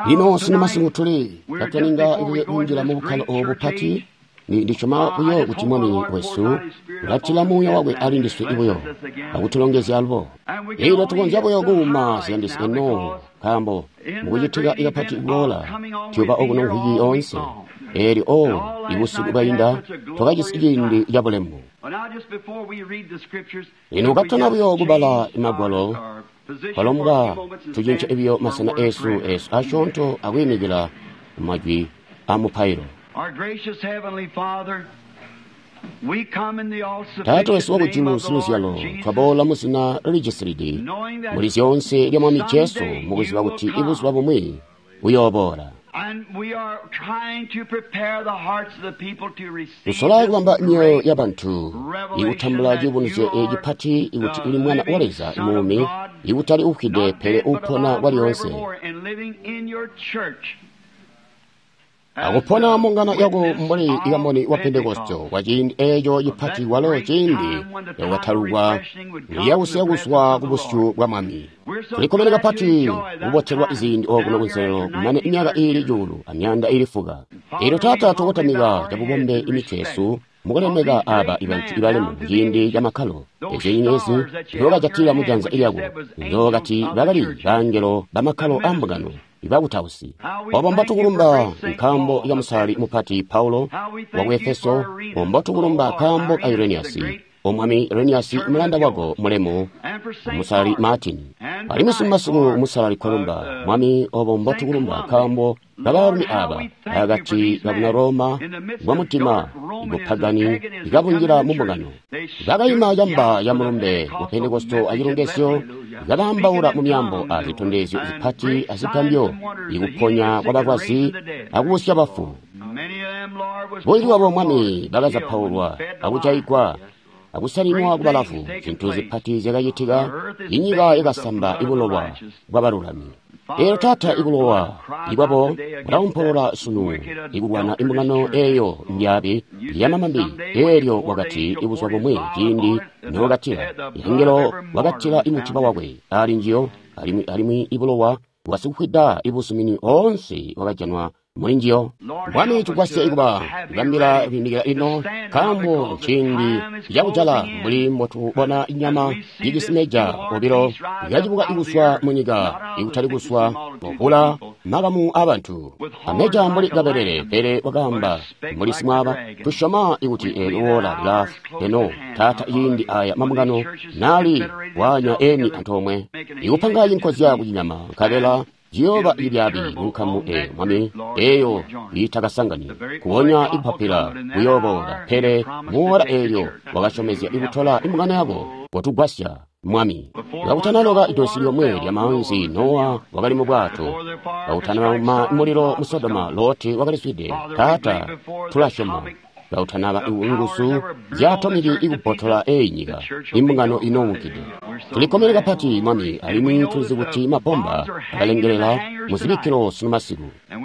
Lino sunu masiku tuli katuninga kunjila mubukkalo obu bupati. Ndisyoma buyo kuti Mwami wesu ulatila Muuya wakwe ali ndiswe buyo akutulongezya alubo. Elyo tukonzya buyo kuuma ziyandisi eno, nkaambo mukucitika kapati kuboola tuyooba okuno mvwiki yoonse. Eelyo ibusiku bwainda twakajisi ciindi cabulemu. Lino katutana buyo kubala Magwalo, twalombwa tucince buyo masena eesu asyoonto akwiimikila majwi amupailo. Taata wesu wakujulu siluzyalo, twaboola muzina lijisilidi muli zyoonse lya Mwami Jesu, mukuziba kuti ibuzuba bumwi buyooboola. Tusola kubamba myoyo yabantu ikutambula ciyubunuzyo cipati ikuti uli Mwana wa Leza muumi, ikutali uufwide pele uupona kwalyoonse, akupona mungano yako mbuli ikamboni wa Pentekoste kwa ciindi eeco cipati, walo ciindi yakatalukwa liyakusiya kuzwa ku busyu bwa Mwami. Tulikkomene kapati kubotelwa ziindi okuno kunselelo kumane myaka iili 1,400. Eelyo Taata, tukotamika cabubombe imitwe yesu mukulemeka aaba ibantu ibalemu ciindi camakkalo. Ezyo nyenyezi nzyookajatila mujanza lyako, nzyookati bakali bangelo bamakkalo aambungano ibakutausi. Obo mbotukulumba nkaambo ka musalali mupati Paulo waku Efeso, mbotukulumba nkaambo ka Ireniyasi, O Mwami Ireniyasi mulanda wako mulemu, musalali Martin. Alimwi sunu masiku musalali Columba, Mwami, obo mbotukulumba nkaambo kabaalumi aaba akati kabuna Roma bwamutima bupagani ikabunjila mumbungano. Bakaima camba ca mulumbe wa Pentekoste acilongezyo, kabaambaula mu myaambo azitondezyo zipati azigambyo, ikuponya kwabalwazi akubusya bafu. Bunji bwabo, Mwami, bakazapaulwa akujaigwa akusalimwa kubalavu. Zintu zipati zyakacitika, inyika yakasamba ibulowa bwabalulami. Eelyo Taata, ibulowa ibwabo bulaumpolola sunu ikulwana imbungano eeyo mbyaabi yamamambi. Eelyo wakati ibuzuba bumwi ciindi nookatila angelo wakatila imutiba wakwe ali njiyo, alimwi ibulowa bwasikufwida ibuzumini oonse wakajanwa muli njiyo. Mwami, tugwasye ikuba kubambila kwiimikila ino, nkaambo nciindi cakujala mbuli mbotubona inyama ijisi meja obilo yacibuka ikuzwa munyika, ikutali kuzwa muvula makamu aabantu ameja mbuli kabelele, pele wakaamba mbuli simwaaba. Tusyoma ikuti eelyo woola lilafu eno, Taata, ciindi aya mambungano naali waanya eni antoomwe ikupanga cinkozya kucinyama, nkabela ciyooba cibyaabi munkamu eeyo, Mwami, eeyo iitakasangani kubonya ikupapila kuyooboola. Pele muwoola eelyo wakasyomezya ikutola imbungano yako, kotugwasya, Mwami. Kakutanaloka idosi lyomwe lyamaanzi, Nowa wakali mu bwato. Kakutanama mulilo mu Sodoma, Loti wakalizwide. Taata, tulasyoma kakutanaba nguzu zya atomiki ikubbotola eyi nyika, imbungano inoonkide. Tulikkomene kapati, Mwami, alimwi tulizi kuti mabomba akalengelela muzibikkilo sunu masiku.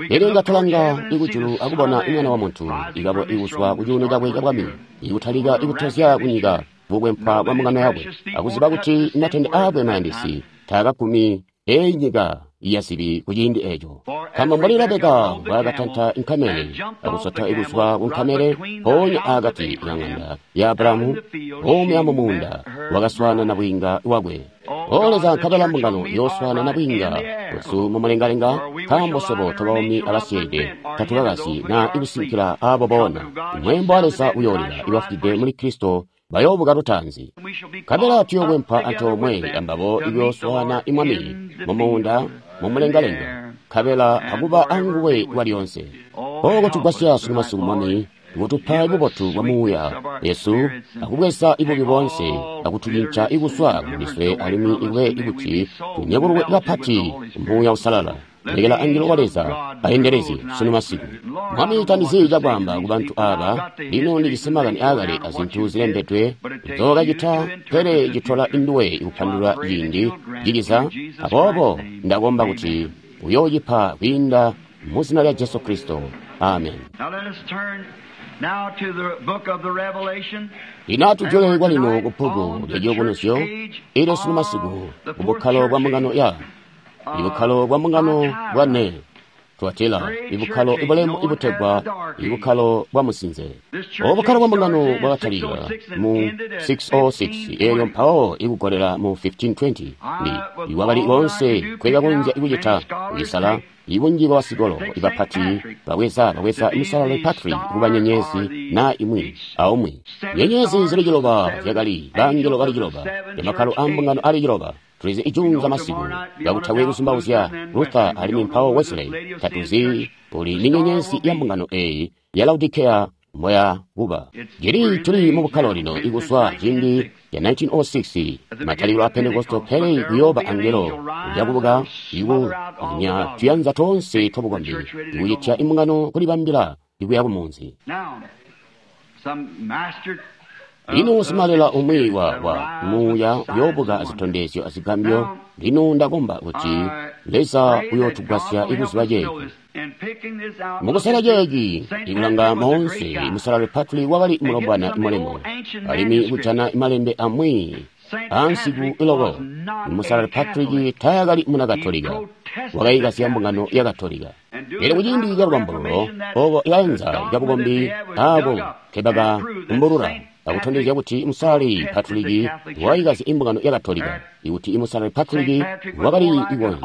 Elyo nga tulanga ikujulu akubona Mwana wa Muntu ikabo ikuzwa kucuuno cakwe cabwami, ikutalika ikutozya kunyika bukwempwa bwa mbungano yakwe, akuziba kuti matende aakwe mayandisi taakagumi eyi nyika yazibi kuciindi eeco. Nkaambo mbuli Rebeka mbwaakatanta inkamele akusota ikuzwa kunkamele mpoonya akati kang'anda ya Abulahamu, buumi amumuunda wakaswaana nabwiinga wakwe. O Leza, nkabela mbungano yooswaana nabwiinga wesu mumulengalenga, nkaambo swebo tobaumi abasyeede tatukakasyi naa ikusinkila aabo boona. Mweembo wa Leza uyoolila, ibafwide muli Kristo bayoobuka lutaanzi. Nkabela tuyookwempwa antoomwe ambabo ikuyooswaana Mwami mumuunda mumulengalenga, nkabela akuba anguwe kwalyoonse. Oko tugwasya sunu masiku, Mwami, kutupa bubotu bwa Muuya yesu akubweza ibubi boonse akutucinca ikuzwa kulindiswe, alimwi ikube ikuti tunyakulwe kapati Muuya Usalala. Lekela angelo wa Leza aendelezye sunu masiku. Mwami, tandizi cakwaamba kubantu aaba. Lino ndijisi makani aakale azintu zilembedwe nzookacita, pele citola induwe ikupandulula ciindi ciciza. Aboobo ndakomba kuti uyoocipa kwiinda muzina lya Jesu Kristo. Amen. Lino atujule kwalino ku bbuku lya Ciyubunuzyo. Elyo sunu masiku kubukkalo bwa mbungano ya ibukkalo bwa mbungano bwane. Tuatila, ibukkalo ibulemu ibutegwa ibukkalo bwa musinze. Obu bukkalo bwa mbungano bwakatalika mu 606 eelyo mpawo ikugolela mu 1520. Ndi iwakali konse kwekakonzya ikucita kucisala ibunji bwa basikolo ibapati babweza musalali Patrick kuba nyenyezi na imwi aumwi. Nyenyezi zili ciloba zyakali bangelo bali ciloba, emakkalo a mbungano ali ciloba. Tulizi ijunza masiku kakutakwe kuzumbauzya Luther alimwi mpawo Wesley. Tatuzi uli ni nyenyezi ya mbungano eyi ya Laodicea moya kuba. Jili tuli mu bukkalo lino ikuswa ciindi ya 1906 matalikilo a Pentecostal, pele kuyooba angelo uyakubuka ikunya tuyanza tonse twabukombi ikucitya imbungano kulibambila ikuya kumunzi. Lino simalela umwi wa muuya uyoobuka azitondezyo azigambyo. Lino ndakomba kuti Leza uyootugwasya ikuziba ceeci. Mukusala ceeci ikulanga moonse, musalali Patrick wakali mulombwana mulemu, alimwi kujana imalembe amwi ansiku iloko. Musalali Patrick taakali muna Katolika, wakayikasya mbungano ya Katolika. Pele kuciindi ca lubambululo obo ikaenza kabukombi aabo nkebakakumbulula akutondezya kuti musalali Patrick wakayikasya imbungano ya Katolika, ikuti musalali Patrick wakali ikonzya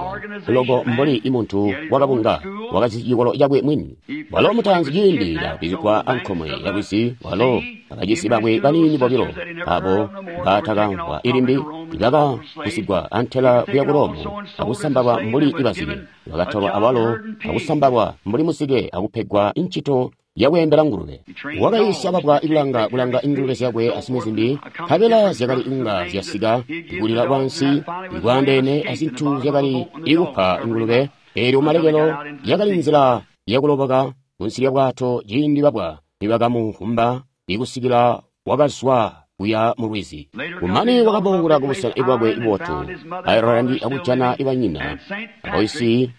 loko mbuli imuntu wakabunga wakajisi cikolo cakwe mwini. Walo mutaanzi ciindi kakwizigwa ankomwe yakwisi, walo akajisi bakwe baniini bobilo abo batakamvwa ilimbi ibakagusigwa antela kuya ku Roma akusambalwa mbuli ibazike. Bakatolwa awalo akusambalwa mbuli muzike akupegwa incito yakweembela ngulube. Wakayiisya babwa ikulanga kulanga ingulube zyakwe azimwi zimbi, nkabela zyakali inga zyasika ikulila kwansi ikwaandeene azintu zyakali ikupa ingulube. Eelyo kumalekelo yakali nzila yakuloboka kunsi lya bwato ciindi babwa nibakamukumba ikusikila wakazwa kuya mu lwizi. Kumane wakaboola kubusena bwakwe ibotu Ireland akujana ibanyina aboisi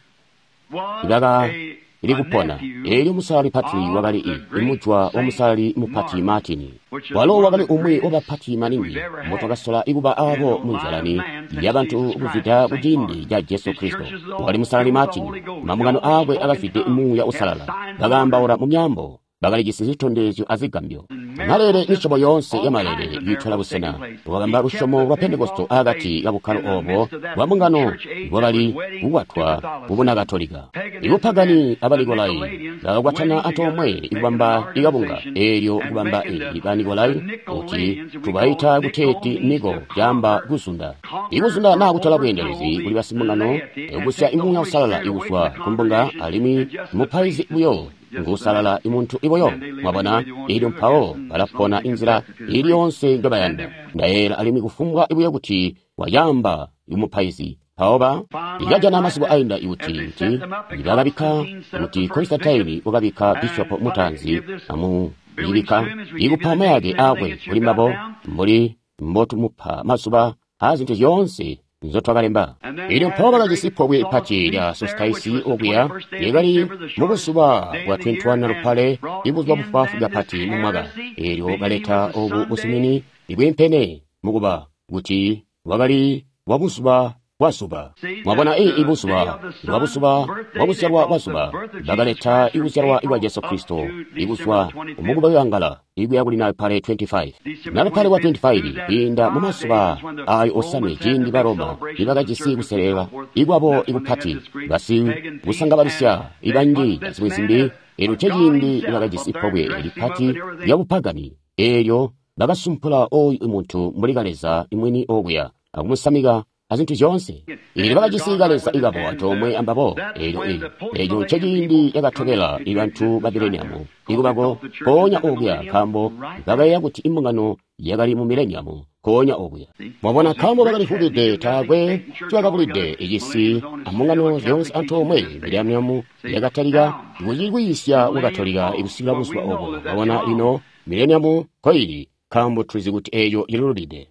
ibakali kupona. Eelyo musalali Patrick wakali imujwa wa musalali mupati Martin. Walo wakali umwi wabapati maningi mbotwakasola ikuba aabo munzalani yabantu kuzwida kuciindi ca Jesu Kristo. Wakali musalali Martin, mambungano aakwe akazwide muuya usalala, bakaambaula mu myaambo, bakalijisi zitondezyo azigambyo. Malele misyobo yoonse ya malele yiitola busena. Wakamba lusyomo lwa Pentekosto akati kabukkalo obo bwa mbungano bwakali kukwatwa kubuna Katolika. Ibupagani abanikolai bakakwatana antoomwe ikubamba ikabunga eelyo kubamba banikolai kuti tubaita kuteeti niko caamba kuzunda. Ikuzunda naa kutola bweendelezi kuli basimbungano, kusya imuuya usalala ikuzwa kumbunga alimwi mupaizi buyo ngusalala imuntu iboyo. Mwabona, eelyo mpawo balapona inzila ili yonse njobayanda. Ndayeela alimwi kufumbwa ibuyo kuti wayamba imupaizi mpawo ba ikajana masiku ainda ikuti kuti bakabikka kuti Constantine wakabikka bishopo mutaanzi amuyibikka ikupa mayake aakwe kuli mbabo mbuli mbotumupa mazuba aazintu zyoonse nzotwakalemba. Eelyo mpawo bakajisi pobwe pati lya solstice okuya lyakali mubuzuba bwa 21 Lupale, ibuzuba bufwaafwi kapati mu mwaka. Eelyo baleta obu busumini ibwiimpene mukuba kuti bwakali bwa buzuba bwa zuba. Mwabona, ibuzuba bwa buzuba bwa kuzyalwa kwa zuba, bakaleta ikuzyalwa kwa Jesu Kristo ikuzwa mukuba wangala ikuya kuli Nalupale 25. Nalupale wa 25 kwiinda mu mazuba ayo osanwe ciindi ba Roma nibakajisi kuselela ikwabo ikupati basi kusangabalisya ibanji azimwi zimbi. Eelyo ceciindi nibakajisi pobwe lipati lya bupagani, eelyo bakasumpula oyu muntu mbuli kaleza imwini okuya akumusamika azintu zyoonse. Eelyo bakajisi kaleza ikabo antoomwe ambabo. Eelyo eeco nceciindi cakatobela ibantu ba mileniamu ikubako mpoonya okuya, nkaambo bakayeeya kuti imbungano yakali mu mileniamu nkoonya okuya. Mwabona, nkaambo bakalivubide, taakwe ncibakabulide icisi ambungano zyoonse antoomwe. Mileniamu yakatalika kucikwiisya kwa Katolika ikusikila buzuba obo. Mwabona, lino mileniamu nkoili, nkaambo tulizi kuti eeyo ilulide.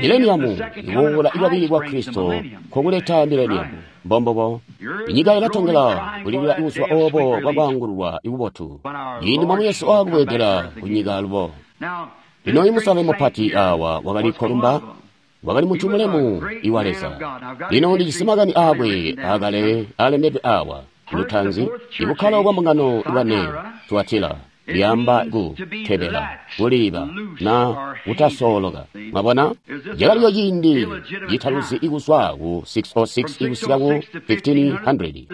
Mileniamu ikuboola ikwabili kwa Kristo nkokuleta mileniamu. Mbombobo inyika ilatongela kulilila ibuzuba obo bwakwaangululwa ikubotu ciindi Mwami Yesu aakubweedela kunyika alubo. Lino imusale mupati awa wakali Kolumba, wakali muntu mulemu iwa Leza. Lino ndijisi makani aakwe akale alembedwe awa. Lutaanzi, ibukkalo bwa mbungano bwane, Tuatila, lyaamba ku tebela, kuliiba, na kutasooloka. Mwabona? Cakaliyo ciindi citaluzi ikuzwa ku 606 ikusika ku 1500.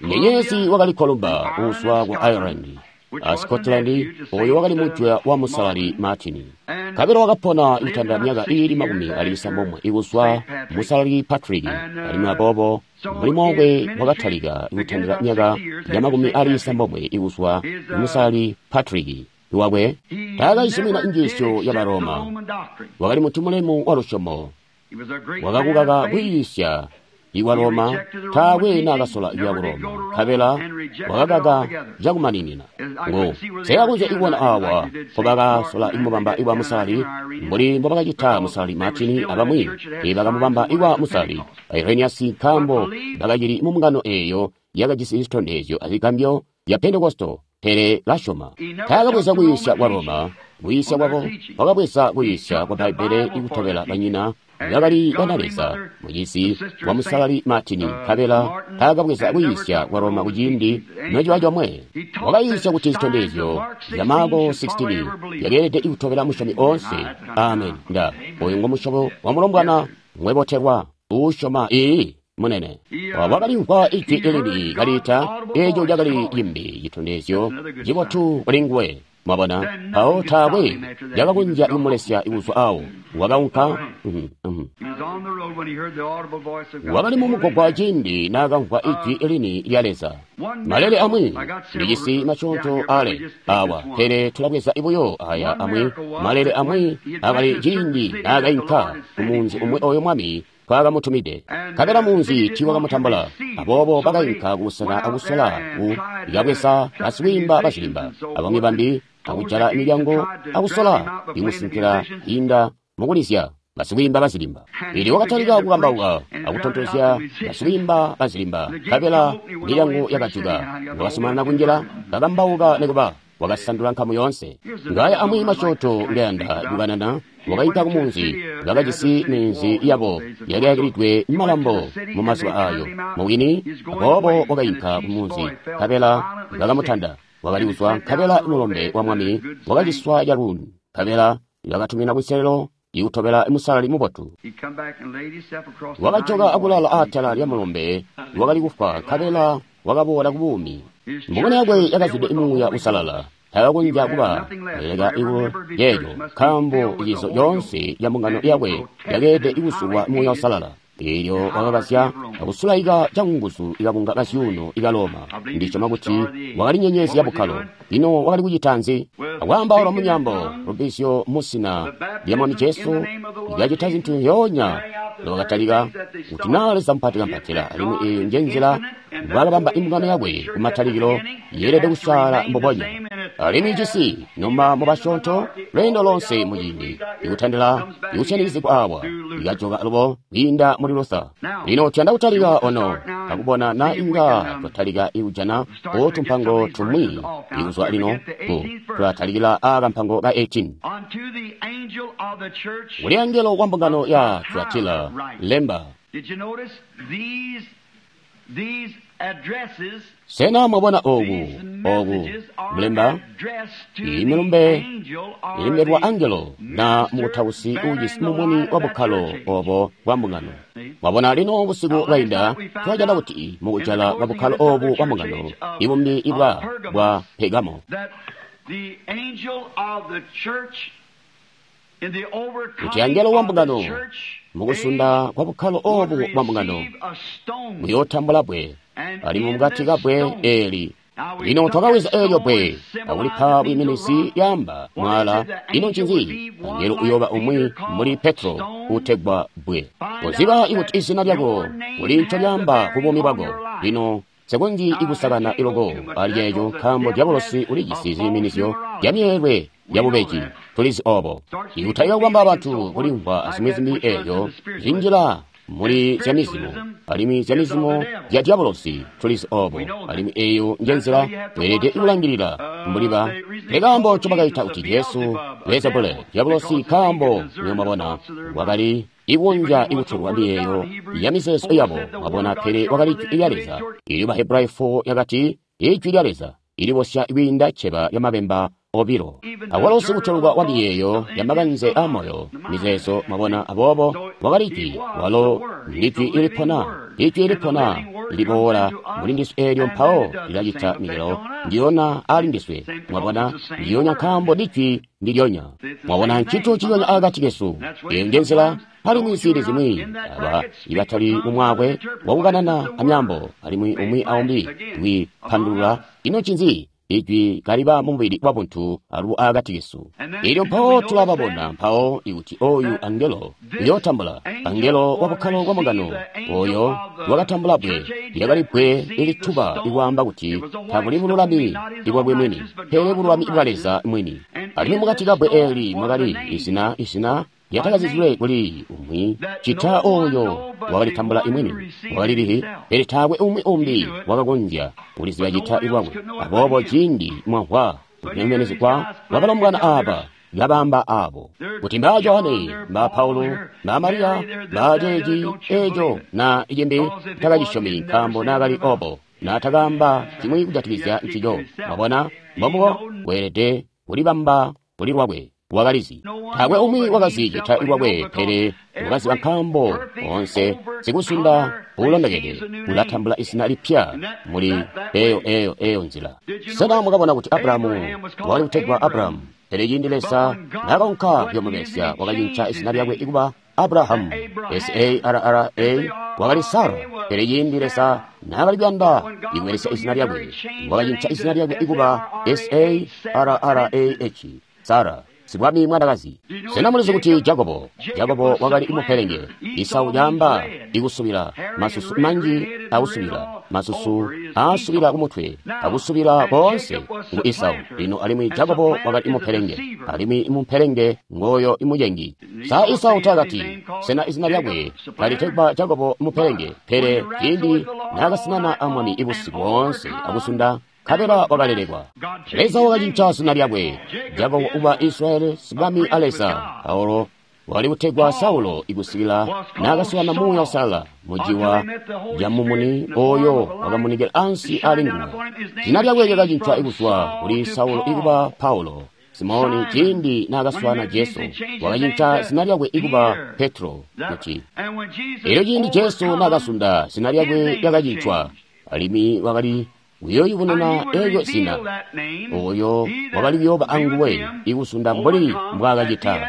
Nyenyezi wakali Columba kuzwa ku Ireland a Scotland, oyo wakali mujwa wa Musalali Martin. Kabelo wakapona ikutandila myaka iili 69 ikuzwa Musalali Patrick, alimwi aboobo mulimo wakwe wakatalika ikutandila myaka ya 70 ikuzwa Musalali Patrick. Iwakwe taakaizumina njiisyo ya Baroma. Wakali muntu mulemu wa lusyomo, wakakukaka kwiisya iwa Roma, taakwe naakasola kuya ku Roma, nkabela wakakaka cakumaninina. Ngo sekakonzya ikubona awa mpobakasola ikumubamba iwa Musalali mbuli mbobakacita Musalali Martin abamwi bakamubamba iwa Musalali Irenaeus, nkaambo bakacili mu mbungano eeyo yakajisi zitondezyo azigambyo ya Pentekosto. Pele lasyoma taakabweza kwiisya kwa Roma, kwiisya kwabo wakabweza kwiisya kwa Bbaibbele ikutobela banyina bakali banaleza mucizi wa Musalali Martin, nkabela taakabweza kwiisya kwa Roma kuciindi nociba comwe. Wakayiisya kuti zitondezyo zya Marko 16 yakeelede ikutobela musyomi oonse. Amen. Nda oyu ngo musyobo wa mulombwana mwebotelwa uusyoma. Ii munene wakalimvwa ijwi elili kaliita, eeco cakali cimbi citondezyo cibotu kuli nguwe. Mwabona, mpawo taakwe cakakonzya kumulesya kuzwa awo. Wakaunka. Wakali mumugwagwa ciindi naakamvwa ijwi lini lya Leza. Malele amwi ndijisi masyoonto ale awa, pele tulabweza buyo aya amwi. Malele amwi akali ciindi naakainka kumunzi umwi oyo Mwami twakamutumide, nkabela munzi tiiwakamutambula. Aboobo bakainka kubusena akusola ku ikabweza basikwiimba bazilimba abamwi bambi, akujala milyango akusola ikusinkila inda mukulizya basikwiimba bazilimba. Ili wakatalika kukambauka akutontozya basikwiimba bazilimba, nkabela milyango yakajuka. Wakazumanana kunjila kakambauka nikuba wakasandula nkamu yoonse. Ngaya amwi masyoonto ngayanda kukanana. Wakainka kumunzi, bakajisi minzi yabo yakayakilidwe malambo mu mazuba ayo mubwini. Aboobo wakainka kumunzi, nkabela bakamutanda. Wakali kuzwa, nkabela mulombe wa Mwami wakaciswa caluuni, nkabela bakatumina kunselelo ikutobela Musalali mubotu. Wakajoka akulala atala lya mulombe wakali kufwa, nkabela wakaboola kubuumi. Mbungano yakwe yakazwide Muuya Uusalala. Takakonzya kuba leka iku yeeyo, nkaambo cizo coonse ca mbungano yakwe yakeelede ikusulwa Muuya Uusalala. Eelyo wakakazya akusulaika canguzu ikabunga kazyuuno ika Roma. Ndisyoma kuti wakali nyenyezi ya bukkalo. Lino wakali kucita nzi? Akwaambaula munyambo lubbizyo musina lya Mwami Jesu lyacita zintu zyoonya. Lwakatalika kuti naa Leza mupati kampatila, alimwi eeyo njenzila mbwaakabamba imbungano yakwe kumatalikilo, yeelede kusaala mbubonya. Alimwi cisi noma mubasyoonto lweendo lonse muciindi ikutandila ikusyanikizigwa awa ikajoka alubo kwiinda muli Luther. Lino tuyanda kutalika ono akubona na inga twatalika ikujana otumpango tumwi ikuzwa lino ku tulatalikila akampango ka 18. Kuli angelo wa mbungano ya Tuatila lemba. Sena mwabona oku mulemba iyi milumbe ilembelwa angelo na mukutausi uujisi mumuni wa bukkalo obo bwa mbungano. Mwabona lino busiku bwainda twajana kuti mukujala kwa bukkalo obu bwa mbungano ibumbi ibwa bwa Pegamo, kuti angelo wa mbungano mukusunda kwa bukkalo obu bwa mbungano muyootambula bwe, alimwi mukati kabwe eli. Lino twakaweza eelyo bwe akulipa bwiiminizi yaamba mwala. Ino ncinzi? Angelo uyooba umwi muli Petro utegwa bwe. Koziba ikuti izina lyako kuli ncolyaamba ku buumi bwako. Lino sekonzyi ikusakana iloko ali ceeco, nkaambo diabolosi ulijisi ziiminizyo zya myeelwe yabubeji. Tulizi obo. Ikutalika kubamba bantu kulimvwa azimwi zimbi eeyo zinjila Muli zyamizimo, alimwi zyamizimo zya dyabolosi, tulizi obo, alimwi eyo nje nzila tweelede kulangilila mbuli ba. Pele kaambo ncobakaita kuti Jesu Beelzebule, dyabolosi, nkaambo, nywebo mwabona, wakali ikunja ikutolwa miyeeyo ya mizeezo yabo, mwabona, pele wakali Ijwi lya Leza. Elyo Bahebrayo 4 yakati, Ijwi lya Leza ilibosya kwiinda cceba lya mabemba obilo. Awalo sikutolwa wa miyeeyo ya makanze a moyo, mizeezo, mwabona, aboobo wakali Ijwi, walo ndijwi ilipona, Ijwi ilipona liboola muli ndiswe eelyo mpawo lilacita micelo ndiyona ali ndiswe, mwabona, ndiyonya nkaambo ndijwi ndilyonya. Mwabona, ncintu ciyonya akati kesu. Eyo nje nzila, alimwi ziindi zimwi aba ibatali mumwaakwe wakukanana amyaambo, alimwi umwi aumbi wipandulula ino ncinzi Ijwi kaliba mumubili wabuntu alubo akati kesu. Elyo mpawo tulababona mpawo ikuti oyu angelo uyootambula, angelo wa bukkalo bwa mbungano, oyo wakatambula bbwe, lyakali bbwe ilituba ikwaamba kuti tabuli bululami ibwakwe mwini, pele bululami bwa Leza mwini. Alimwi mukati ka bbwe eeli mwakali izina, izina lyatakazizilwe kuli umwi cita oyo wakalitambula imwini, wakalilihi, pele taakwe umwi umbi wakakonzya kuliziba cita lwakwe. Aboobo ciindi mwamvwa kunemenezegwa kwabalombwana aaba, kabamba abo kuti mbaa Johane, mbaa Paulo, mbaa Mariya, mbaa ceeci eco na cimbi, takacisyomi nkaambo naakali obo, naatakaamba cimwi kujatikizya ncico. Mwabona, mbombubo weelede kulibamba kuli lwakwe. Wakalizi taakwe umwi wakazi cita lwakwe, pele wakaziba nkaambo onse sikusunda uulondokede ulatambula izina lipya muli eyo eyo eyo nzila. Sena mwakabona kuti Abrahamu wakali kutegwa Abrahamu, pele ciindi Leza naakaunka kuyomubelesya wakacinca izina lyakwe kuba Abrahamu, S-A-R-R-A, wakali Sara, pele ciindi Leza naakali kuyanda ikubelesya izina lyakwe wakacinca izina lyakwe kuba S-A-R-R-A-H, Sara, sibwami mwanakazi. Sena mulizi kuti Jakobo, Jakobo wakali imupelenge, Isau lyaamba ikusubila, masusu manji akusubila, masusu aasubila kumutwe, akusubila koonse ngu Isau. Lino alimwi Jakobo wakali imupelenge, alimwi imupelenge ngoyo imucengi. Sa Isau takati, sena izina lyakwe kalitegwa Jakobo mupelenge, pele ciindi naakasinana amwami ibusiku boonse akusunda, nkabela wakalelekwa. Leza wakacinca zina lyakwe, Jakobo uba Israyeli, sibwami a Leza. Paulo wakali kutegwa Saulo ikusikila naakaswaana Muuya Uusalala muciwa camumuni oyo wakamunikila ansi ali nguwe. Zina lyakwe lyakacincwa kuzwa kuli Saulo ikuba Paulo. Simoni ciindi naakaswaana Jesu wakacinca zina lyakwe ikuba Petro kuti. Elyo ciindi Jesu naakasunda zina lyakwe lyakacincwa, alimwi wakali kuyoyubununa elyo zina, oyo wakali kuyooba anguwe ikusunda mbuli mbwaakacita.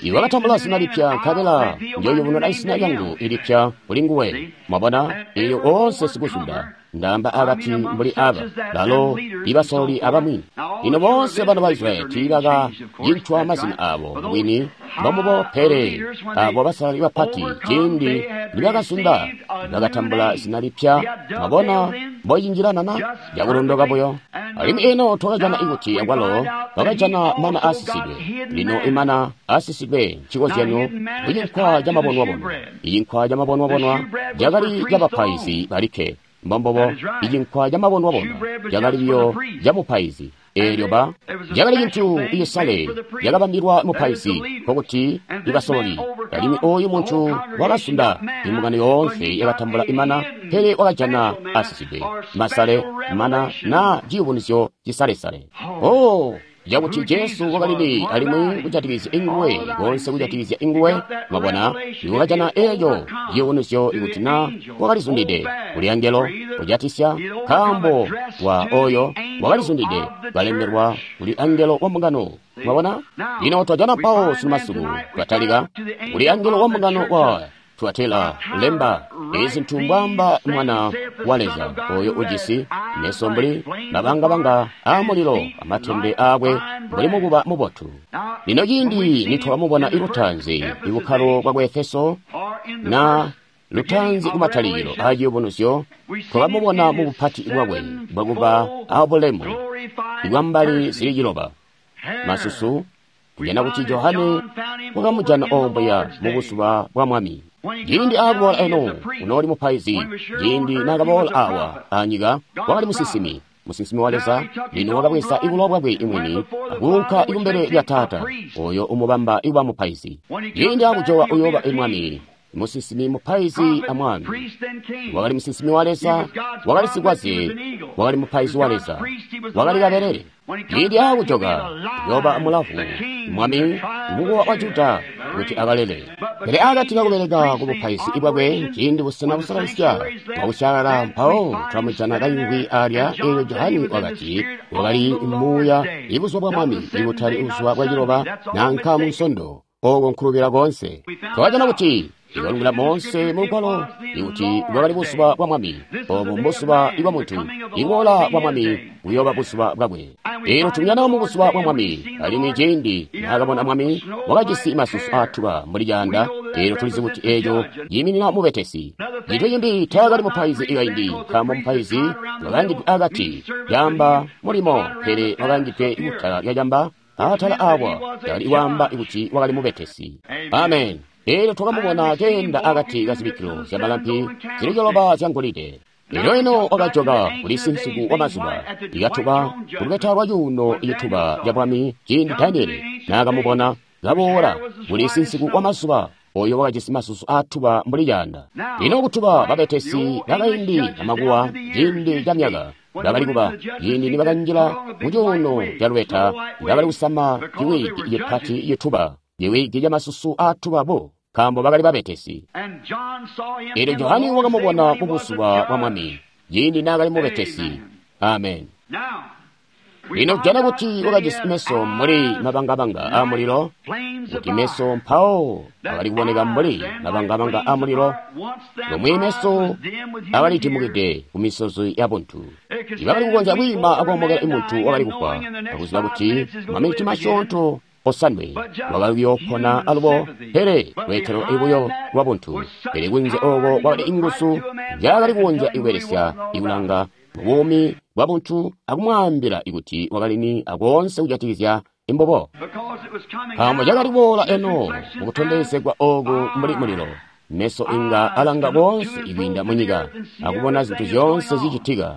Iwe wakatambula zina lipya, nkabela njoyubununa izina lyangu ilipya kuli nguwe. Mwabona, elyo oonse sikusunda, ndaamba akati mbuli aba, balo ibasololi abamwi. Lino boonse bana ba Israyeli tiibakacincwa mazina abo bwini mbombubo, pele abo basalali bapati ciindi nibakasunda bakatambula zina lipya. Mwabona mbocinjilanana cakulondoka buyo. Alimwi eno twakajana ikuti akwalo bakajana mana aasisidwe. Lino imana aasisidwe ncikozyanyo kucinkwa camabonwabonwa. Icinkwa camabonwabonwa cakali cabapaizi balikke. Mbombobo icinkwa camabonwabonwa cakali biyo camupaizi. Eelyo ba cakali cintu icisale cakabambilwa mupaizi, nkokuti ibasololi. Alimwi oyu muntu wakasunda imbungano yoonse yakatambula imana, pele wakajana asisidwe masale mana na ciyubunuzyo cisalesale. Oh, cakuti Jesu wakalili alimwi kujatikizya inguwe, konse kujatikizya inguwe. Mwabona, iwakajana eeco ciyubunuzyo ikuti na wakalizundide kuli angelo kujatisya nkaambo wa oyo wakalizundide kalemberwa kuli angelo wa mbungano. Mwabona, lino twajana mpawo sunu masiku twatalika kuli angelo wa mbungano wa Tuatela lemba ezi zintu mbwaamba Mwana wa Leza oyo ujisi meso mbuli mabangabanga aamulilo amatembe aakwe mbuli mukuba mubotu. Lino ciindi nitwakamubona ilutaanzi ibukkalo bwa ku Efeso na lutaanzi kumatalikilo aa ciyubunuzyo, twakamubona mu bupati bwakwe bwakuba abulemu ibwambali zili ciloba masusu. Kujana kuti Johane wakamujana obuya mu buzuba bwa Mwami. Ciindi aakuboola eno, unooli mupaizi. Ciindi naakaboola awa anyika, wakali musinsimi, musinsimi wa Leza. Lino wakabweza ibulowa bwakwe imwini akuunka ikumbele lya Taata, oyo umubamba ikuba mupaizi. Ciindi aakujoka uyooba imwami, musinsimi, mupaizi amwami. Wakali musinsimi wa Leza, wakali sikwaze, wakali mupaizi wa Leza, wakali kabelele. Ciindi aakujoka uyooba mulavu, mwami, mukowa wa Juda, kuti akalele. Pele akati kakubeleka ku bupaizi bwakwe, ciindi busena busalalisya bwakusyalala, mpawo twamujana kayungwi alya. Eelyo Johani wakati wakali muuya ibuzuba bwa Mwami, ibutali buzuba bwa ciloba nanka mu Nsondo. Oko nkulubila koonse. Twakajana kuti ikalungila moonse mulugwalo ikuti bwakali buzuba bwa Mwami. Obo mbuzuba bwa muntu. Iboola bwa Mwami buyooba buzuba bwakwe. Eelyo tumujana mu buzuba bwa Mwami. Alimwi ciindi naakabona Mwami, wakajisi masusu aatuba mbuli caanda. Eelyo tulizi kuti eeco ciiminina mubetesi. Cintu cimbi, taakali mupaizi ikaindi, nkaambo mupaizi wakaangidwe akati camba mulimo, pele wakaangidwe kutala lya camba atala awa cakali kwaamba kuti wakali mubetesi. Amen. Eelyo twakamubona keenda akati ka zibikkilo zyamalampi zili ciloba zyangolide. Elyo eno wakajoka kuli sinsiku wa mazuba ikatuba kulubeta lwa cuuno icituba ca bwami. Ciindi Daniele naakamubona kaboola kuli sinsiku wa mazuba, oyo wakajisi masusu aatuba mbuli caanda. Lino kutuba babetesi bakaindi amakuwa ciindi ca myaka bakali kuba, ciindi nibakanjila mu cuuno ca lubeta, bakali kusama ciwigi cipati cituba, ciwigi ca masusu aatuba bo, nkaambo bakali babetesi. Eelyo Johani wakamubona mu buzuba bwa Mwami, ciindi naakali mubetesi. Amen. Lino kujana kuti wakajisi meso mbuli mabangabanga amulilo, kuti meso mpawo akali kuboneka mbuli mabangabanga amulilo, lomwe meso akalitimukide ku misozi ya buntu. Ibakali kukonzya kwiima akoomokela imuntu wakali kufwa, akuziba kuti maminiti masyoonto osanwe wakali kuyoopona alubo, pele lweetelo ibuyo lwa buntu. Pele kunze ooko kwakali inguzu nzyaakali kukonzya ikubelesya ikulanga mubuumi bwa buntu akumwaambila ikuti wakali ni akoonse kujatikizya imbobo, nkaambo cakali kuboola eno mukutondezegwa ooku mbuli mulilo. Meso inga alanga koonse ikwiinda munyika akubona zintu zyoonse zicitika.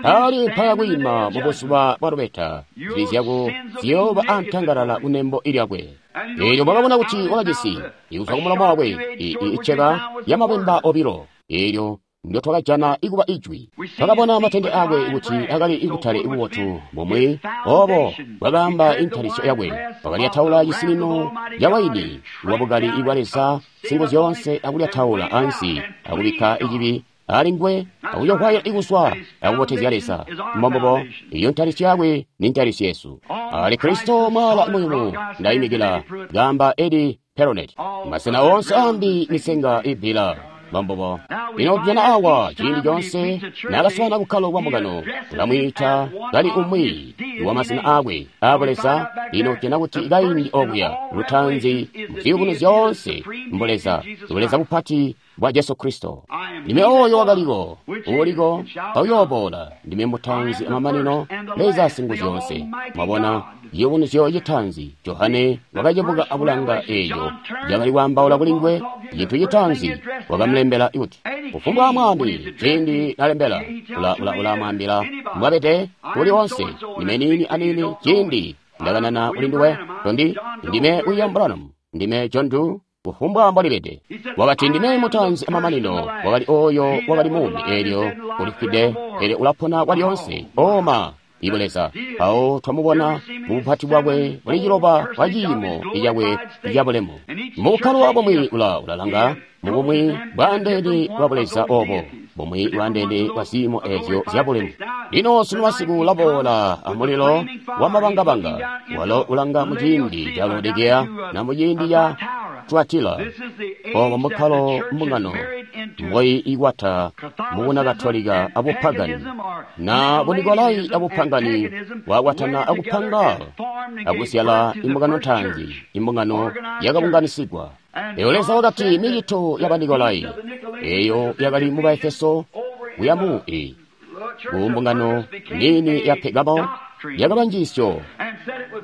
Ali mpaya kwiima mu buzuba bwa lubeta, zibi zyako ziyooba antangalala kunembo ilyakwe. Eelyo mwakabona kuti wakajisi ikuzwa kumulomo wakwe iceba yamabwemba obilo, eelyo ndyo twakajana ikuba ijwi. Twakabona matende akwe kuti akali ikutale ibubotu bumwi obo bwakaamba intalisyo yakwe. Wakalyataula cisinino ca waini wabukali ibwa Leza singu zyoonse, akulyataula ansi, akubikka icibi ali nguwe, akuyohwaya ikuswa akubotezya Leza. Mbombubo, iyo ntalisyo yakwe ni ntalisyo yesu. Ali Kristo mwala muyumu ndayimikila, gamba Edi Peronet. Masena onse ambi misenga ibila. Mbombubo. Lino tujana awa ciindi coonse naakaswaana bukkalo bwa mbungano, ulamwiita kali umwi wa masena aakwe aabuleza. Lino tujana kuti kaindi okuya lutaanzi muziyubuno zyoonse mbuleza, buleza bupati bwa Jesu Kristo. Ndime oyo wakaliko, uuliko, auyooboola. Ndime mutaanzi amamanino, Leza Singuzyoonse. Mwabona ciyubunuzyo citaanzi, Johane wakacebuka akulanga eeco cakali kwaambaula kuli nguwe. Cintu citaanzi wakamulembela kuti, kufumbwa mwambi ciindi nalembela ulamwaambila mbwabede kuli onse. Ndime niini aniini ciindi ndakanana kuli nduwe, tondi ndime William Branham, ndime John Doe, kufumbwa mbwalibede. Wakati ndime mutaanzi amamanino, wakali oyo wakali muumi eelyo ulifwide, pele ulapona kwalyonse. Oma ibuleza. Mpawo twamubona mubupati bwakwe buli ciloba bwa ciimo icakwe icabulemu. Mubukkalo bumwi ulalanga mubumwi bwaandeene bwa buleza obo, bumwi bwaandeene bwa ziimo eezyo zyabulemu. Lino sunu masiku ulaboola amulilo wamabangabanga, walo ulanga muciindi ca Laodikeya na muciindi ca Tuatila. Obo mbukkalo mbungano mboi ikwata mubuna Katolika abupagani na Bunikolai abupangani bwakwatana akupanga akusyala imbungano ntaanzi, imbungano yakabunganisigwa. Eyo Leza wakati micito ya Banikolai eyo yakali mu Baefeso kuya mu ku mbungano nini ya Pegamo yakaba njiisyo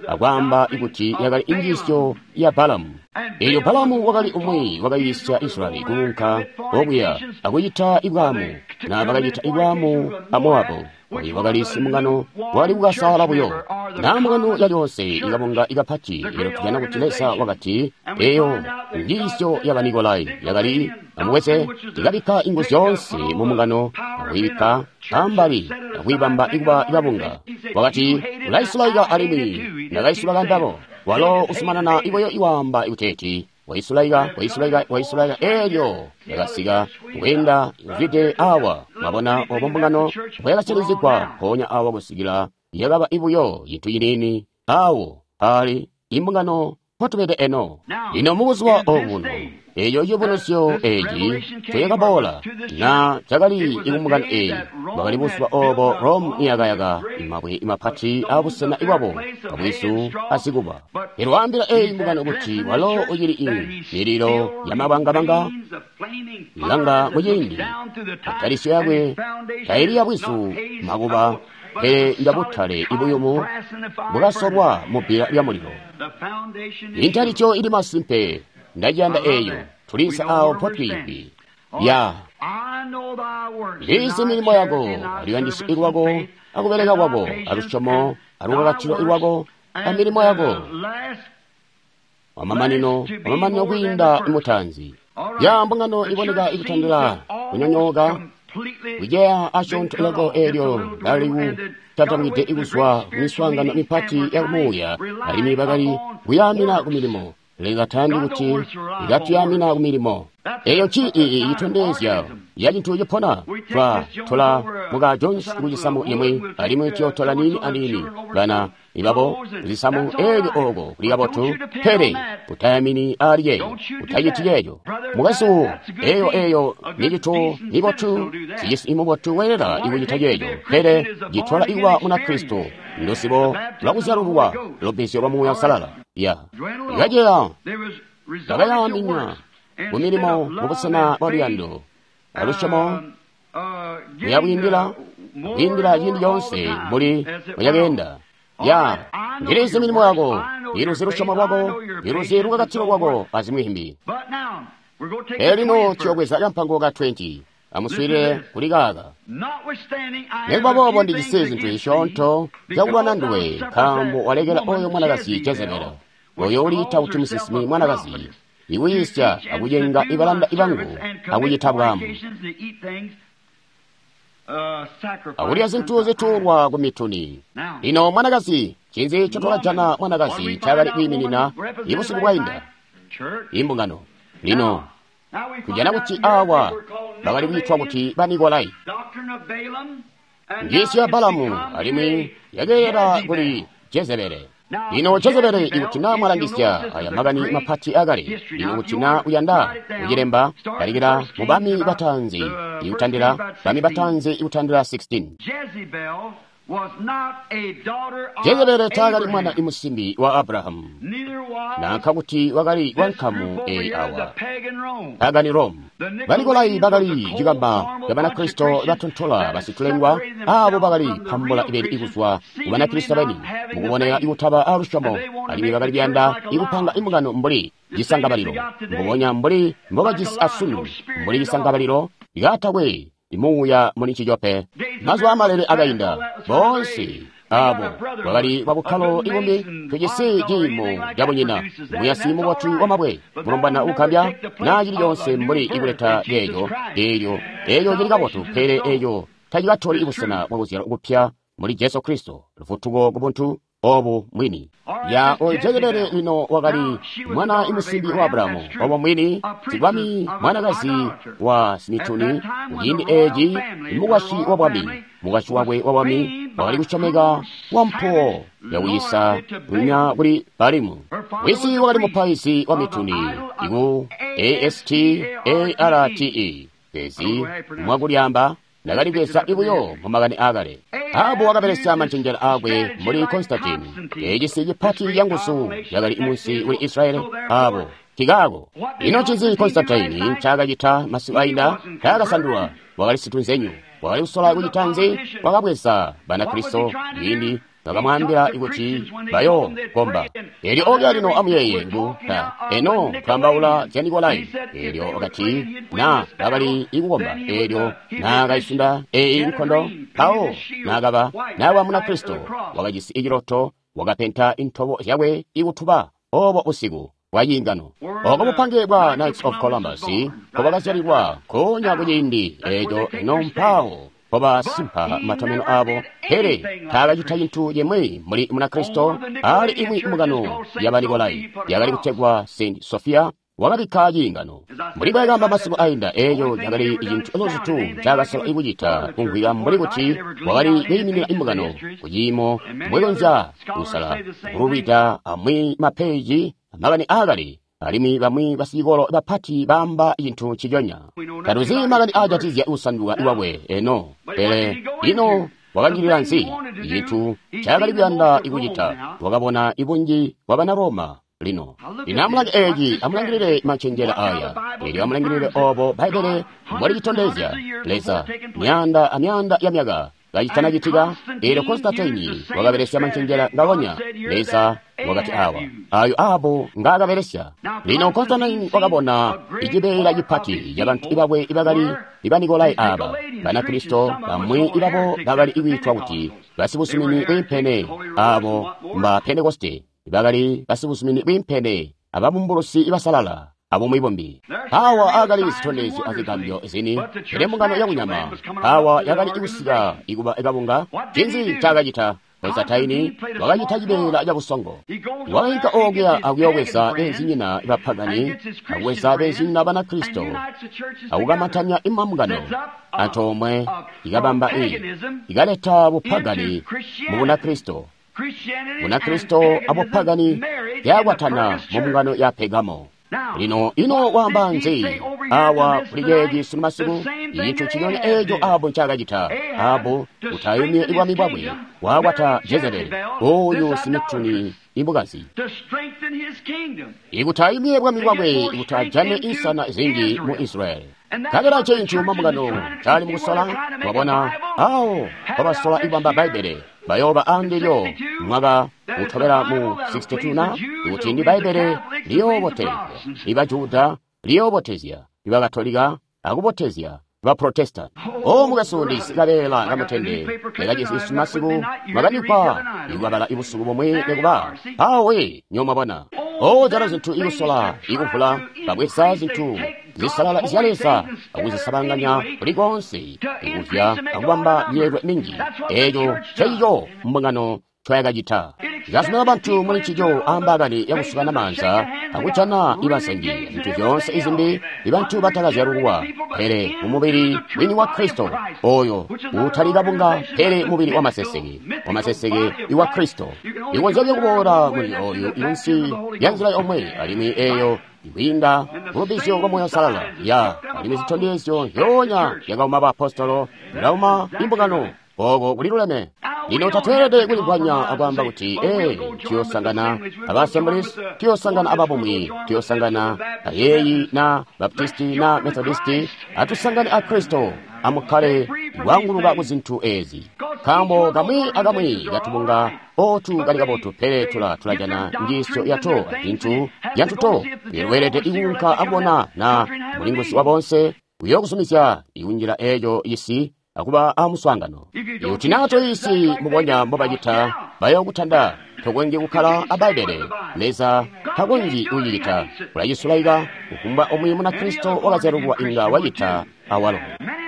akwaamba kuti yakali injiisyo ya Balamu. Elyo Balamu wakali umwi wakayiisya Israyeli kuunka okuya akucita ibwaamu, na bakacita ibwaamu a Moabu. Oyu wakali simungano wali kukasaala buyo. Na mbungano yalyonse ikabunga ikapati, elyo tujana kuti Leza wakati eyo njiisyo ya Banikolai yakali amubweze ikabikka inguzu zyoonse mu mbungano akuyibikka ambali akuyibamba ikuba ikabunga. Wakati ulaisulaika alimwi ndakaisulaika mbabo. Walo usumanana ibuyo iwaamba ikuteeti waisulaika, waisulaika, waisulaika. Elyo yakasika kweenda kuzwide awa. Mwabona obo mbungano bwayakasirizigwa mpoonya awa kusikila yakaba ibuyo cintu ciniini awo ali imbungano mpotubede eno. Lino mubuzuba obuno eyo ciyubunuzyo eci cakaboola na cakali ikumbungano eyi, bwakali buzuba obo Rome niyakayaka mabwe mapati abusena bwabo abwizu azikuba. Elyo waambila eyi mbungano kuti walo ucili i mililo yamabangabanga ilanga muciindi atalisyo yakwe taili yabwizu makuba pele njabutale ibuyumu bwakasolwa mubbila lyamulilo. Intalisyo ili masimpe. Ndaciyanda eyo. Tulisa awo mpotwiimbi ya ndizi milimo yako aluyandisyo lwako akubeleka kwako alusyomo alukakatilo lwako amilimo yako wamamanino wamamanino kwiinda mutanzi. Ya mbungano iboneka ikutandila kunyonyooka kuceya asyoonto loko elyo lali kuzwa kumiswaangano mipati ya kumuuya alimwi bakali kuyaamina ku milimo. Leza tayandi kuti ikatuyamina ku milimo eyo citondezya ya cintu cipona. Twa tola muka Jones ku cisamu imwi alimwi tuyotola niini aniini bana ibabo kuzisamu elyo oko kuli kabotu, pele utayamini ali yeeyo, utaciti yeeyo mukwesu. Eyo ni cintu nibotu, sicisi imubotu weelela ikucita yeeyo, pele citola ikuba Munakristo ndusibo lwakuzyalululwa lubbizyo lwa Muuya Uusalala. Ya ikaceya bakayaminya ku milimo mubusena bwa luyando alusyomo kuyabwiindila kwiindila ciindi coonse mbuli bwacakeenda. Ya ndilizi milimo yako, ndiluzi lusyomo lwako, ndiluzi lukakatilo lwako azimwi zimbi. Pele lino tuyobweza kampango ka 20. Amuswiilile kuli kaaka. Nikuba boobo ndijisi zintu zisyoonto zyakulwana nduwe, nkaambo walekela oyo mwanakazi Jezebeli, oyo uliita kuti musinsimi mwanakazi, ikuyiisya akucenga ibalanda ibangu akucita bwaamu akulya zintu zituulwa ku mituni. Lino mwanakazi, ncinzi ncotwakajana mwanakazi ncaakali kwiiminina ibusiku bwainda? Imbungano. Lino kujana kuti awa bakali kwiitwa kuti Banikolai, njiisyo ya Balamu, alimwi yakeela kuli Jezebele. Lino Jezebele, ikuti naa mwalangisya aya makani mapati akale, lino kuti naa uyanda kucilemba, talikila mu Bami Bataanzi ikutandila Bami Bataanzi ikutandila 16. Jezebele taakali mwana imusimbi wa Abrahamu, nanka kuti wakali wa nkamu eyi awa pagani Rome. Banikolai bakali cikamba ca Banakristo batontola basitulengwa, abo bakali pambula ibeni ikuzwa ku Banakristo beni mukuboneka ikutaba alusyomo, alimwi bakali kuyanda ikupanga imbungano mbuli cisangabalilo, mbubonya mbuli mbobajisi asunu, mbuli cisangabalilo likatakwe imuuya muli ncico pe. Mazuba amalele akainda, boonse abo bakali babukkalo ibumbi. Tujisi ciimo cabunyina, muyasi mubotu wamabwe, mulombwana uukambya, naa cili coonse mbuli ikuleta ceeco. Eelyo eeyo cili kabotu, pele eeyo tacikatoli ibusena bwakuzyalwa kupya muli Jesu Kristo, lufutuko kubuntu obu mwini. Ya oyo Jezebeli lino wakali mwana imusimbi wa Abrahamu, obo mwini sibwami mwanakazi wa simituni. Kuciindi eeci mukwasyi wa bwami, mukwasyi wakwe wa bwami wakali kusyomeka wa mpuwo yakuyisa lunya kuli Balimu. Wisi wakali mupaizi wa mituni iku Astarte ezi mwakulyamba ndakali kweza ibuyo mu makani aakale. Ahabu wakabelesya mancenjela aakwe mbuli Konstantini, ecisi cipati canguzu cakali munsi kuli Israeli. Abo kikaako ino ncinzi Konstantini ncaakacita masiku ainda? Taakasandulwa, wakali situnzenyu. Wakali kusola kucita nzi? Wakabweza Banakristo ciindi Bakamwaambila kuti bayo komba. Elyo okuya lino amuyeeye ngu ta eno twaambaula zya Nikolai. Elyo wakati na bakali ikukomba. Elyo naakaisunda eyi nkondo mpawo naakaba naaba Munakristo wakajisi iciloto wakapenta intobo zyakwe ikutuba obo busiku bwa ciingano. Oko bupange bwa Knights of Columbus nkobakazyalilwa nkoonya kuciindi eco eno mpawo mpobasimpa matomeno abo, pele taakacita cintu cimwi muli Munakristo. Ali imwi mbungano ya Banikolai yakali kutegwa St. Sophia wakabikka ciingano. Mbuli bwakamba masiku ainda, eco cakali cintu luzutu ncaakasola kucita kumvwika mbuli kuti wakali kwiiminina imbungano kuciimo mbwekonzya kusala kulubida amwi mapeji makani aakale, alimwi bamwi basicikolo bapati baamba cintu nciconya. Tatuzi makani aajatizya kusanduka kwakwe eno, pele ino wakanjilila nzi? Cintu ncaakali kuyanda kucita, wakabona ibunji bwa bana Roma. Lino, lino amulange eeci, amulangilile mancenjela aya. Elyo amulangilile obo Bbaibbele mbolicitondezya. Leza, myaanda amyaanda ya myaka kacitanacitika, elyo Konstantini wakabelesya mancenjela ngaonya. Leza wakati awa, ayo abo ngaakabelesya. Lino Konstantini wakabona icibeela cipati cabantu bakwe ibakali Banikolai aba, Banakristo bamwi ibabo bakali kwiitwa kuti basibuzumini bwiimpene, abo mba Pentekoste, bakali basibuzumini bwiimpene ababumbulusi basalala abumwi bumbi. Awa akali zitondezyo azigambyo zini, pele mbungano yakunyama awa yakali kusika ikuba kabunga. Ncinzi ncaakacita? Konstantini wakacita cibeela cabusongo. Wakainka okuya akuyobweza beenzinyina bapagani, akubweza beenzinyina Banakristo, akukamantanya imambungano antoomwe, ikabamba ikaleta bupagani mu Bunakristo. Bunakristo abupagani byakwatana mu mbungano ya Pergamo. Lino ino waamba nzi awa kuli ceeci sunu masiku? Icintu nciconya eeco Ahabu ncaakacita. Ahabu utayumye bwami bwakwe, waakwata Jezebeli, oyu simituni imukazi. Ikuti ayumye bwami bwakwe kuti ajane insana zinji mu Israyeli. Nkabela ncintu mambungano cali mukusola, mwabona awo mpabasola ikubamba Bbaibbele, bayooba andilyo mwaka utobela mu 62 na kuti ndi Bbaibbele liyoobotezya iba Juda, liyoobotezya iba Katolika, akubotezya ba Protestant. O mukwesu, ndijisi kabeela kamutende ndakajisi masiku mwakandikwa ikubabala ibusuku bumwi nikuba awe nyomwabona. O jana zintu ikusola ikuvula babweza zintu zisalala zya Leza akuzisabanganya kuli konse ikuvya akubamba myeelwe minji. Eco ncecico mbungano ncoyakacita. Ikazumina bantu muli ncico ambakani yakusukana maanza akujana ibazengi zintu zyoonse izimbi ibantu batakazyalulwa, pele mumubili wini wa Kristo, oyo utali kabunga pele mubili wa maseseke, wa maseseke iwa Kristo. Ikonzya kuboola kuli oyu insi ya nzila yomwe, alimwi eyo ikwiinda mulubizyo lwa Moyo Salala ya alimwi zitondezyo zyoonya zyakauma baapostolo zilauma imbungano. Oko kuliluleme. Lino tatweelede kuligwanya akwaamba kuti, ee, tuyosangana aba Assemblies, tuyosangana ababumwi, tuyosangana ayeeyi na Baptisti na Methodisti, atusangane a Kristo, amukkale wanguluka ku zintu ezi. Nkaambo kamwi akamwi katubunga otu kali kabotu, pele tulajana njiisyo yato azintu zyantuto. Lweelede kuunka akubona na mulinguzi wa bonse uyokuzumizya ikunjila eco cisi akuba amuswaangano. Ikuti naa toyisi mubonya mbobacita, bayokutanda. Tokonzyi kukkala a Bbaibbele. Leza takonzyi kucicita. Ulacisulaika kufumbwa umwi Munakristo wakazyalulwa inga wacita awalo.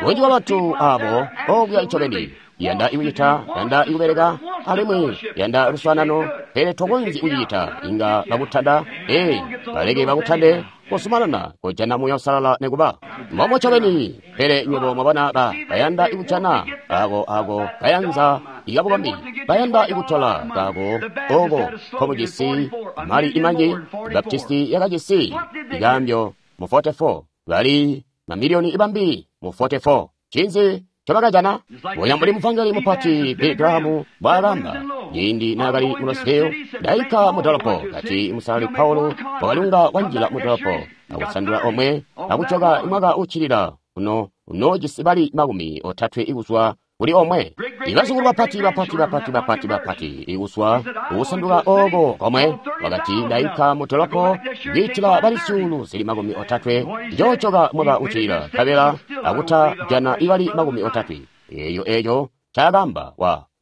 Bunji bwa bantu abo okuya ncobeni yanda ikucita, yanda ikubeleka, alimwi yanda luswaanano, pele tokonzyi kucicita. Inga bakutanda. Ee, baleke bakutande. Kuzumanana kujana Muuya Uusalala nikuba mbomo ncobeni. Pele nywebo mwabona bayanda ikujana ako kayanza ikabukombi, bayanda ikutola kako oko nkobujisi mali imanji. Baptisti yakajisi ikaambyo mu 44, bali mamiliyoni ibambi mu 44. Ncinzi ncobakajana? Bonya mbuli muvangeli mupati Billy Graham mbwaakamba ciindi naakali mu Louisville, ndainka mu dolopo kati musalali Paulo wakalunga wanjila mu dolopo akusandula omwe akujoka mwaka uccilila uno unoojisi bali 30 kuzwa kuli omwe. Ibazukulu bapati bapati bapati bapati bapati ikuswa kukusanduka oko komwe. Wakati ndainka mu dolopo kwiitila bali 30,000 njoojoka mwaka uccilila nkabela akuta jana ibali 30. Eyo eco ncaakamba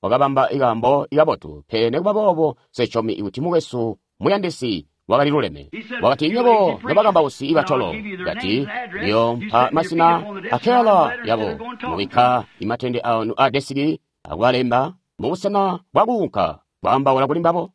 wakabamba ikaambo ikabotu, pele nekuba boobo nsesyomi kuti mukwesu muyandisi wakali luleme. Wakati nywebo nobakambausi ibatolo, kati ndiyompa masina akeyala yabo, mubikka imatende anu a desiki akubalemba mubusena bwakuunka kwaambaula kuli mbabo.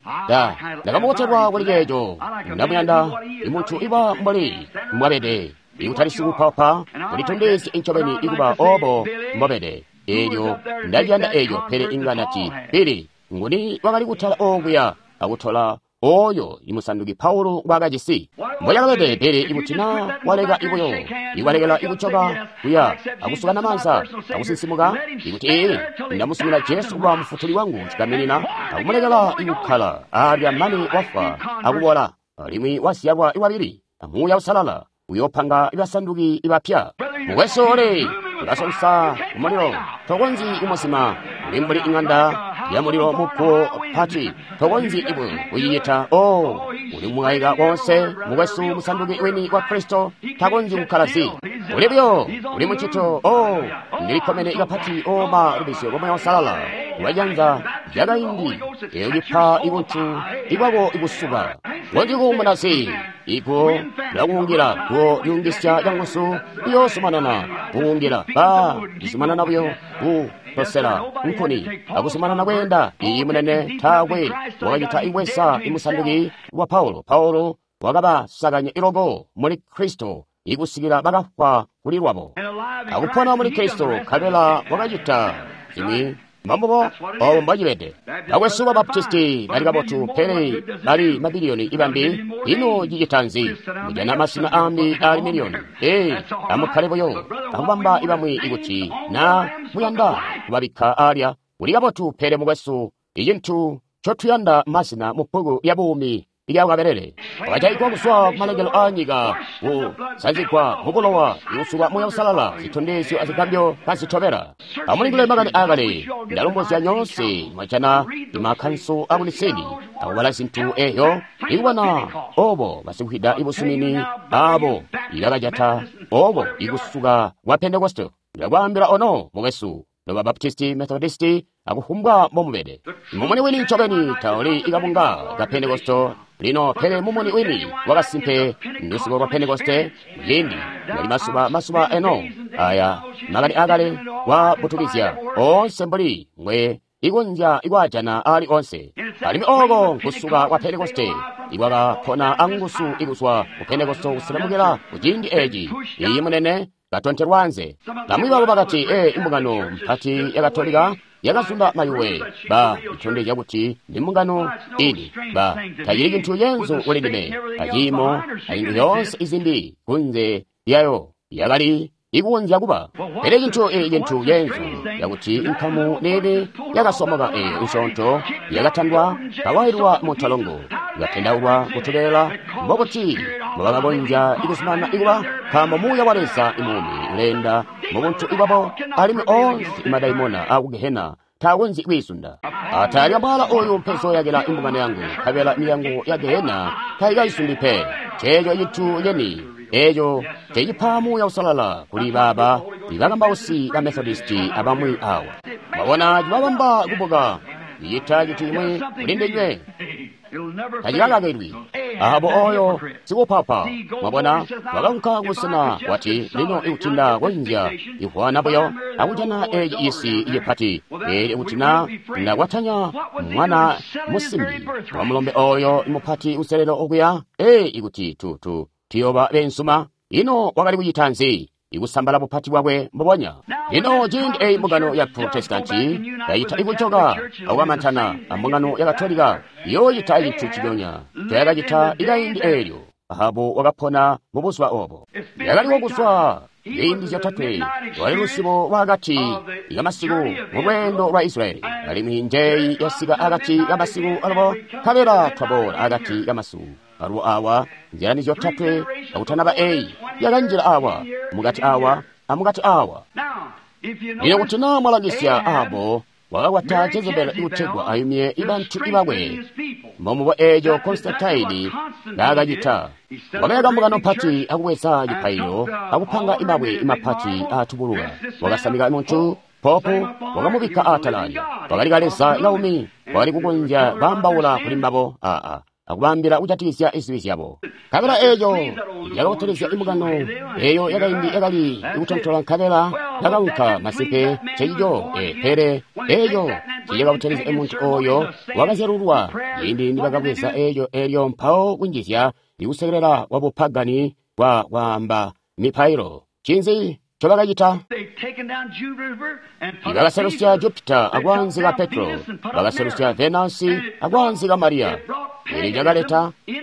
Ndakamubotelwa kuli ceeco. Ndamuyanda imuntu iba mbuli mbwabede, ikutali sikupapa, kulitondezya incobeni ikuba obo mbobede. Elyo ndaliyanda eco, pele inga ndati Bili nguni wakali kutala okuya akutola oyo imusanduki Paulo ngwaakajisi. Mboyakabede, pele ikuti na waleka ibuyo ikwalekela ikucoka kuya akusukana maanza akusinsimuka, ikuti ee ndamusumina Jesu kuba mufutuli wangu cikaminina akumulekela ikukkala alya mane wafwa akubola alimwi wazyalwa iwabili amuuya usalala uyopanga ibasanduki ibapya. Mukwesu ole ulasonsa kumulilo, tokonzyi kumuzima, uli mbuli ing'anda ya mulilo muguwo pati, tokonzyi ibwe kucicita. O uli mwaika konse, mukwesu musanduki wini wa Kristo takonzyi kukkala zi. Uli buyo uli mucito. O ndilikkomene kapati o ma lubizyo lwa Muuya Uusalala lwajanza lyakaindi eyo cipa ibuntu ibwako ibusuka konzyi kuumuna zi. Iguwo lilakuungila, guwo lyuungisya canguzu liyoozumanana kuungila. Ba lizumanana buyo kutosela nkuni akuzumanana kweenda. Iyi munene taakwe wakacita ibweza imusanduki wa Paulo. Paulo wakabasakanya iloko muli Kristo ikusikila bakafwa kuli lwabo akupona muli Kristo, nkabela wakacita zimwi. Mbambubo obo mbwacibede. Bakwesu ba Baptisti bali kabotu, pele bali mabiliyoni ibambi. Ino cicita nzi? Mujana masina ambi ali miliyoni. Ee, amukkale buyo akubamba ibamwi ikuti na muyanda kubabikka alya. Uli kabotu, pele mukwesu, icintu ncotuyanda masina mu bbuku lya buumi ilyakabelele. Wakajaigwa kuzwa kumalengelo aanyika, kusanzigwa mubulowa, ikusukwa Muuya Uusalala, zitondezyo azigambyo kazitobela. Amulingule makani aakale, ndalombozya nyoonse mwajana imakkanso akuniseni akubala zintu eyo ikubona obo basikwida ibusumini abo ibakajata obo ikusuka kwa Pentekoste. Ndakwaambila ono mukwesu, noba Baptisti, Methodisti, akufumbwa mbomubede. Mumuni wini ncobeni tauli ikabunga ka Pentekoste lino, pele mumuni wini wakasimpe ndusuko lwa Pentekoste. Ciindi wali masuba masuba eno aya makani akale wabutukizya onse mbuli ngwe ikonzya ikwaajana ali onse. Alimwi oko nkusuka kwa Pentekoste ikwakapona anguzu ikuzwa ku Pentekoste kuselemukila ku ciindi eci. Iyi munene katontelwa anze. Bamwi babo bakati, ee, imbungano mpati ya Katolika yakazunda mayuwe. Ba itondezya kuti ndi mbungano ini. Ba tacili cintu cenzu kuli ndime aciimo azintu zyoonse izimbi kunze lyayo yakali ikukonzya kuba. Pele cintu ee cintu cenzu yakuti inkamu nene yakasomoka eyo nsyoonto yakatandwa kawailwa mu ntolongo ikatendaulwa kutobelela mbokuti mbobakakonzya ikuzumanana ikuba, nkaambo Muuya wa Leza imuumi uleenda mubuntu ibwabo, alimwi onse imadaimona aku Gehena taakonzyi kwiizunda. Atalya mwala oyu mpezoyakila imbungano yangu, nkabela milyango ya Gehena taikayizundi pe. Ceeco cintu ceni eco cecipa Muuya Uusalala kuli baaba ibakambausi ba Methodisti abamwi awa. Mwabona cibabamba kubuka icita cintu cimwi kuli ndinywe tacikakakilwi. Ahabu oyo sikupapa, mwabona, wakaunka kubusena wati, lino ikuti nda konzya ivwana buyo akujana eci cisi cipati, pele ikuti na ndakwatanya mwana musimbi wa mulombe oyo mupati uselelo okuya, ee, ikuti tutu tuyoba bensuma. Ino wakali kucita nzi? Ikusambala bupati bwakwe mbubonya. Lino ciindi eyi mbungano ya Protestanti yayita ikucoka akukamantana ambungano ya Katolika, yoocita cintu ciconya cayakacita ikaindi eelyo. Ahabu wakapona mubuzuba obo. Yakaliwo kuzwa ziindi zyotatwe lwali lusibo lwaakati kamasiku mu lweendo lwa Israyeli, alimwi njeyi yasika akati kamasiku alubo, nkabela twaboola akati kamasiku alubo awa nzilani zyotatwe akutanaba eyi yakanjila awa mukati awa amukati awa. Lino kuti naa mwalangisya Ahabu wakakwata Jezebeli ikutegwa ayumye ibantu ibakwe. Mbomubo eeco Konstantine naakacita. Wakayaka mbungano mpati akubweza cipaililo akupanga imabwe imapati aatubuluka. Wakasamika muntu Popu wakamubikka aatala. Wakali kaleza kaumi, wakali kukonzya kwaambaula kuli mbabo akubaambila kujatikizya izibi zyabo. Nkabela eeco yakabotolezya imbungano eeyo yakaindi yakali kutontola nkabela yakaunka masimpe ncecico pele eeco ciyakabotolezya muntu ooyo wakazyalulwa ciindi nibakabweza eeco eelyo mpawo kunjizya ikusekelela kwa bupagani kwa kwaamba mipailo. Ncinzi ncobakacita? Bakaselusya Jupiter akwaanzika Petro, bakaselusya Venasi akwaanzika Mariya. Eelyo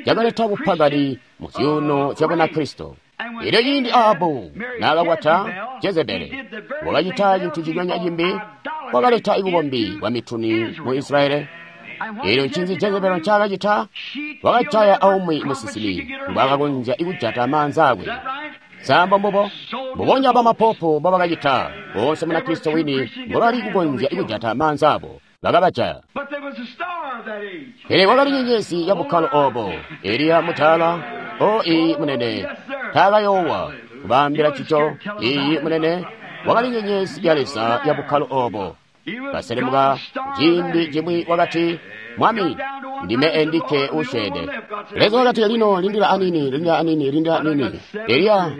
cakaleta bupagani mu zyuuno zya Bunakristo. Eelyo ciindi Ahabu naakakwata Jezebeli, wakacita cintu cinyonyoonya cimbi, wakaleta bukombi bwa mituni mu Israeli. Eelyo ncinzi Jezebeli ncaakacita? Wakajaya aumwi musinsimi mbwaakakonzya kujata maanza akwe. Sambo mbubo mbubonya bamapopo mbobakacita boonse Munakristo wini mbobali kukonzya kujata maanza abo bakabajaya. Pele wakali nyenyezi ya bukkalo obo, Eliya mutala, o iyi munene, taakayoowa kubaambila cico. Iyi munene, wakali nyenyezi ya Leza ya bukkalo obo. Kaselemuka ciindi cimwi wakati, Mwami, ndime endikke usyeede. Leza wakati, lino lindila anini, lindila anini, lindila anini. Eliya,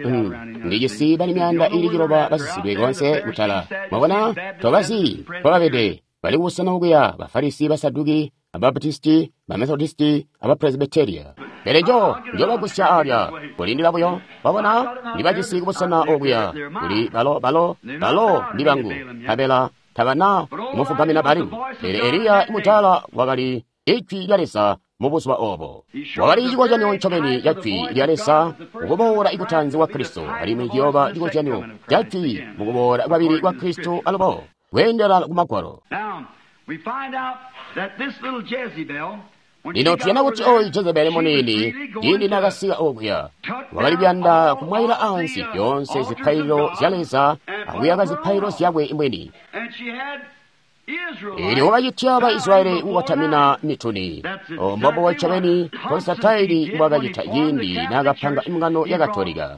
ndijisi bali 900 basisidwe konse kutala. Mwabona, tobazi kwababede, bali kubusena okuya, Bafarisi, Basaduki, Ababatisti, Bamethodisti, Abapresbyteria. Pele njobagusya alya, kulindila buyo. Mwabona, ndibajisi kubusena okuya, kuli balo ndi bangu, nkabela tabana kumufugamina Balimu. Pele Eliya mutala wakali ijwi lya Leza mu buzuba obo. Wakali cikozyanyo ncobeni ca jwi lya Leza mukuboola ikutanzi kwa Kristo, alimwi ciyooba cikozyanyo ca jwi mukuboola kwabili kwa Kristo alubo kweendela ku Magwalo. Lino tuyanda kuti oyu Jezebeli muniini ciindi naakasika okuya, wakali kuyanda kumwayila ansi zyoonse zipaililo zya Leza akuyaka zipaililo zyakwe mwini. Eelyo wakacitya ba Israeli kukotamina mituni. Mbombubo ncobeni Konstantine mbwaakacita ciindi naakapanga mbungano ya Katolika.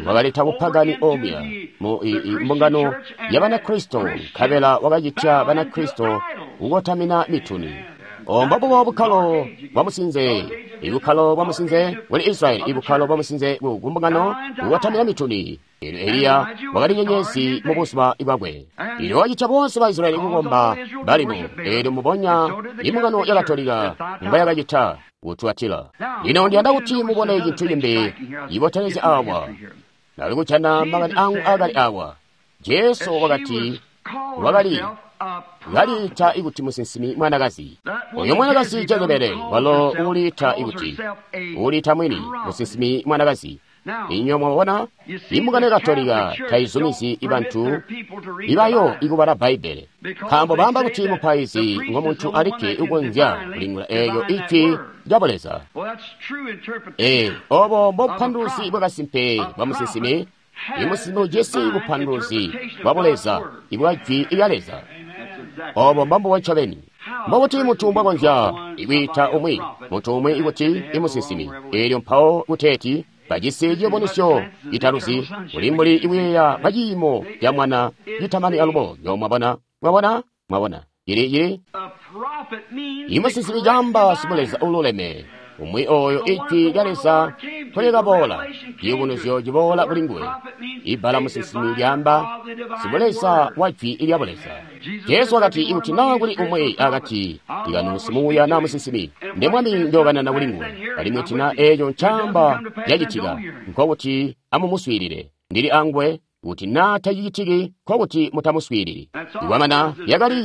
Wakaleta bupagani omuya mu mbungano ya Banakristo, nkabela wakacitya Banakristo kukotamina mituni. Mbombubo bukkalo bwa musinze, ibukkalo bwa musinze kuli Israeli, ibukkalo bwa musinze ku mbungano kukotamina mituni. Eelyo Eliya wakali nyenyezi mu buzuba bwakwe. Eelyo wakacitya boonse ba Israeli kukomba Balimu. Eelyo mbubonya imbungano ya Katolika mbwayakacita kutuatila. Lino ndiyanda kuti mubone cintu cimbi cibotelezya awa. Ndali kujana makani angu akali awa. Jesu wakati wakali kaliita ikuti musinsimi mwanakazi. Oyo mwanakazi Jezebeli walo uliita ikuti uliita mwini musinsimi mwanakazi. Inywe mwabona, imbungano ya Katolika taizumizi ibantu ibayo ikubala Bbaibbele, nkaambo baamba kuti mupaizi ngomuntu alikke ukonzya kulingula eeyo ijwi lya Buleza. Obo mbobupanduluzi bwakasimpe bwa musinsimi. Imusinsimi ujisi bupanduluzi bwa Buleza ibwa jwi lya Leza. Obo mbombubo ncobeni. Mbobuti muntu mbwakonzya ikwiita umwi muntu umwi ikuti imusinsimi, eelyo mpawo kuteeti bajisi cibonisyo citaluzi, kuli mbuli ikuyeeya kwa ciimo ca mwana citamani alubo. Nyo mwabona, mwabona, mwabona. Ili imusinsimi caamba sibuleza ululeme, umwi oyo ijwi lya Leza nkolikaboola, ciyubunuzyo ciboola kuli nguwe. Ibbala musinsimi lyaamba sibuleza wa jwi lya Buleza. Jesu wakati, ikuti naa kuli umwi akati kanu simuuya naa musinsimi, nde Mwami njookanana kuli nguwe. Alimwi kuti naa eeco ncaamba cacitika, nkokuti amumuswiilile. Ndili anguwe. Kuti naa tacicitiki, nkokuti mutamuswiilili. Ikwamana lyakali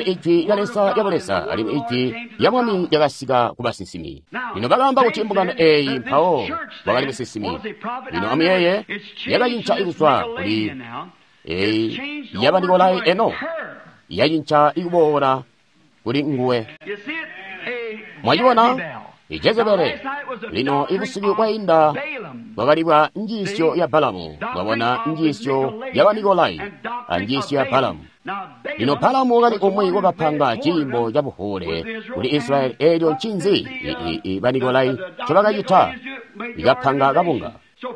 ijwi lya Leza lya Buleza, alimwi ijwi lya Mwami lyakasika ku basinsimi. Lino bakaamba kuti mbungano eeyi mpawo wakali musinsimi. Lino amuyeeye, yakacinca kuzwa kuli eyi ya Banikolai eno yacinca ikuboola kuli nguwe. Mwacibona? Jezebele. Lino ibusiku bwainda bwakali bwa njiisyo ya Balamu, mwabona njiisyo ya Banikolai a njiisyo ya Balamu. Lino Balamu wakali umwi wakapanga ciimbo ca buhuule kuli Israyeli. Eelyo ncinzi Banikolai ncobakacita? Ikapanga kabunga.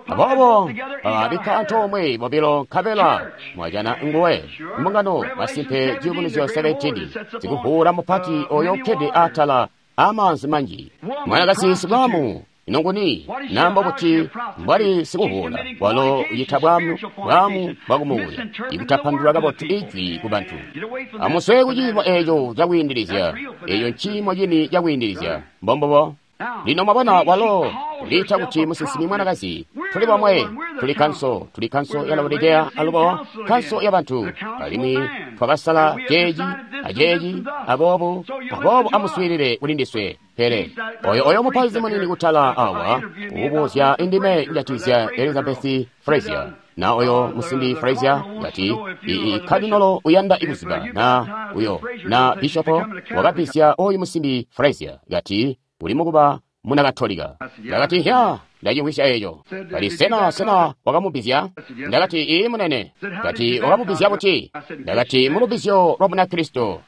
Aboobo bakabikka antoomwe bobilo nkabela mwajana nguwe mbungano masimpe ciyubunuzyo 17 sikuvuula mupati oyo ukkede atala amaanzi manji. Mwanakazi sibwamu ino nguni namba kuti mbwali sikuvuula walo ucita bwamu bwamu bwakumuuya ikutapandulula kabotu ijwi ku bantu. Amuswe kuciimo eeco cakwiindilizya. Eeco nciimo cini cakwiindilizya. Mbombubo. Lino mwabona walo uliita kuti musinsimi mwanakazi. Tuli bomwe, tuli kanso, tuli kanso ya Laodikea alubo kanso ya bantu, alimwi twakasala ceeci aceeci, aboobo aboobo amuswiilile kuli ndiswe. Pele oyo oyo mupaizi munini kutala awa ubuzya indime njatizya Elizabeth Frazier na oyo musimbi Frazier ngati kadinolo uyanda ikuziba na uyo na bishopo wakabisya oyu musimbi Frazier ngati uli mukuba muna Katolika. Ndakati hya, ndachimvwisya eco. Kati sena sena wakamubizya? Ndakati ii munene. Kati wakamubizya buti? Ndakati mulubizyo lwa muna Kristo.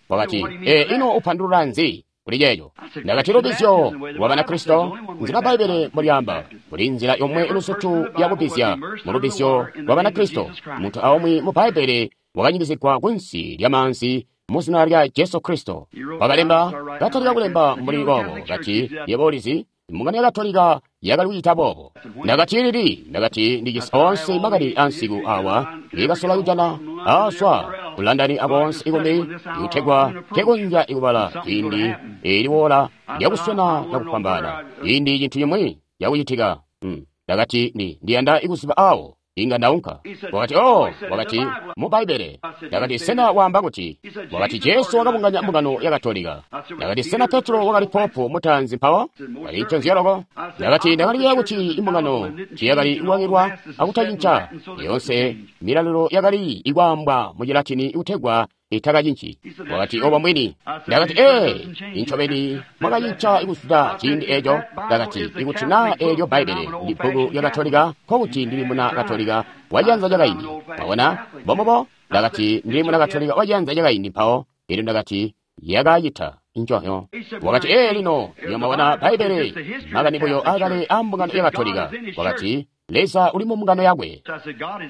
Wakati ino upandulula nzi kuli ceeco? Ndakati lubizyo lwa bana Kristo nzila Bbaibbele mbolyaamba kuli nzila yomwe ilusutu yakubizya mu lubizyo lwa bana Kristo. Muntu aumwi mu Bbaibbele wakanyikizigwa kunsi lya maanzi mu zina lya Jesu Kristo. Wakalemba, katalika kulemba mbuli boobo, kati, yebo ulizi, mbungano ya Katolika yakali kucita boobo. Ndakati lili, ndakati ndijisi onse makani ansiku awa, ndikasola kujana aswa ku London akonse ikumbi, ikutegwa nkekonzya ikubala ciindi iliwoola lyakuswena cakufwambaana, ciindi cintu cimwi cakucitika. Ndakati ndiyanda ikuziba awo inga ndaunka. Wakati, oh, wakati, mu Bbaibbele. Ndakati, sena waamba kuti? Wakati, Jesu wakabunganya mbungano ya Katolika. Ndakati, sena Petro wakali popu mutaanzi mpawo? Kali nconzyo loko. Ndakati, ndakali kuti imbungano tiyakali kuwangilwa akutacinca. Yonse milalilo yakali ikwaambwa mu Chilatini ikutegwa itakacinci. Wakati, obo mbwini. Ndakati, incobeni mwakacinca ikuzuda ciindi eco. Ndakati, ikuti na eelyo Bbaibbele ndi bbuku lya Katolika, nkokuti ndili muna Katolika waciyanza cakaindi. Mwabona? Mbombubo. Ndakati, ndili muna Katolika waciyanza cakaindi mpawo. Elyo ndakati, yakacita nconyo. Wakati, lino, iyo mwabona Bbaibbele makani buyo akale a mbungano ya Katolika. Wakati, Leza uli mu mbungano yakwe.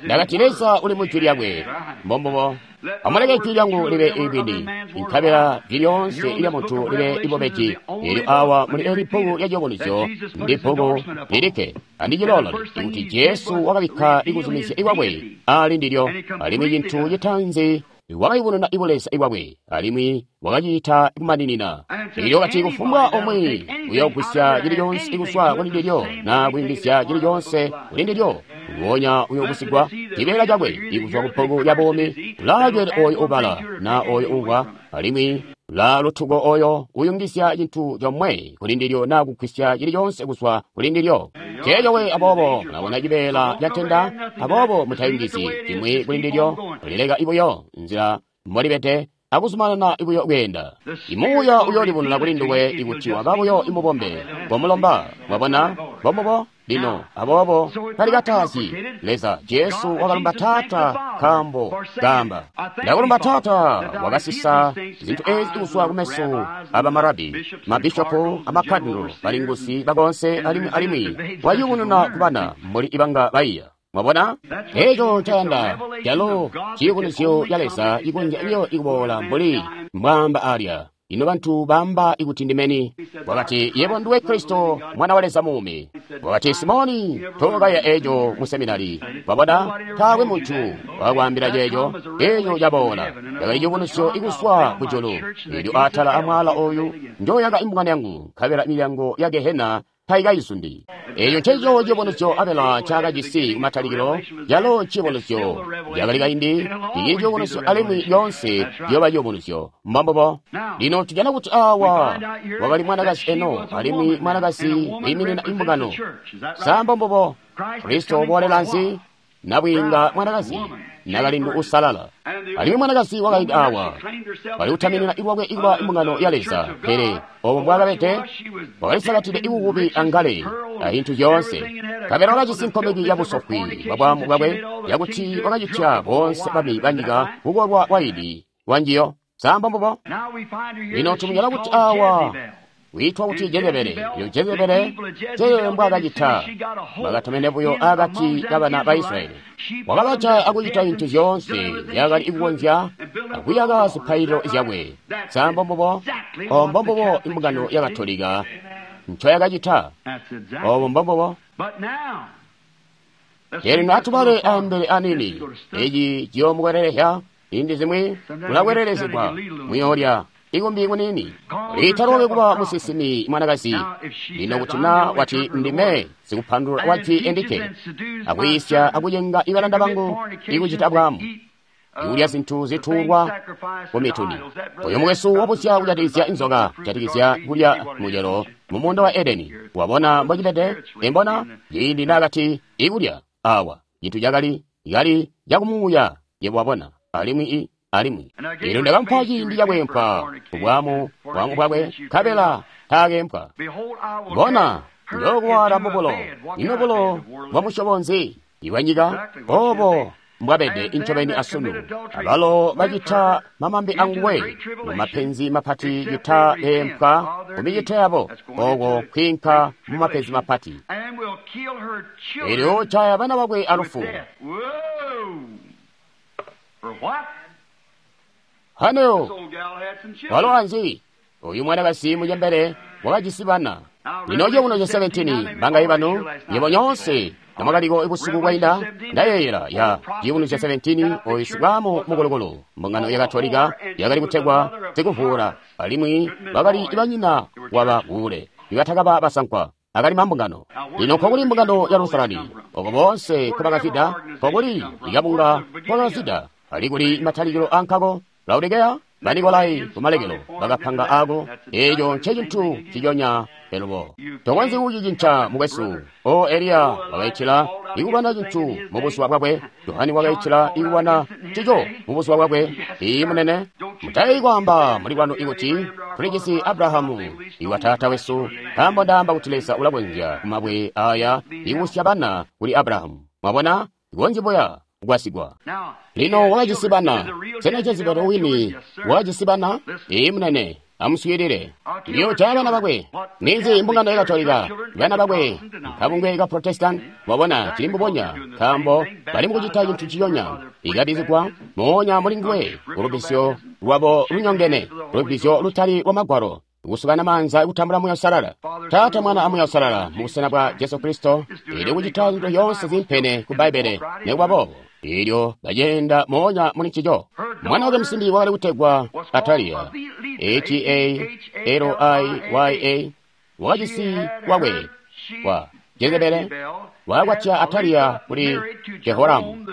Ndakati, Leza uli mu jwi lyakwe. Mbombubo. Amuleke jwi lyangu libe ibwini, nkabela jwi lyoonse ilya muntu libe ibobeji. Elyo awa muli eli bbuku lya ciyubunuzyo ndi bbuku lilikke andicilolole kuti Jesu wakabikka ikuzumizya ikwakwe ali ndilyo, alimwi cintu citaanzi wakayubununa ibuleza ikwakwe, alimwi wakacita kumaninina. Elyo kati kufumbwa omwe uyogwisya cili conse ikuswa kuli ndilyo na kuyungizya cili conse kuli ndilyo, nguonya uyogwisigwa cibeela cakwe ikuzwa ku bbuku lya buumi. Ulaacwele oyo ubala na oyo umvwa, alimwi ulaalutuko oyo uyungizya cintu comwe kuli ndilyo na kugwisya cili conse kuzwa kuli ndilyo. Ceeco we aboobo mulabona cibeela ca ntenda, aboobo mutayungizyi cimwi kuli ndilyo, mulileka ibuyo nzila mbolibede akuzumanana ibuyo kweenda. Imuuya uyoolibununa kuli nduwe ikuti waba buyo imubombe ngomulomba. Mwabona? Mbombubo. Lino aboobo talikatazyi Leza. Jesu wakalumba Taata nkaambo kaamba, ndakulumba Taata, wakasisa zintu ezi kuzwa kumeso abamarabi, mabishopu, amakadinolo, balingusi bakonse, alimwi alimwi wayubununa kubana mbuli ibanga baiya. Mwabona? Eco ncayanda calo ciyubunuzyo ca Leza ikonzya biyo ikuboola mbuli mbwaamba alya. Ino bantu baamba ikuti ndimeni? Wakati, yebo nduwe Kristo, mwana wa Leza muumi. Wakati, Simoni, tokaya eco mu seminari. Wabona, taakwe muntu wakwaambila ceeco. Eco caboola. Yakali ciyubunuzyo ikuswa kujulu. Elyo atala amwaala oyu njoyaka imbungano yangu, nkabela milyango ya Gehena taikayizundi. Eco ncencico ciyubunuzyo Abela ncaakajisi kumatalikilo, calo nciyubunuzyo cakali kaindi, cicili ciyubunuzyo alimwi lyoonse ciyooba ciyubunuzyo. Mbombubo. Lino tujana kuti awa wakali mwanakazi eno, alimwi mwanakazi wiiminina imbungano. Sa mbombubo? Kristo uboolela nzi? Nabwiinga mwanakazi. nakalindu usalala. Alimwi mwanakazi wakaindi awa wali kutaminina lwakwe ikuba imbungano ya Leza, pele obo mbwakabede wakalisakatide ibububi angale ahintu zyoonse. Kabela wakajisi nkomeki ya busofwi bwa bwaamu bwakwe, yakuti wakacitya boonse bami banyika kukolwa waini wanjiyo. Samba mbubo. Lino tumujana kuti awa wiitwa kuti Jezebele. Iyo Jezebele je mbwakacita bakatomene buyo akati kabana ba Israyeli. Wakabaca akucita zintu zyoonse zyakali kukonzya akuyaka zipaililo zyakwe. Samba mbubo. Obo mbombubo imbungano ya Katolika ncoyakacita. Obo mbombubo. Lino atubale ambele anini. Eci ciyoomukwelelezya indi zimwi kulakwelelezegwa muyoolya ikumbi kunini. Liita lwakwe kuba musinsimi mwanakazi. Lino kuti na wati ndime sikupandulula wajwi endike, akuyisya akucenga ibalanda bangu ikucita bwaamu, ikulya zintu zituulwa ku mituni. Oyo mukwesu wabusya kujatikizya inzoka, kujatikizya kulya mucelo mu muunda wa Edeni. Wabona mbocibede? Imbona ciindi naakati ikulya awa cintu cakali kali cakumuuya, yebo wabona. Alimwi alimwi lino ndakamupa ciindi cakweempwa kubwaamu bwamu bwakwe, nkabela taakeempwa. Bona, njookuwaala mubulo. Ino bulo bwa musyobo nzi? Ibwanyika? Obo mbwabede incobeni asunu. Abalo bacita mamambi anguwe mu mapenzi mapati cita beempwa ku micito yabo, oko kwiinka mu mapenzi mapati. Elyo caya bana bakwe alufu. Hano walo anzi uyu mwanakazi mucembele wakajisi bana. Lino ceuno ca 17 bangayi banu nyebo nyoonse namwakaliko ibusiku bwainda ndayeeyela ya ciuno ca 17 oyu sibwamu mukulukulu mbungano ya Katolika yakali kutegwa sikuvuula, alimwi bakali banyina waba buule ibatakaba basankwa akali mambungano. Lino nkokuli mbungano ya Lusalani oko boonse nkobakazida, nkokuli ikabunga nkobakazida, ali kuli matalikilo ankako Laodikeya, Banikolai kumalekelo bakapanga ako. Eco ncecintu ciconya elubo. Tokonzyi kucicinca mukwesu. O Eliya wakaitila ikubana cintu mubuzuba bwakwe. Johani wakaitila ikubana cico mubuzuba bwakwe. Iyi munene, mutayi kwaamba muli kwanu ikuti tulijisi Abrahamu iwa taata wesu, nkaambo ndaamba kuti Leza ulakonzya kumabwe aya ikusya bana kuli Abrahamu. Mwabona, ikonzyi buya kugwasigwa. Lino wakajisi bana. Sena Jezebeli wini wakajisi bana? Iyi munene, amuswiilile. Ndiyoojaya bana bakwe. Ninzi mbungano ya Katolika? Bana bakwe kabungwe ka Protestant. Wabona, cili mbubonya, nkaambo bali mukucita cintu ciyonya. Ikabizigwa moonya muli nguwe ulubisyo lwabo lunyongene, ulubisyo lutali lwa Magwalo, kusukana maanza kutambula Muuya Uusalala. Taata, Mwana a Muuya Uusalala mu busena bwa Jesu Kristo, ili kucita zintu zyoonse zimpene ku Bbaibbele. Nekuba boobo, elyo baceenda moonya muli ncico. Mwana wake musimbi wakali kutegwa Ataliya, A-T-A-L-I-Y-A, wakajisi wakwe wa Jezebele wakakwatya Ataliya kuli Jehoramu,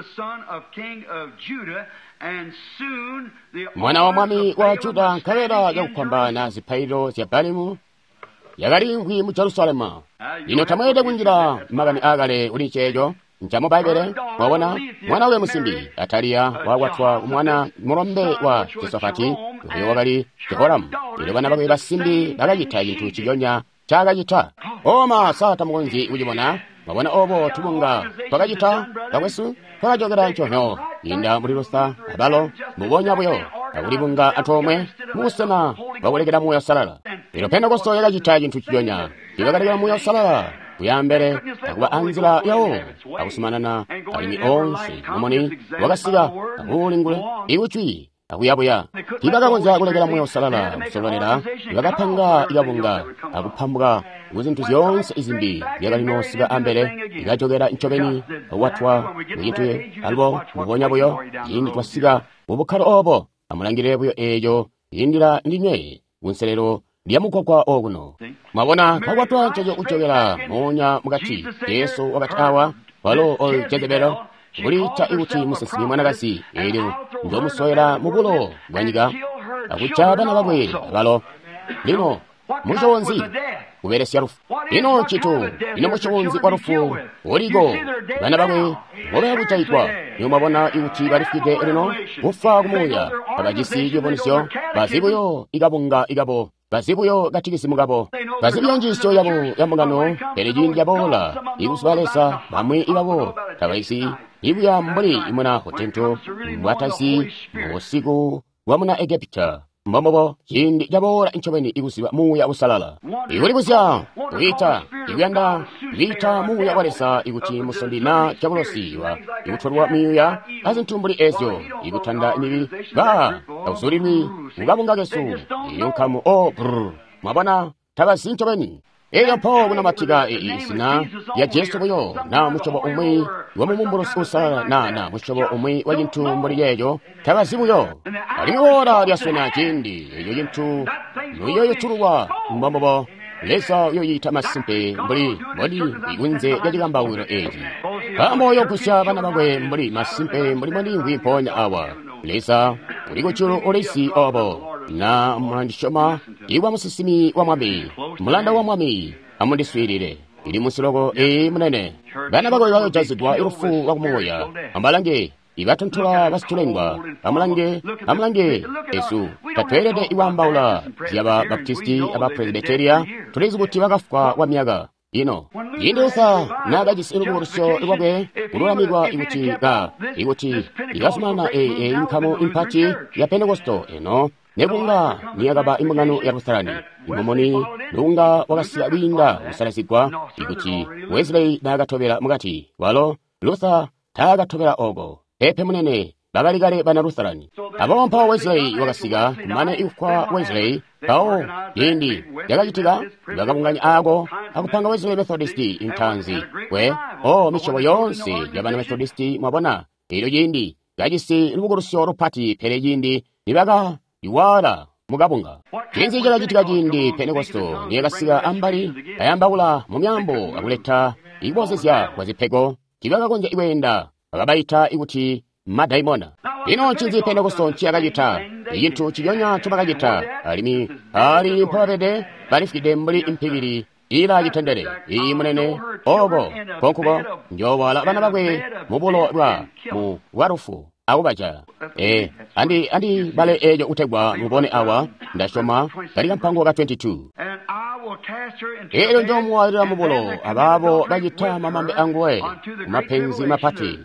mwana wa mwami wa Juda, nkabela yakupambana zipaililo zya Balimu yakaliimvwi mu Jerusalemu. Lino tamweelede kunjila makani aakale kuli ceeco ncamu Bbaibbele. Mwabona, mwana we musimbi Ataliya wakwatwa kumwana mulombe wa Josafati, oyo wakali Jehoramu. Elyo bana bakwe basimbi bakacita cintu ciconya cakacita. Oma sa tamukonzyi kucibona. Mwabona obo tubunga twakacita bakwesu twakajokela nconyo inda muli Lusa abalo mbubonya buyo akulibunga antoomwe mubusena bwakulekela Muuya Uusalala. Lino Pentekoste yakacita cintu ciconya, ibakalekela Muuya Uusalala kuyambele akuba anzila yawo akusumanana alimwi onse mumuni wakasika akuulingula ikucwi akuyabuya. Tiibakakonzya kulekela Muuya Uusalala kusololela, ibakapanga ikabunga akupambuka kuzintu zyoonse izimbi zyakali noosika ambele, ikajokela ncobeni akukwatwa kucintu alubo mbubonya buyo. Ciindi twasika mubukkalo obo, amulangilile buyo eeco ciindila ndinywe kunselelo lya mugwagwa okuno. Mwabona, kakwatwa nceco kujokela moonya mukati. Jesu wakati awa, walo oyu Jezebelo kuliita ikuti musinsimi mwanakazi, elyo njomusowela mubulo bwa nyika akuca bana bakwe abalo. Lino musyobo nzi? kubelesya lufu. Ino ncitu, ino musyobo wa lufu uliko, bana bakwe ngobaya kujaigwa. Niyo mwabona ikuti balifwide lino, kufwa kumuuya, tabajisi ciyubunuzyo, bazi buyo ikabunga ikabo, bazi buyo katikisimu kabo, bazi buyo njiisyo yabo ya mbungano, pele ciindi caboola ikuziba Leza, bamwi ibabo tabaisi ibuya mbuli imuna hotento mbwatazi busiku bwa muna Egepita. Mbombobo ciindi caboola ncobeni ikuziba Muuya Uusalala. Ikulibuzya, kwiita, ikuyanda kwiita Muuya wa Leza ikuti musondi na diabolosi wa ikutolwa myuuya azintu mbuli ezyo, ikutanda mibi, ba takuzulilwi mukabunga kesu, iyo nkamu o brr. Mwabona, tabazi ncobeni. Elyo mpo kunamatika izina lya Jesu buyo, na musyobo umwi wa mumumbulusi uusalala, na musyobo umwi wa cintu mbuli ceeco, tabazi buyo. Alimwi ora lyaswena ciindi eco cintu nuyoyotulwa mbombobo Leza uyoyita masimpe mbuli mboli ikunze lya cikambawukilo eci. Nkaambo uyogusya bana bakwe mbuli masimpe mbuli mbondimvwi mpoonya awa. Leza uli kujulu ulisi obo. Na mwandisyoma iwa musinsimi wa Mwami, mulanda wa Mwami, amundiswiilile. Ili musiloko ee munene. Bana bakwe bayojazigwa lufu lwa kumuuya. Amubalange, ibatontola basitulengwa. Amulange, amulange esu. Tatweelede ikwaambaula zyaba Baptisti aba Presbyteria. Tulizi kuti bakafwa kwa myaka. Ino, ciindi Luther naakajisi lubukulusyo lwakwe kululamikwa ikuti ka, ikuti ikazumanana ee nkamu impati ya Pentekosto eno, nekunga niyakaba imbungano ya Lutherani, imumuni lunga wakasika kwiinda kusalazigwa ikuti Wesley naakatobela mukati, walo Luther taakatobela oko. Pepe munene, bakali kale bana Lutherani. Aboobo mpawo Wesley wakasika, kumane ikufwa Wesley, mpawo ciindi cakacitika, bakabunganya aako akupanga Wesley Methodist intanzi we o misyobo yoonse yabana Methodist mwabona. Elyo ciindi kajisi lubukulusyo lupati, pele ciindi nibaka iwala mukabunga. Cinzi cakacitika ciindi Pentekosto niyakasika ambali, kayambaula mu myaambo akuleta ikubozezya kwa zipego, tibakakonzya ikweenda, bakabaita ikuti madaimona. Ino ncinzi Pentekosto nciyakacita? Icintu ciyonya ncobakacita, alimwi ali mpobabede balifwide mbuli impikili ila citendele. Iyi munene, obo konkuko njoowala bana bakwe mubulo bwa mu bwalufu akubaja. Andi bale eco kutegwa mubone awa, ndasyoma kali kampango ka 22. Elyo njoomuwalila mubulo abaabo bacita mamambe anguwe kumapenzi mapati,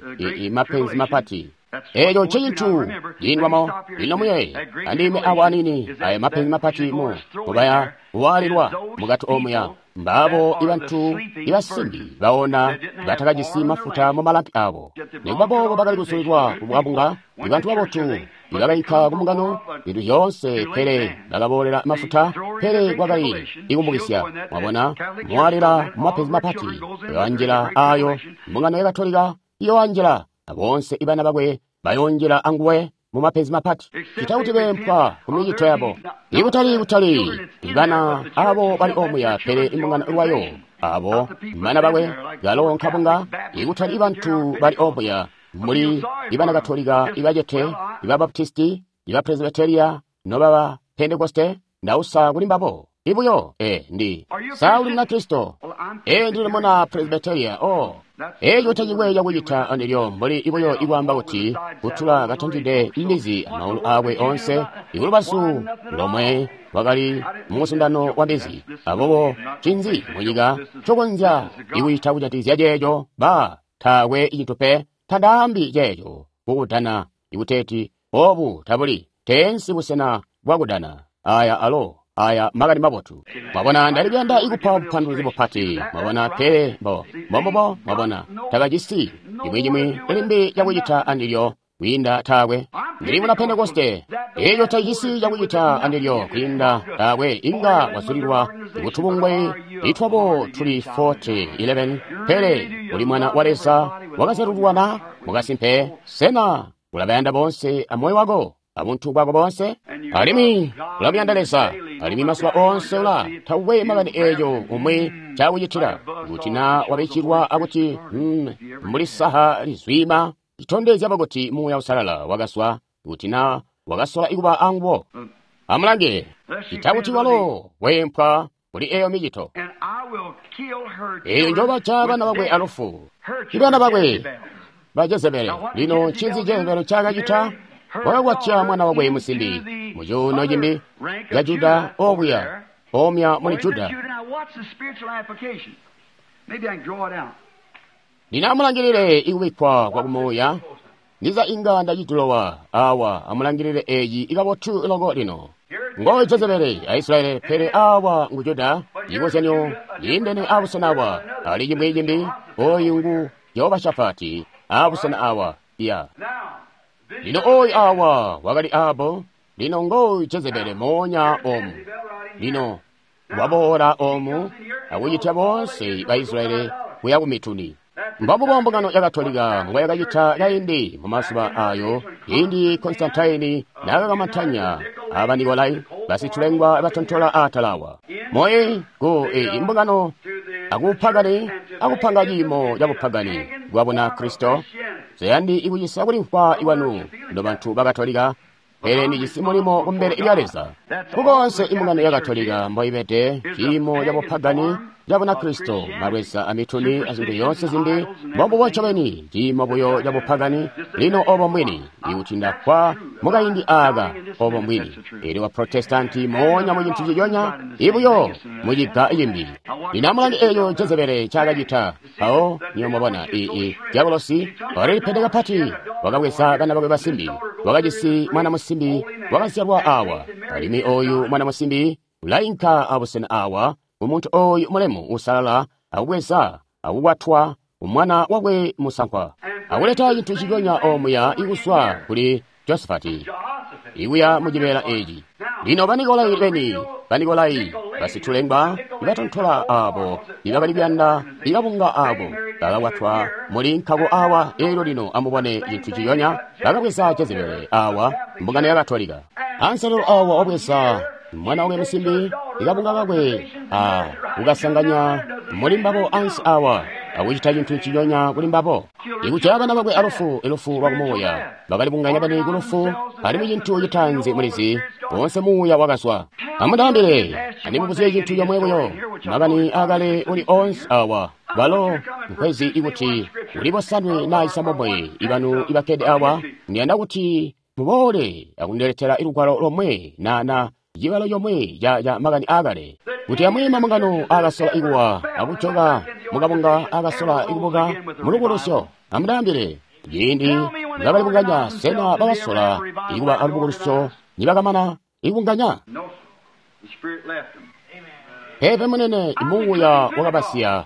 mapenzi mapati. Eco ncecintu ciindwamo. Lino muyeeye, andime awa anini aya mapenzi mapati mu mubaya kuwaalilwa mukati omuya. Mbaabo ibantu ibasimbi baona batakajisi mafuta mu malampi abo. Nikuba boobo bakali kusulilwa kubwabunga, ibantu babotu ibakainka kumbungano zintu zyoonse, pele bakaboolela mafuta, pele kwakali ikumbukisya. Mwabona, muwaalila mu mapenzi mapati, yoanjila ayo mbungano ya Katolika iyoanjila, aboonse ibana bakwe bayonjila anguwe mu mapenzi mapati, cita kuti beempwa ku micito yabo. Ikutali kutali ibana abo bali omuya, pele imbungano lwayo abo bana bakwe galo nkabunga. Ikutali ibantu bali omuya muli ibana Katolika, ibacete, iba Baptisti, iba Presbyteria, nobaba Pentekoste, ndausa kuli mbabo. Ibuyo, ndi Sauli muna Kristo, ndili muna Presbyteria, o. Eco tacikwe cakucita andilyo mbuli ibuyo ikwaamba kuti kutula katantide mbizi amaulu akwe onse, ikulubazu lomwe wakali mumuzundano wa mbizi. Aboobo cinzi munyika cokonzya ikucita kujatikizya ceeco? Ba taakwe cintu pe. Tandaambi ceeco kukudana ikuteeti obu tabuli teensi busena bwakudana. Aya alo aya makani mabotu. Mwabona, ndali kuyanda ikupa bupanduluzi bupati. Mwabona, pele mbo mbombubo. Mwabona, tabajisi cimwi cimwi limbi cakucita andilyo kwiinda taakwe. Ndili muna Pentekoste. Eco tacisi cakucita andilyo kwiinda taakwe. Inga wazulilwa kutubungwe itwabo tuli 40:11, pele uli mwana wa Leza wakazyalululwa na mukasimpe. Sena ulabayanda boonse amoyo wako abuntu bwako boonse? Alimwi ulamuyanda Leza, alimwi mazuba onse ula tauwe makani eeco umwi cakucitila. Kuti na wabicilwa akuti mbuli saha lizwima, citondezya kuti Muuya Uusalala wakazwa, kuti na wakasola ikuba anguwo. Amulange, cita kuti walo weempwa kuli eyo micito. Eyo njobaca bana bakwe alufu. Ibana bakwe ba Jezebele. Lino ncinzi Jezebele ncaakacita? Wakakwatya mwana wakwe musimbi mu cuuno cimbi ca Juda okuya, omya muli Juda. Lino amulangilile ikubikkwa kwa kumuuya. Ndiza inga ndacitulowa awa. Amulangilile eci ikabotu loko lino. Ngo Jezebele a Israyeli, pele awa ngu Juda. Cikozyanyo ciindene abusena awa. Ali cimwi cimbi, oyu ngu Jehoshafati abusena awa. Ya. Lino oyu awa wakali abo. Lino ngo Jezebele moonya omu. Lino waboola omu akucitya boonse ba Israyeli kuya ku mituni. Mbambubo mbungano ya Katolika mbwa yakacita kaindi mu mazuba ayo, ciindi Konstantine naakakamantanya aba Nikolai basitulengwa batontola atalawa. Moye ku imbungano akupagani akupanga ciimo ca bupagani bwa Bunakristo. Zayandi ikucisa kulimvwa iwanu no bantu ba Katolika, pele ndijisi mulimo kumbele lya Leza. Kukonse imbungano ya Katolika mboibede ciimo ca bupagani ca Bunakristo, malweza amituni azintu zyoonse zimbi, mbombubo ncobeni ciimo buyo ca bupagani. Lino obo mbwini, ikuti ndafwa mukaindi aaka, obo mbwini. Elyo wa Protestanti moonya mu cintu ciconya, ibuyo muciga cimbi. Lino amulange eeco Jezebele ncaakacita. Mpawo niyo mwabona diabolosi wakalipede kapati, wakabweza bana bakwe basimbi, wakajisi mwana musimbi wakazyalwa awa, alimwi oyu mwana musimbi ulainka abusena awa umuntu oyu mulemu usalala akubweza akukwatwa umwana wakwe musankwa akuleta cintu ciconya omuya ikuswa kuli Josafati ikuya mucibeela eci. Lino Banikolai beni, Banikolai basitulengwa ibatontola abo ibakali kuyanda ikabunga abo bakakwatwa muli nkako awa. Elyo lino amubone cintu ciconya, bakabweza Jezebele awa, mbungano ya Katolika. Anselelo awa wabweza mwana wakwe musimbi ikabunga kakwe a kukasanganya muli mbabo ansi awa akucita cintu ciconya kuli mbabo. Ikujaya bana bakwe alufu, ilufu lwa kumuuya. Bakalibunganya bani kulufu, alimwi cintu citaanzi mulizi, boonse muuya wakazwa. Amundaambile, andimubuzye cintu comwe buyo, makani akale uli onse awa, balo nkwezi ikuti uli bosanwe na isambomwe ibanu ibakkede awa, ndiyanda kuti muboole akundiletela ilugwalo lomwe na cibalo comwe ca makani akale, kuti amwi mambungano akasola ikuwa akujoka mukabunga akasola ikubuka mulubukulusyo. Amundaambile, ciindi nibakalibunganya, sena bakasola ikuba alubukulusyo nibakamana ikubunganya? Pepe munene, muuya wakabasiya.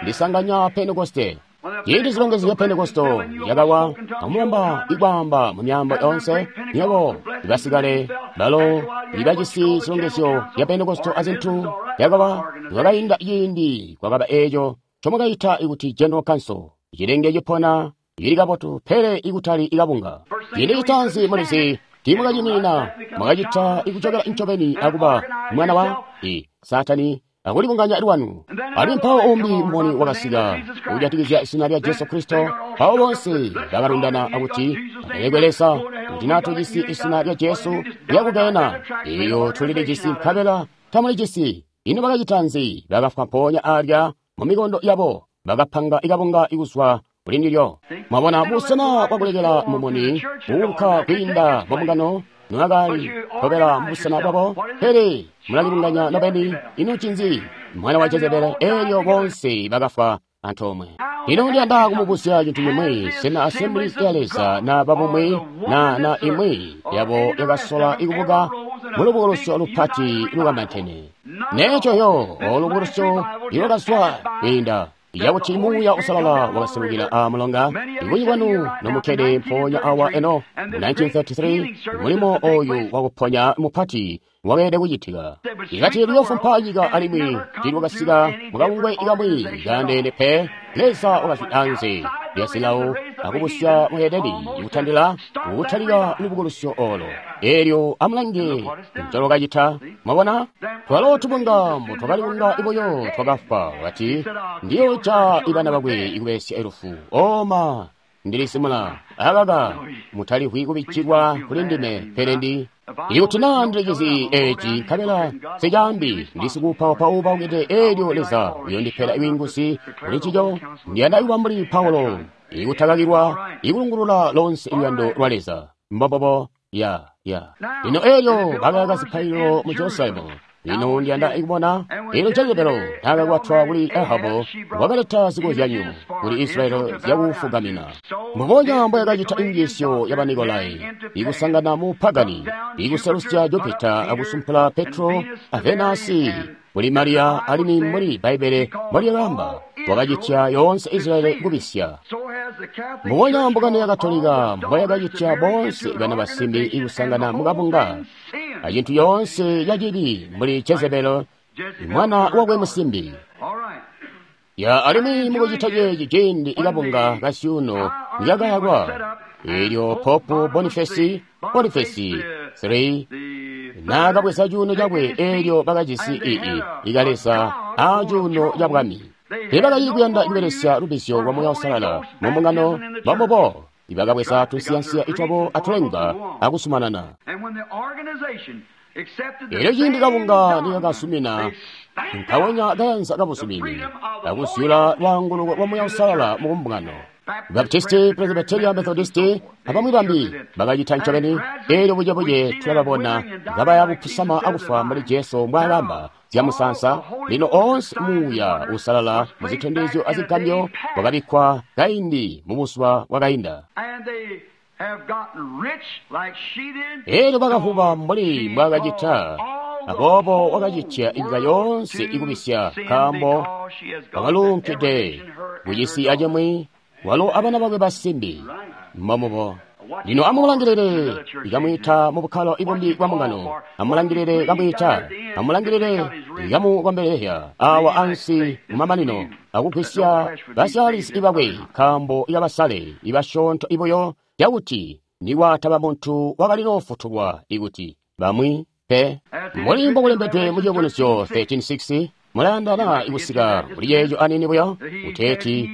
Ndisanganya Pentekoste. Ciindi zilongezyo zya Pentekosto yakawa akumulomba ikwaamba mu myaambo yoonse, nywebo ibasikale balo ibajisi zilongezyo zya Pentekosto azintu yakawa. Nikwakainda ciindi kwakaba eeco ncomwakaita kuti General Council, cilenge cipona cili kabotu pele ikutali ikabunga. Ciindi citaanzi mulizi tiimwakacinina, mwakacita ikucokela ncobeni akuba mwana wa Satani akulibunganya lwanu. Alimwi mpawo umbi mboni wakasika kujatikizya zina lya Jesu Kristo. Mpawo bonse bakalundana akuti alelekwe Leza kuti natujisi izina lya Jesu lyakugena, iyo tulilijisi nkabela tamulijisi. Ino bakacita nzi? Bakafwa mpoonya alya mu mikondo yabo, bakapanga ikabunga ikuzwa kuli ndilyo. Mwabona busena bwakulekela mumuni kuunka kwiinda mu mbungano nwakali tobela mubusena bwabo, pele mulalibunganya nobeni. Ino ncinzi? Mwana wa Jezebele. Elyo bonse bakafwa antoomwe. Ino ndiyanda kumubuzya cintu cimwi. Sena Assemblies ya Leza na babumwi na imwi yabo yakasola ikubuka mulubukulusyo lupati lukamantene? Neco yo olubukulusyo ilwakazwa kwiinda yakuti muuya usalala wakaselukila a mulonga. Ibunji bwanu nomukkede mpoonya awa eno mu 1933 mulimo oyu wakuponya mupati wakeelede kucitika. Ikati luyofumpa nyika alimwi tilwakasika mukabungwe ikamwi kaandeene pe. Leza wakazwi anze lya zilawo akubusya muhedeni ikutandila kutalika lubukulusyo olo. Elyo amulange ncolwakacita. Mwabona, twalo tubunga mbo twakalibunga ibuyo twakafwa. Wakati ndiyoca ibana bakwe ikubelesya ilufu. Oma ndilisimula akaka mutalihwi kubikkilwa kuli ndime, pele ndi Ikuti naa ndilicizi eci nkabela nsicaambi, ndi sikuupaupa-upaukide, eelyo Leza uyondipela bwiinguzi kuli ncico. Ndiyanda kuba mbuli Paulo, ikutakakilwa ikulungulula lonse luyando lwa Leza. Mbombobo, ya. Lino eelyo bakayaka zipaililo mu Jerusalemu. Lino ndiyanda kubona eelyo Jezebelo naakakwatwa kuli Ahabu, wakaleta zikozyanyo kuli Israyeli zyakufugamina. Mbubonya mboyakacita injiisyo ya Banikolai, ikusangana mu pagani, ikuselusya Jupita akusumpula Petro a Venasi kuli Mariya, alimwi mbuli Bbaibbele mbolyakaamba, wakacitya yoonse Israyeli kubisya. Mbubonya mbungano ya Katolika mboyakacitya boonse bana basimbi ikusangana mukabunga acintu yoonse yacibi mbuli Jezebelo mwana wakwe musimbi. Ya alimwi mukucita ceeci ciindi ikabunga kasyuuno nikakayakwa, eelyo Popu Bonifesi 3 naakabweza cuuno cakwe, eelyo bakajisi ii ikaleza a cuuno ca bwami. Teebakali kuyanda kubelesya lubbizyo lwa Muuya Uusalala mu mbungano, mbombubo ibakabweza tunsiyansiya itwabo atulenga akusumanana. Eelyo ciindi kabunga nikakazumina nkawonya kayanza kabuzumini akuzyula lwaanguluko lwa Muuya Uusalala mu mbungano, Baptisti, Presbyteria, Methodisti abamwi bambi bakacita ncobeni. Eelyo bucebuce tulababona kabaya kupusama akufa mbuli Jesu mbwaakamba zyamusansa. Lino oonse Muuya Uusalala muzitondezyo azigambyo wakabikkwa kaindi mubuzuba bwakainda. Eelyo bakavuba mbuli mbwaakacita, aboobo wakacitya nyika yoonse ikubisya, nkaambo wakaluunkide kucisi acimwi, walo abana bakwe basimbi. Mbomubo. Lino amulangilile ikamwiita mu bukkalo ibumbi bwa mbungano. Amulangilile kamwiita, amulangilile ikamukombelezya awa ansi mumamanino akugwisya basyaalisi bakwe, nkaambo ikabasale ibasyoonto ibuyo, cakuti nikwataba muntu wakalinoofutulwa ikuti bamwi pe. Mbuli mbokulembedwe mu Ciyubunuzyo 13:6, mulayandana ikusika kuli ceeco anini buyo, kuteeti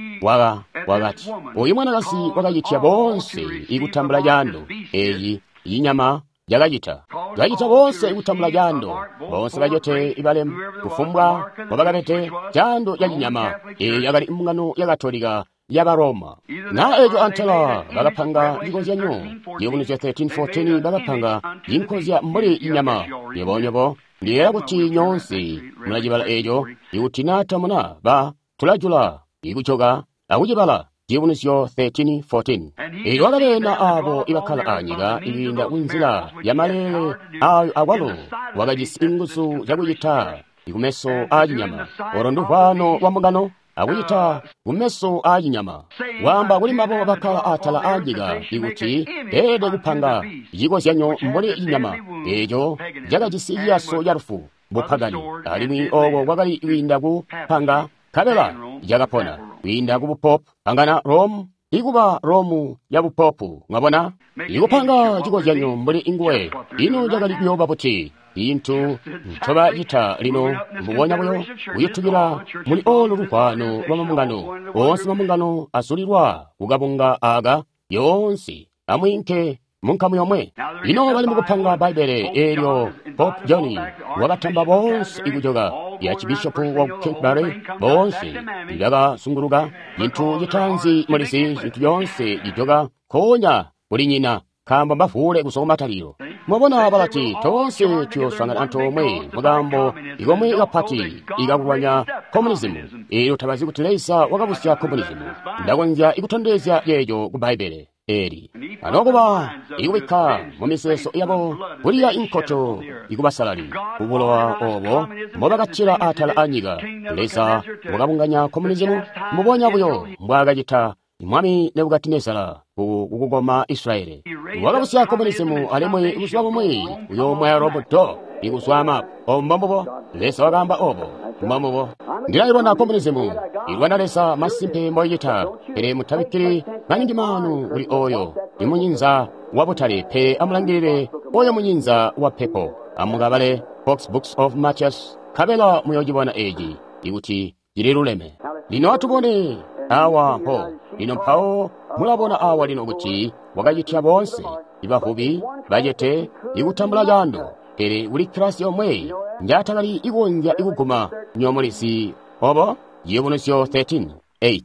wakati uyu mwanakazi wakacitya boonse ikutambula caando. Eeyi inyama yakacita kacita boonse ikutambula caando, boonse bacote ibalemu kufumbwa mbobakabede caando ca cinyama. Eeyi yakali mbungano ya Katolika yaba Roma. Na eeco antela bakapanga cikozyanyo, Ciyubunuzyo 13:14, bakapanga cinkozya mbuli inyama. Nyobonyobo ndiyeeya kuti nyoonse mulacibala eeco. Ikuti naa tamuna, ba tulajula ikujoka akucibala Ciyubunuzyo 13:14. Eelyo wakabeena aabo ibakkala anyika ikwiinda kunzila ya maleele aayo akwalo wakajisi inguzu zyakucita kumeso aacinyama. Olo nduvwano lwa mbungano akucita kumeso aacinyama. Waamba kuli mbabo bakkala atala aanyika ikuti beelede kupanga cikozyanyo mbuli cinyama eeco cakajisi ciyaso ca lufu bupagani, alimwi ooko kwakali kwiinda ku panga, nkabela cakapona kwiinda ku bupopu, pangana Rome ikuba Romu ya bupopu. Mwabona, ikupanga cikozyanyo mbuli inguwe. Ino cakali kuyooba buti? Intu ncobacita lino mbubonya buyo kuyutukila muli olu luvwano lwa mambungano. Oonse mambungano azulilwa kukabunga aka, yoonse amwiinke munkamu yomwe. Lino bali mukupanga Bbaibbele. Eelyo Pope John wakatamba boonse ikujoka ya Archbishop wa Canterbury, boonse bakazunguluka. Cintu citaanzi mulizi, cintu yoonse cijoka nkoonya kuli nyina, nkaambo mbavuule kuzwa kumatalilo. Mwabona, balati toonse tuyosangana antoomwe mukaambo ikomwe kapati ikakulwanya komunizimu. Eelyo tabazi kuti Leza wakabusya komunizimu. Ndakonzya ikutondezya yeeco ku Bbaibbele eli anokuba ikubikka mumizeezo yabo kuliya inkoto ikubasalali kubulowa obo mbobakatila atala anyika. Leza wakabunganya komunizimu mbubonya buyo mbwaakacita Mwami Nebukadinezara kukukoma Israyeli. Wakabusya komunizimu, alimwi buzuba bumwi uyoomwaya roboto ikuzwa mapu. Obo mbombubo Leza wakaamba obo. Mbombubo. Ndilailwana komunizimu, ilwana Leza masimpe mboicita, pele mutabikkili maningi maanu kuli oyo imunyinza wa butale, pele amulangilile oyo munyinza wa pepo. Amukabale Fox Books of Matthias, nkabela muyoocibona eeci ikuti cililuleme. Lino atubone awa mpo. Lino mpawo Mulabona awa lino kuti wakacitya boonse, ibavubi, bacete, ikutambula caando. Pele kuli kilasi yomwe njaatakali ikonzya ikuguma nyomulizi obo. Ciyubunuzyo 13:8.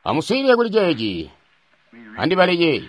Amuswiilile kuli ceeci. Andibaleye.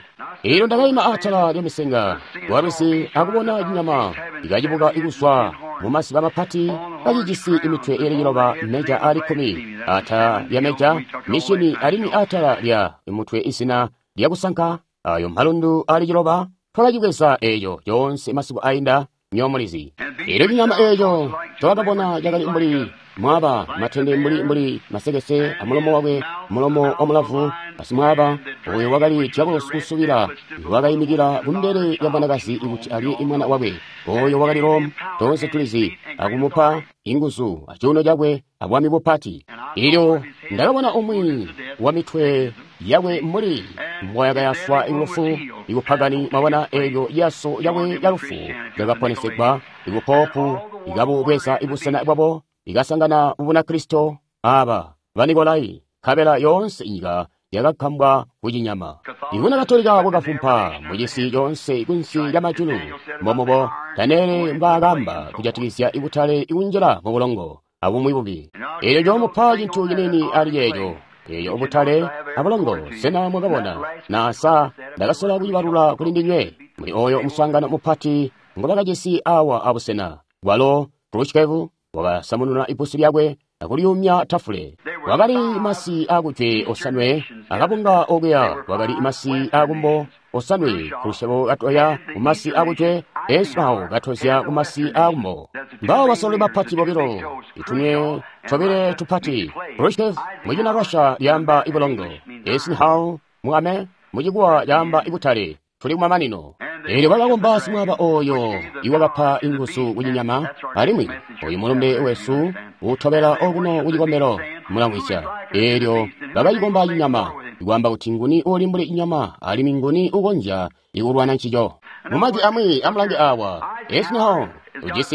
Eelyo ndakaima atala lyamisenga lwalwizi akubona cinyama ikacibuka ikuzwa mumasiba mapati kacijisi imitwe iili 9 meja aali 10 atala lya meja mishini alimwi atala lya mutwe izina lyakusanka ayo malundu aali 9. Twakacibweza eeco coonse masiku ainda nyomulizi. Eelyo cinyama eeco twakabona cakali mbuli mwaba matende mbuli masekese amulomo wakwe mulomo wa mulavu asimwaba oyo wakali diabolosi usubila wakayimikila kumbele ya mwanakazi kuti alye imwana wakwe oyo wakali Rome tonse tulizi akumupa inguzu acuuno cakwe abwami bupati. Ilyo ndakabona umwi wa mitwe yakwe mbuli mbwayakayaswa ilufu ikupagani mwabona eelyo yaso yakwe ya lufu lyakaponesegwa ikupopu ikabubweza ibusena bwabo ikasangana Bunakristo aba Banikolai kabela yoonse inyika yakakambwa kucinyama. Ibuna Katolika bwakafumpa mucisi yoonse kunsi lya majulu. Mbomubo Daniele mbwaakamba kujatikizya ibutale ikunjila mubulongo abumwi bubi. Eelyo coomupa cintu cinini ali ceeco. Eeyo ubutale abulongo sena mwakabona nasa ndakasola kucibalula kuli ndinywe muli oyo muswaangano mupati ngobakajisi awa abusena bwalo Khrushchev wakasamununa ipusi lyakwe akulyumya tafule. Wakali masi akujwe osanwe akabunga okuya wakali masi akumbo osanwe Khrushchev katoya kumasi akujwe Esau katozya kumasi akumbo. Mbawo basololi bapati bobilo itunwe tobile tupati Khrushchev mucina Russia lyamba ibulongo Eisenhower muame mucikuwa lyamba ibutale tuli kumamanino. Eelyo bakakomba simwaba oyo iwakapa inguzu kucinyama alimwi oyu mulumbe wesu utobela okuno kucikombelo mulamwisya. Eelyo bakacikomba cinyama ikwaamba kuti nguni uli mbuli cinyama alimwi nguni ukonzya ikulwana ncico. Mumajwi amwi amulange awa Eisenhower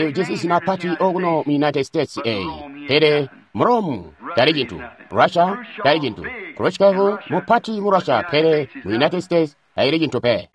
ujisi zina pati okuno mu United States eyi pele mu Rome tali cintu, Russia tali cintu, Khrushchev mupati mu Russia pele mu United States tayili cintu pe.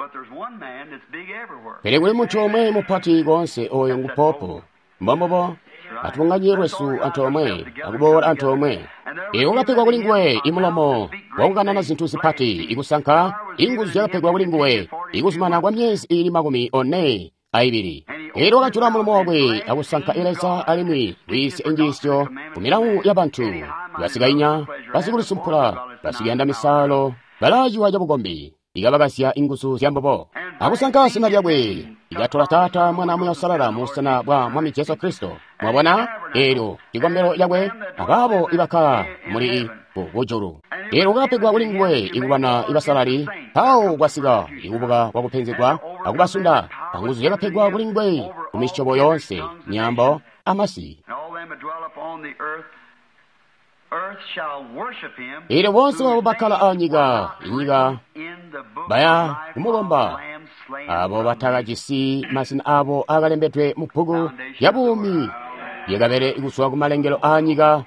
Pele kuli muntu omwe mupati konse oyo ngu popo. Mbombobo atubunganye lwesu antoomwe akuboola antoomwe. Eelyo wakapegwa kuli nguwe imulomo wakukanana zintu zipati ikusanka inguzu zyakapegwa kuli nguwe ikuzumana kwa myezi iili 42. Eelyo wakajula mulomo wakwe akusanka Leza alimwi kwiisya injiisyo ku milawu ya bantu basikainya basikulisumpula basikuyanda misaalo balaaciwa cabukombi ikabakasya inguzu zyambobo akusanka zina lyakwe ikatola Taata Mwana Muya Usalala mubusena bwa Mwami Jesu Kristo. Mwabona eelyo cikombelo cakwe abaabo ibakkala muli kujulu. Eelyo wakapegwa kuli nguwe ikulwana ibasalali mpawo kwasika ikubuka kwakupenzegwa akubasunda anguzu zyakapegwa kuli nguwe kumisyobo yoonse myaambo amasi. Eelyo boonse babo bakkala anyika inyika baya kumukomba abo batakajisi mazina abo akalembedwe mu bbuku lya buumi lyakabele kuzwa kumalengelo aanyika.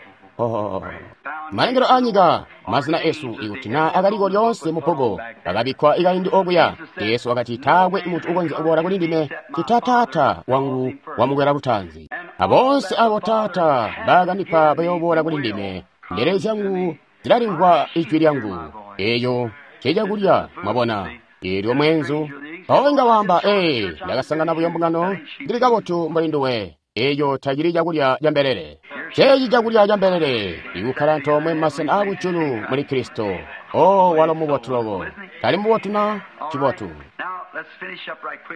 Malengelo aanyika mazina esu ikuti naa akaliko lyoonse mu bbuku akabikkwa ikaindi okuya. Yesu wakati taakwe muntu ukonzya kuboola kuli ndime cita Taata wangu wamukwela lutanzi. Aboonse abo Taata baakandipa bayooboola kuli ndime. Mbelele zyangu zilalimvwa ijwi lyangu. Eeyo ncecakulya mwabona. Eelyo mweenzu mpawo inga waamba, ee, ndakasangana buyo mbungano, ndili kabotu mbuli nduwe. Eeyo tacili cakulya ca mbelele. Ceeci cakulya ca mbelele ikukkala antoomwe mumasena aakujulu muli Kristo. O walo mubotu loko. Tali mubotu na? Cibotu.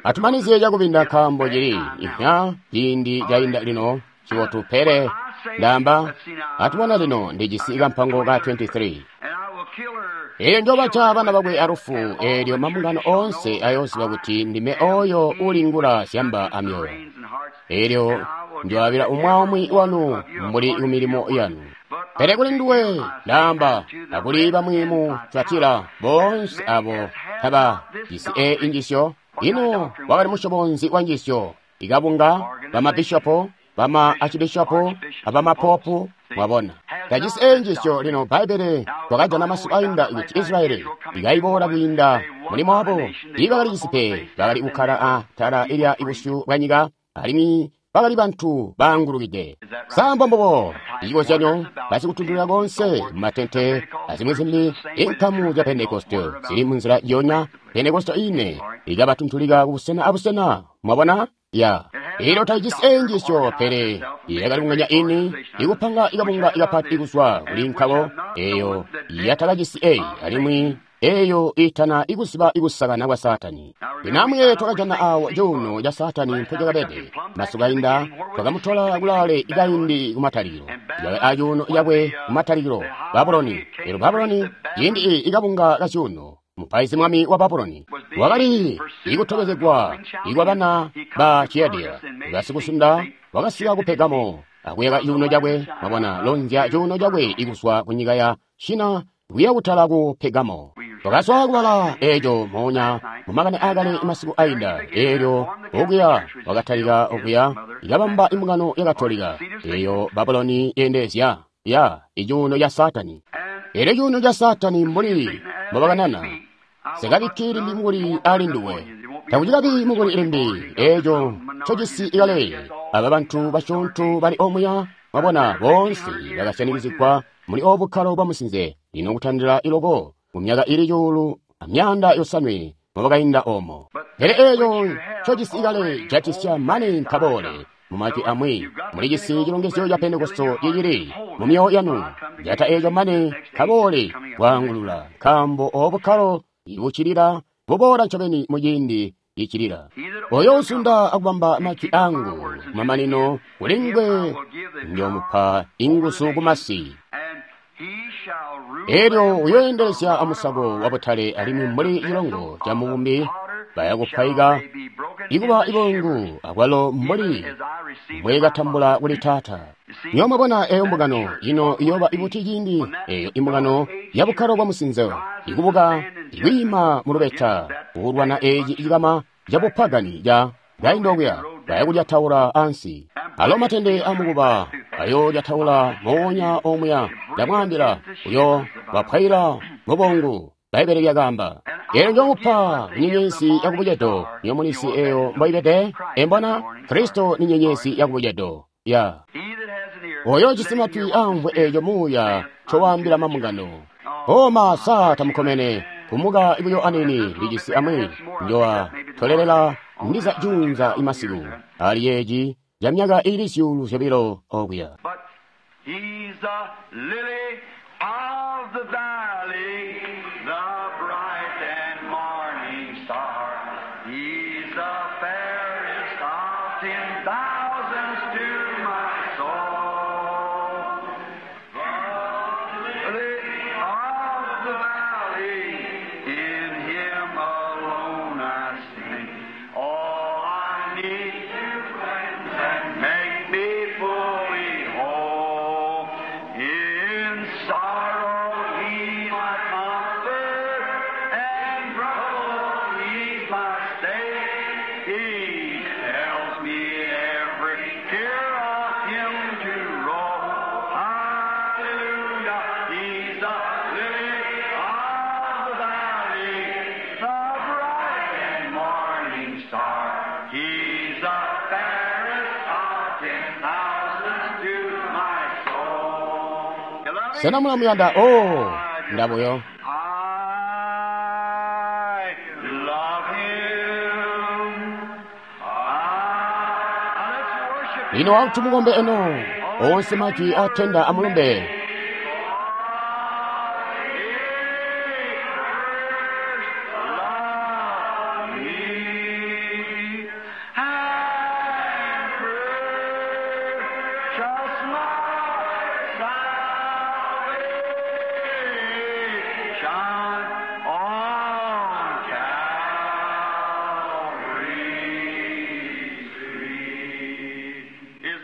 Atumanizye cakubinda nkaambo cili ihya ciindi cainda lino cibotu pele ndaamba atubona lino ndijisi kampango ka 23. Eelyo njobaca bana bakwe alufu, eelyo mambungano oonse ayooziba kuti ndime oyo ulingula zyamba amyoyo. Eelyo njoabila umwi wanu mbuli kumilimo yanu. Pele kuli nduwe ndaamba akuli bamwi mu Tuatira boonse abo taba jisi e injisyo. Ino wakali musyobo nzi wa njisyo? Ikabunga bamabishopo, bama archibishopo, abamapopu, mwabona. Tajisi enjisyo lino Bbaibbele. Twakajana masiku ainda kuti Israyeli ikaiboola kwiinda mulimo wabo. Tiibakali cisi pe, bakali kukkala atala ilya busyu bwa nyika, alimwi bakali bantu baangulukide. Sa mbombubo? Icikozyanyo, basikutundulula konse mumatente azimwi zimbi, inkamu zya Pentekoste zili munzila yonya. Pentekoste ine ikabatuntulika kubusena abusena. Mwabona? Ya. Ilo taijisi enjisyo, pele yakali kunganya ini ikupanga ikabunga ikapati kuzwa kuli nkabo eyo yatakajisi eyi, alimwi eyo itana ikuziba ikusakana kwa Saatani. Lino twakajana awo cuuno ca Saatani mpocakabede. Masiku ainda twakamutola kulaale ikaindi kumatalikilo. Yakali acuuno cakwe kumatalikilo, Babuloni. Elo Babuloni ciindi ikabunga ka cuuno, mupaizi mwami wa Babuloni wakali ikutobezegwa ikwa bana ba Chiadia basikusunda, wakasika ku Pergamo akuyaka cuuno cakwe. Mwabona, lonzya cuuno cakwe ikuzwa ku nyika ya Shina kuya kutala ku Pergamo. Twakazwa kubala eco moonya mumakani akale masiku ainda. Elyo okuya wakatalika okuya ikabamba imbungano ya Katolika eyo Babuloni yendezya ya icuuno ca Saatani. Elyo cuuno ca Saatani mbuli mbobakanana, sikabikki limbi mukuli ali nduwe, takucikabi mukuli limbi eeco ncojisi ikale. Aba bantu basyoonto bali omuya, mwabona, boonse bakasyanikizigwa muli obukkalo bwa musinze lino kutandila iloko mu myaka ili 700 mubakainda omo. Pele eeco ncojisi ikale jatisya mane nkaboole. Mumajwi amwi, mulijisi cilongezyo ca Pentekoste cicili mu myoyo yanu. Jata eeco mane kaboole kwaangulula, nkaambo obukkalo ibucilila buboola ncobeni muciindi icilila. Oyo usunda akubamba majwi angu kumamanino, kulingwe njomupa inguzu kumasi. Elyo uyoendelezya amusako wabutale, alimwi mbuli cilongo ca mubumbi bayakupwaika ikuba ibungu, akwalo mbuli mbwekatambula kuli Taata. Nyo mwabona eyo mbungano ino iyoba ibuti ciindi eyo imbungano ya bukkalo bwa musinzo ikubuka ikwiima mu lubeta kulwana eci cikama ca bupagani ca kainda okuya, bayakulyataula ansi. Alo matende amukuba ayolyataula moonya omuya. Ndamwaambila, uyo bapwaila mubongu. Bbaibbele lyakaamba, elyo njomupa nyenyezi yakubucedo. Niyo mulisi eyo mboibede. Embona Kristo ni nyenyezi yakubucedo. Ya oyo jisi matwi amvwe eyo muuya ncowaambila mambungano. Oma sa tamukomene kumuka ibuyo anini lijisi amwi njowa tolelela ndiza junza imasiku ali yeji ja myaka ili 200 okuya. He's the lily of the valley, the bright and morning star. He's the fairest of 10,000s to my soul. The lily of the valley, in him alone I see all I need to cleanse and make me fully whole. In sorrow he's my comfort, and trouble he's my stay. He tells me every tear of him to roll. Hallelujah, he's the lily of the valley, the bright and morning star. He's the fairest of 10,000s to my soul. You love him? Sena mulamuyanda? Oh, ndabuyo. I love him. Let's worship him. Lino wauti mukombe eno onse majwi atenda amulumbe.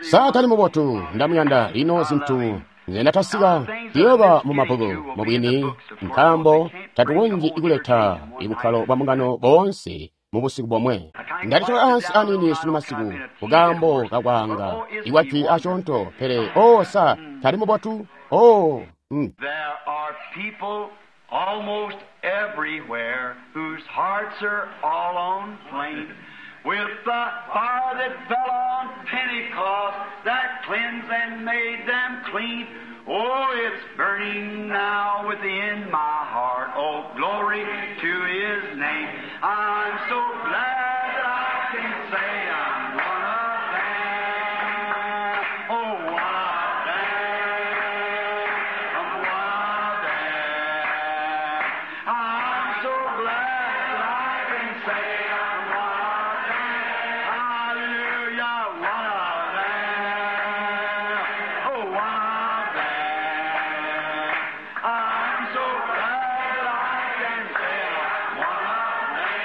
Saatani mubotu, ndamuyanda. Lino zintu nzendatasika ziyoba mu mabbuku mubwini, nkaambo tatukonzyi kuleta ibukkalo bwa mbungano boonse mu busiku bomwe. Ndalitola ansi anini sunu masiku kukaambo kakwaanga ikwajwi asyoonto, pele o sa tali mubotu? Oh. There are people almost everywhere whose hearts are all on flame with the fire that fell on Pentecost that cleansed and made them clean. Oh, it's burning now within my heart. Oh, glory to His name. I'm so glad that I can say I'm one of them. Oh, one of them. I'm one of them. I'm so glad that I can say I'm one of them. Hallelujah, one of them. Oh, one of them. I'm so glad that I can say I'm one of them.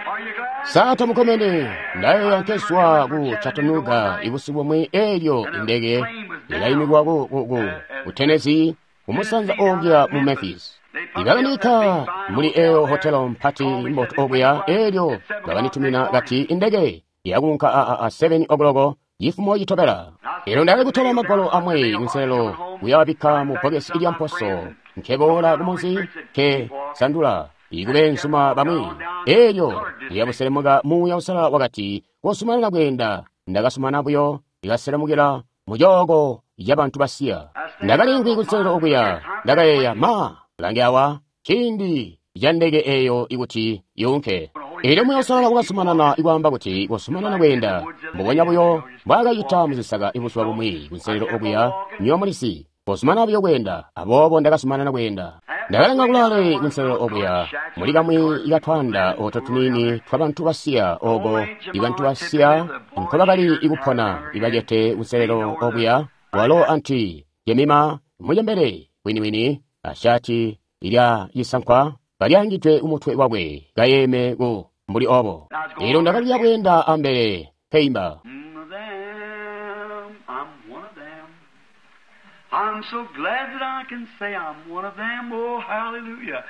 Are you glad? Sata mukomene ndayo yankeswa ku Chattanooga ibusi bumwe elyo indege ilayimikwa ku Tennessee kumusanza okuya mu Memphis. Ibakanika muli eyo hotelo mpati mbotu okuya elyo bakanitumina kati indege yakunka a 7 o'clock yifumo yitobela. Elo ndali kutola magwalo amwe kunselelo kuyawabikka mu bokesi ilya mposo nkeboola kumunzi ke sandula ikube nsuma bamwi elyo liyabuselemuka muuya usala wakati kosumanana kweenda. Ndakasumana buyo ikaselemukila mucooko ya bantu basiya. Ndakalinkwi kunselelo okuya ndakayeeya ma lange awa ciindi ca ndeke eyo ikuti yunke. Elyo muuya usalala wakasumanana ikwaamba kuti kosumanana kweenda mbubonya buyo mbwaakacita muzisaka ibuzuba bumwi kunselelo okuya nyomulisi kosumana buyo kweenda. Aboobo ndakasumanana kweenda. Ndakalenga kulale kunselelo okuya muli kamwi ikatwanda oto tuniini twa bantu basiya oko ibantu basiya nkobakali ikupona ibacete kunselelo okuya walo anti Jemima mujembere winiwini ashati ilya yisankwa balyangidwe umutwe wakwe kayeme ku mbuli obo. Elo ndakaliya kweenda ambele keimba. One of them, I'm one of them. I'm so glad that I can say I'm one of them. Oh, hallelujah.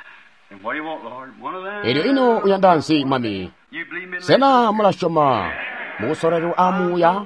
And what do you want, Lord? One of them. Elyo ino uyanda nsi mwami. You believe me? Sena mulasyoma mukusololelwa a muuya?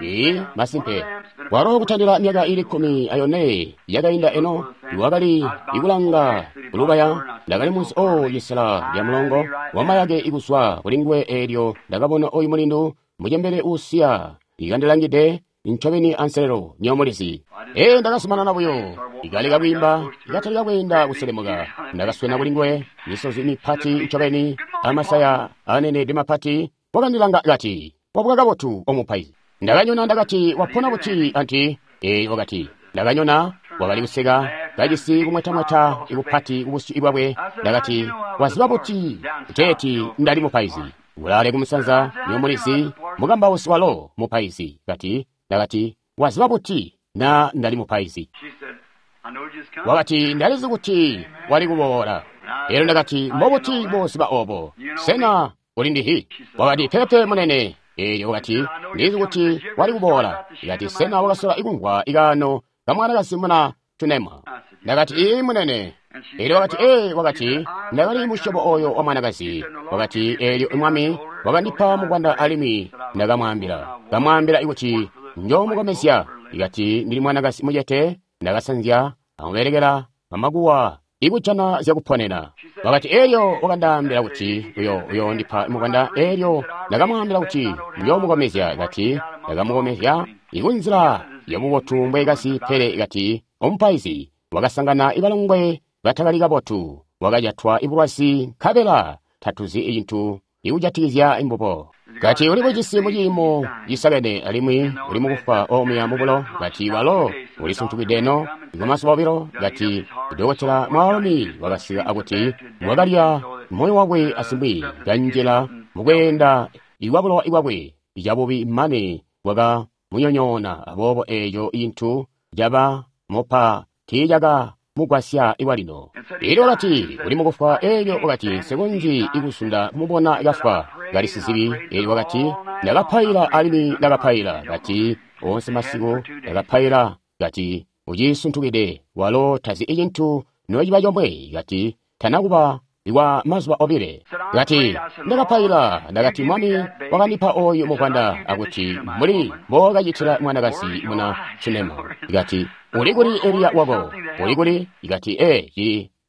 Ee, masimpe. Walo kutandila myaka ili 14 yakainda eno iwakali ikulanga kulubaya ndakali munsi o yisela lya mulongo wamayake ikuswa kulinguwe elyo ndakabona oyu mulindu mujembere usiya ikandilangide ncobeni anselelo nyomulizi. Ee, ndakasumanana buyo ikaleka kwiimba ikatalika kweenda kuselemuka. Ndakaswena kulinguwe misozi mipati ncobeni amasaya anenede mapati. Wakandilanga kati wabuka kabotu omupaizi. Ndakanyona ndakati wapona buti anti. Ee, wakati ndakanyona wakali kuseka kajisi kumwetamweta ikupati kubusyu bwakwe. Ndakati waziba buti kuteeti ndali mupaizi ulale kumusanza nyomulizi mukambausi walo mupaizi. Kati ndakati waziba buti na ndali mupaizi. She said, I know just come. Wakati ndalizi kuti wali kuboola. Elo ndakati mbobuti mboziba obo sena uli ndihi? Wakati pepe munene. Elyo wakati ndizi kuti wali kuboola. Ikati sena wakasola ikumvwa ikano kamwanakazi muna tunema? Ndakati ii munene. Elyo wakati ee, wakati ndakali musyobo oyo wa mwanakazi. Wakati elyo mwami wakandipa mukwanda alimwi ndakamwaambila kamwaambila ikuti njomukomezya. Ikati ndili mwanakazi mucete ndakasanzya amubelekela amakuwa ikujana zyakuponena. Wakati elyo wakandaambila kuti uyo uyondipa mukwanda. Elyo ndakamwaambila kuti njomukomezya. Kati ndakamukomezya ikunzila yabubotu mbwekasi. Pele kati omupaizi wakasangana ibalongwe batakali kabotu wakajatwa ibulwazi nkabela tatuzi icintu ikujatikizya imbubo. Kati uli bucisi muciimo cisakene alimwi uli mukufa omuya mubulo. Kati walo ulisuntukide no ikumazuba obilo. Kati dokotela mwaalumi wakasika akuti wakalya moyo wakwe asimwi kanjila mukweenda iwabulowa iwakwe icabubi mane bwakamunyonyoona. Aboobo eeco intu caba mupa tiicaka mugwasya iwalino. Elyo wakati uli mukufwa. Elyo wakati nsikonzyi ikusunda kumubona kafwa kali sizibi. Elyo wakati ndakapaila alimwi ndakapaila. Kati onse masiku ndakapaila. Kati ucisuntukide walo tazi icintu nociba comwe. Kati tanakuba kwa mazuba obile. Kati, ndakapaila, ndakati, Mwami wakandipa oyu muvwanda, akuti mbuli mbokacitila mwanakazi muna Shunemu. Ikati, uli kuli Eliya wako? Uli kuli? Ikati,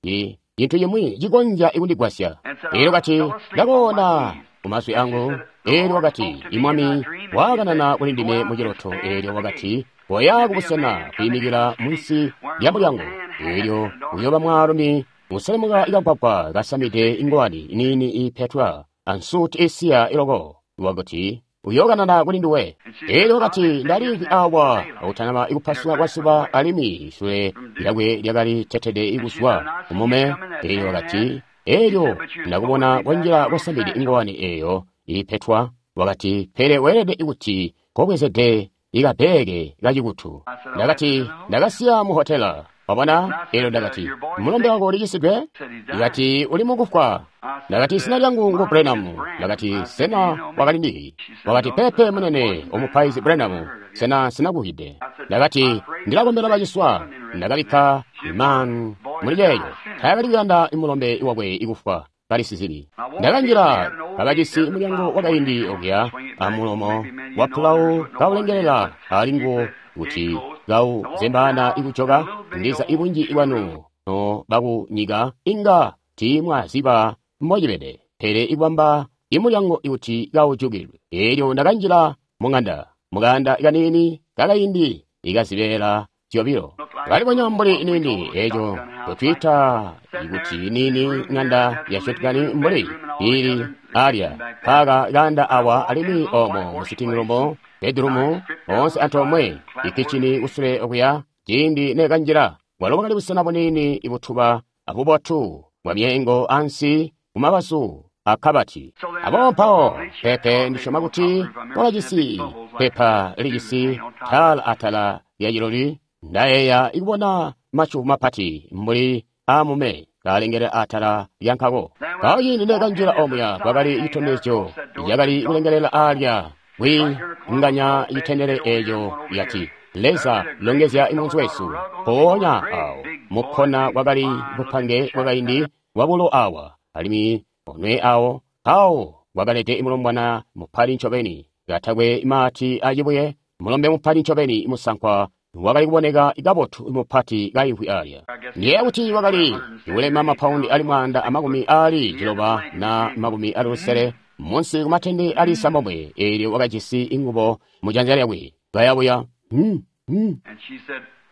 cintu cimwi cikonzya kundigwasya. Elyo kati, ndakoona kumazwi angu. Elyo wakati, Imwami wakanana kuli ndime muciloto. Elyo wakati, koya kubusena kwiimikila munsi lya mulyango. Elyo uyooba mwaalumi uselemuka ikagwagwa kasamide ingwani niini ipetwa ansuti isiya iloko. Wakuti uyookanana kuli nduwe. Elyo wakati, ndaliimvwi awa akutanaba ikupasuka kwa zuba, alimwi isule lyakwe lyakali tetede ikuzwa kumume. Elyo wakati, elyo ndakubona konjila kosamide ingwani eyo ipetwa. Wakati, pele weelede kuti kobwezede ikabbeeke kacikutu. Ndakati, ndakasiya mu hotela. Wabona? Elyo ndakati, mulombe wako ulicisidwe? Ikati, uli mukufwa. Ndakati, zina lyangu ngu Branham. Ndakati, sena wakali ndihi? Wakati, pepe munene, omupaizi Branham, sena sinakuhide. Ndakati, ndilakombela baciswa. Ndakabikka imani muli ceeco. Taakali kuyanda mulombe wakwe ikufwa. Kali sizibi. Ndakanjila kabajisi mulyango wakaindi okuya amulomo wa pulawu kaulengelela ali nguwo kuti kauzembaana ikujoka. Ndiza ibunji bwanu no bakunyika inga tiimwaziba mbocibede, pele ikubamba imulyango ikuti kaujukilwe. Elyo ndakanjila mung'anda, mukanda kaniini kakaindi ikazibeela zyobilo. Kalibonya mbuli nini eco totwiita ikuti nini ng'anda ya shotgun mbuli ili alya paka kanda awa, alimwi omo mu sitting room, bedroom, onse antoomwe, ikichini kusule okuya. Ciindi nekanjila, bwalo bwakali busena bunini ibutuba abubotu bwa myeengo ansi kumabazu akabati. Abo mpawo pepe ndisyoma kuti wakajisi pepa lijisi tala atala lya ciloli. Ndayeeya ikubona macu mapati mbuli amume kalengela atala lya nkako. Mpawo ciindi nekanjila omuya kwakali citondezyo cakali kulengelela alya kwinganya citendele eco yati, Leza longezya imunzi wesu. Mpoonya awo mukkona kwakali bupange bwakaindi bwabulo awa, alimwi onwe awo awo kwakalede mulombwana mupali ncobeni katakwe mati acibuye, mulombe mupali ncobeni musankwa wakali kuboneka kabotu mupati kaimvwi alya. Ndiyeeya kuti wakali kulema mapaundi ali 190 na 60 munsi kumatende ali sambomwe. Elyo wakajisi ingubo mujanza lyakwe kayabuya.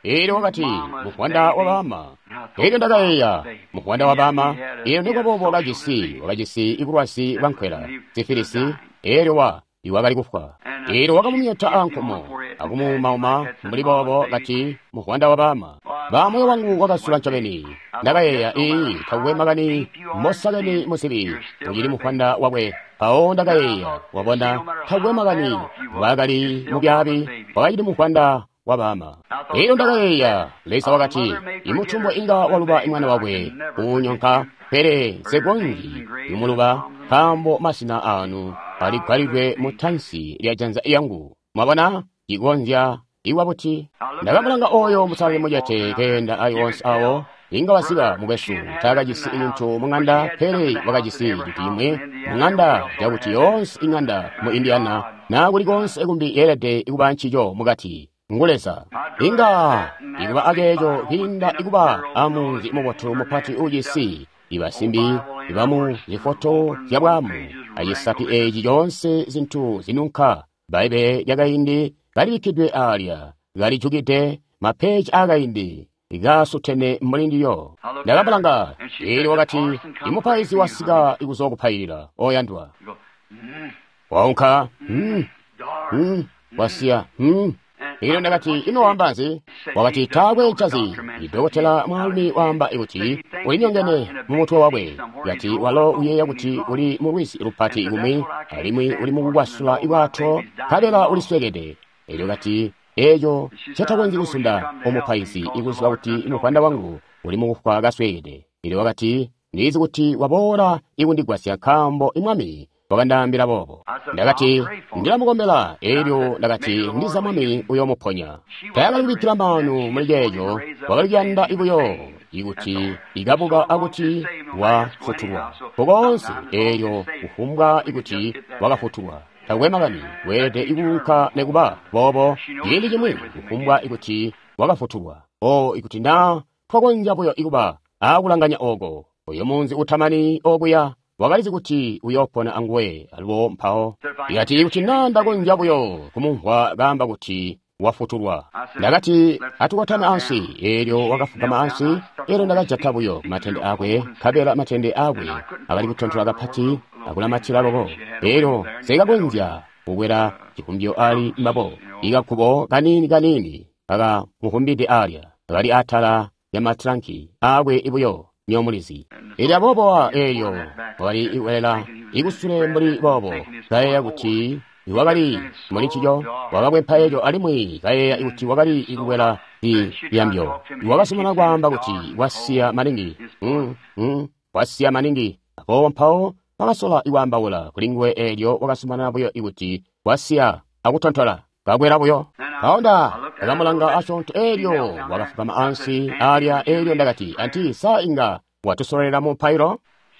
Elyo wakati, muvwanda wa baama. Elyo ndakayeeya, muvwanda wa baama. Elyo nikuba wakajisi ibulwazi bwa nkwela, sifilisi. Elyo iwakali kufwa. Elyo wakamumyota ankomo akumuumauma mbuli boobo, kati, muvwanda wa baama. Ba moyo wangu wakasula ncobeni. Ndakayeeya, ii, takukwe makani mosakeni musibi, ucili muvwanda wakwe. Mpawo ndakayeeya, wabona, takukwe makani wakali mubyaabi, wakacili muvwanda wa baama. Elyo ndakayeeya, Leza wakati, imutumbwe inga waluba mwana wakwe uunyonka, pele nsekonzyi kumuluba, nkaambo masina anu aligwalidwe mu tansi lya janza yangu. Mwabona, cikonzya iwa buti. Ndakamulanga oyo musalali mucete keenda ali onse awo. Inga wasiba mukwesu taakajisi cintu mung'anda, pele wakajisi cintu cimwi mung'anda cakuti yoonse ing'anda mu Indiana na kuli konse kumbi yeelede kuba ncico mukati. Ngu Leza. Inga ikuba aceeco kwiinda ikuba amunzi mubotu mupati ujisi ibasimbi ibamu zifoto zyabwaamu acisapi eeci coonse zintu zinunka. Bbaibbele lyakaindi kalibikkidwe alya, kalijukide mapeji aakaindi kasutene mbuli ndiyo. Ndakamulanga, elyo wakati, imupaizi wasika kuzookupailila, oyandwa. Waunka, wasiya, Elyo ndakati, ino waamba nzi? Wakati, taakwe ncazi. Idokotela mwaalumi waamba kuti ulinyongene mu mutwe wakwe. Kati walo uyeeya kuti uli mu lwizi lupati kumwi, alimwi uli mukukwasula ibwato, nkabela uliswekede. Elyo kati, eeco ncetakonzyi kusunda omupaizi ikuziba kuti muvwanda wangu uli mukufwa kaswekede. Elyo wakati, ndizi kuti waboola ikundigwasya nkaambo imwami wakandaambila boobo. Ndakati, ndilamukombela. Elyo ndakati, ndiza mwami uyoomuponya. Taakali kubikkila maanu muli ceeco, wakali kuyanda buyo ikuti ikabuka akuti wafutulwa kokonse eelyo kufumbwa ikuti wakafutulwa takwe makani weelede ikuunka nekuba boobo ciindi cimwi kufumbwa ikuti wakafutulwa o ikuti na twakonzya buyo ikuba akulanganya oko oyo munzi utamani okuya wakalizi kuti uyoopona anguwe alubo mpawo ikati ikuti na ndakonzya buyo kumumvwa kaamba kuti wafutulwa. Ndakati atukotame ansi, eelyo wakafugama ansi, eelyo ndakajata buyo matende akwe, nkabela matende akwe akali kutontola kapati akulamatila loko. Eelyo sikakonzya kukwela cikumbyo ali mbabo, ikakubo kanini kanini kakamukumbide alya, akali atala ya matranki akwe ibuyo nyomulizi. Eelyo aboobo eelyo wakali ikwelela ikusule mbuli boobo, kayeeya kuti wakali muli ncico, wakakwempa eco alimwi kayeeya kuti wakali ikukwela liyambyo. Wakasumana kwaamba kuti wasiya maningi, wasiya maningi. Aboobo mpawo wakasola ikwaambaula kuli nguwe eelyo wakasumana buyo ikuti wasiya akutontola kakwela buyo. Mpawo ndakamulanga asyoonto eelyo wakafugama ansi alya eelyo ndakati, anti sa inga watusololera mu mpailo?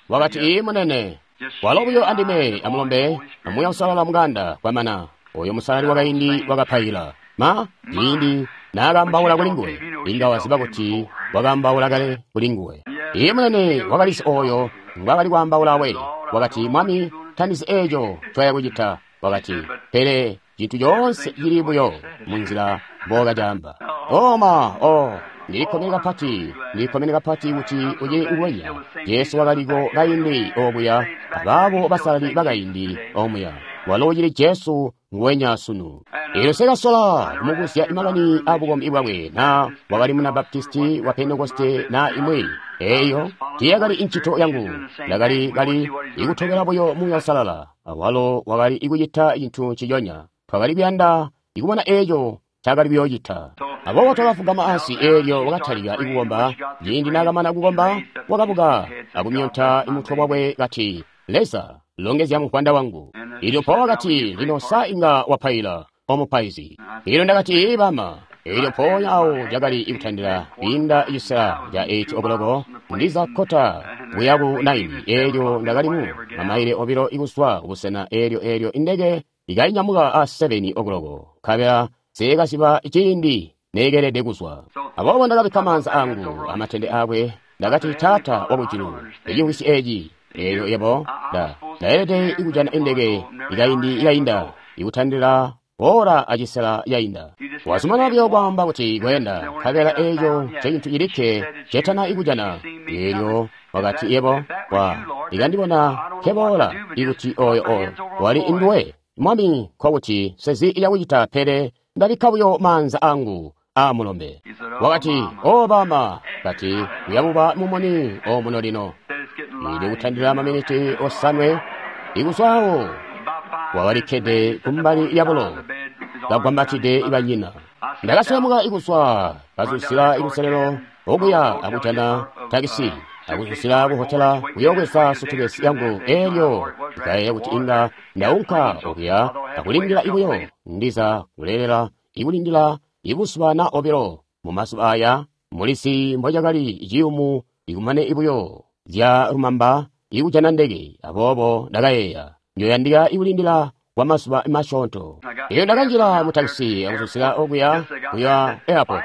Wakati, ii munene. Walo buyo andime amulombe amuya usalala muganda kwamana oyo musalali wakaindi wakapaila ma ciindi naakambaula kuli nguwe inga waziba kuti wakambaula kale kuli nguwe. Iye munene wakalisi oyo ngwakali kwaambaula we. Wakati, mwami tandizi eeco ncoya kucita. Wakati, pele cintu coonse cili buyo munzila mbokacaamba. Oma o ndilikkomene kapati, ndilikkomene kapati kuti ucili nguwenya. Jesu wakaliko kaindi obuya, abaabo basalali bakaindi omuya. Walo ucili Jesu nguwenya sunu. Eelyo sekasola kumubuzya makani abukombi bwakwe na wakali muna Baptisti wa Pentekoste na imwi. Eeyo tiyakali incito yangu. Ndakali kali ikutobela buyo Muuya Uusalala. Awalo wakali ikucita cintu nciconya. Twakali kuyanda ikubona eeco ncaakali kuyoocita. Aboobo twakafugama ansi eelyo wakatalika ikukomba. Ciindi naakamana kukomba, wakabuka akumyonta mutwe wakwe kati, Leza, longezya muvwanda wangu. Eelyo mpawo wakati, lino sa inga wapaila, omupaizi. Eelyo ndakati, ee bama. Eelyo mpoonya awo cakali ikutandila kwiinda cisela ca 8 o'clock ndiza kkota kuya ku 9. Eelyo ndakali mu mamaile obilo ikuzwa kubusena eelyo eelyo indeke ikainyamuka a 7 o'clock nkabela seekaziba ciindi neekelede kuzwa. Aboobo ndakabikka maanza angu amatende akwe, ndakati, Taata wakujulu, ecimvwisyi eci eelyo yebo ndaelede ikujana indeke ikaindi ikainda ikutandila ora acisela yainda. Wazumana buyo kwaamba kuti kweenda, nkabela eeco ncecintu cilikke cetana ikujana. Eelyo wakati, yebo ikandibona nkeboola ikuti oyo oyo wali induwe Mwami, nkokuti sezi iyakucita, pele ndabikka buyo maanza angu amulombe. Wakati, o bama, kati uyabuba mumoni omuno lino. Ili kutandila maminiti osanwe ikuzwawo wakalikkede kumbali yabulo kagwambatide banyina. Ndakaselemuka ikuzwa kazuzila ikuselelo okuya akujana takisi akuzuzila kuhotela kuyokweza sutukesi yangu. Eelyo ndikayeeya kuti inga ndaunka okuya akulindila ibuyo ndiza kulelela ikulindila ibuzuba na obilo. Mumazuba aya mulisi mbocakali ciyumu ikumane ibuyo zya lumamba ikujana ndeke. Aboobo ndakayeeya njoyandika ikulindila kwa mazuba masyoonto. Eelyo ndakanjila mu takisi akuzuzila okuya kuya airport.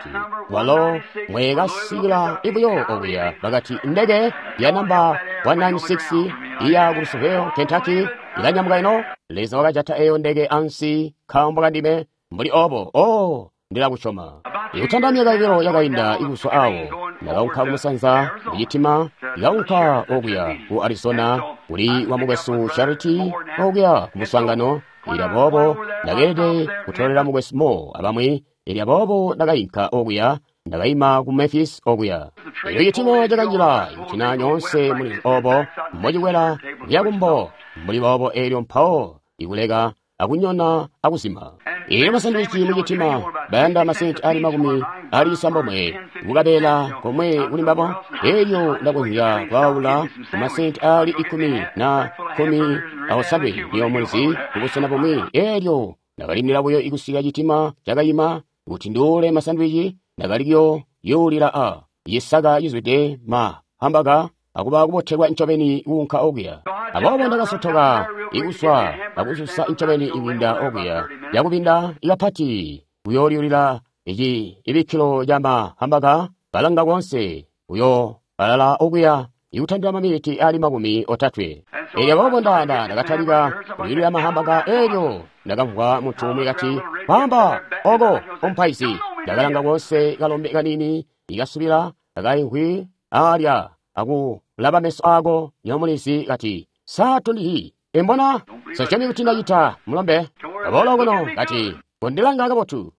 Walo mwekasikila ibuyo okuya bakati ndeke ya namba 196 iya ku Louisville, Kentucky ilanyamuka ino. Leza wakajata eyo ndeke ansi nkaambo kandime mbuli obo. Oh, ndilakusyoma. Ikutanda myaka ibilo yakainda ikuzwa awo, ndakaunka kumusanza mucitima, ndakaunka okuya ku Arizona kuli wa mukwesu Charity okuya ku muswaangano. Eelyo aboobo ndakeelede kutolela mukwesu Mo abamwi. Eelyo aboobo ndakainka okuya, ndakaima ku Memphis okuya. Eelyo citima cakanjila ikutina nyoonse muli obo mbocikwela kuya kumbo mbuli boobo. Eelyo mpawo ikuleka akunyona akuzima. Eelyo masandiwici mucitima bayanda masenti ali makumi ali cisambomwe kukabeela komwe kuli mbabo. Eelyo ndakonzya kwaawula kumasenti ali 10 na 17 niyo mulizi kubusena bumwi. Eelyo ndakalindila buyo ikusika citima cakayima kuti nduule masandiwici. Ndakali kuyo yuulila a cisaka cizwide ma hambaga akuba kubotelwa ncobeni kuunka okuya. Aboobo ndakasotoka ikuswa akususa ncobeni ikwiinda okuya yakubinda ikapati kuyolyulila ici ibikkilo ca mahambaga kalanga koonse uyo alala okuya ikutandila maminiti ali 30. Elyo aboobo ndakatalika kuyulila mahambaga elyo ndakamvwa muntu umwi kati, "Kwaamba oko omupaizi." Ndakalanga koonse kalombe kanini ikasubila kakaimvwi alya akulaba meso ako nyomulizi kati, "Sa tondihi embona sasyomi kuti ndacita mulombe aboola kuno?" Kati, "Kondilanga kabotu."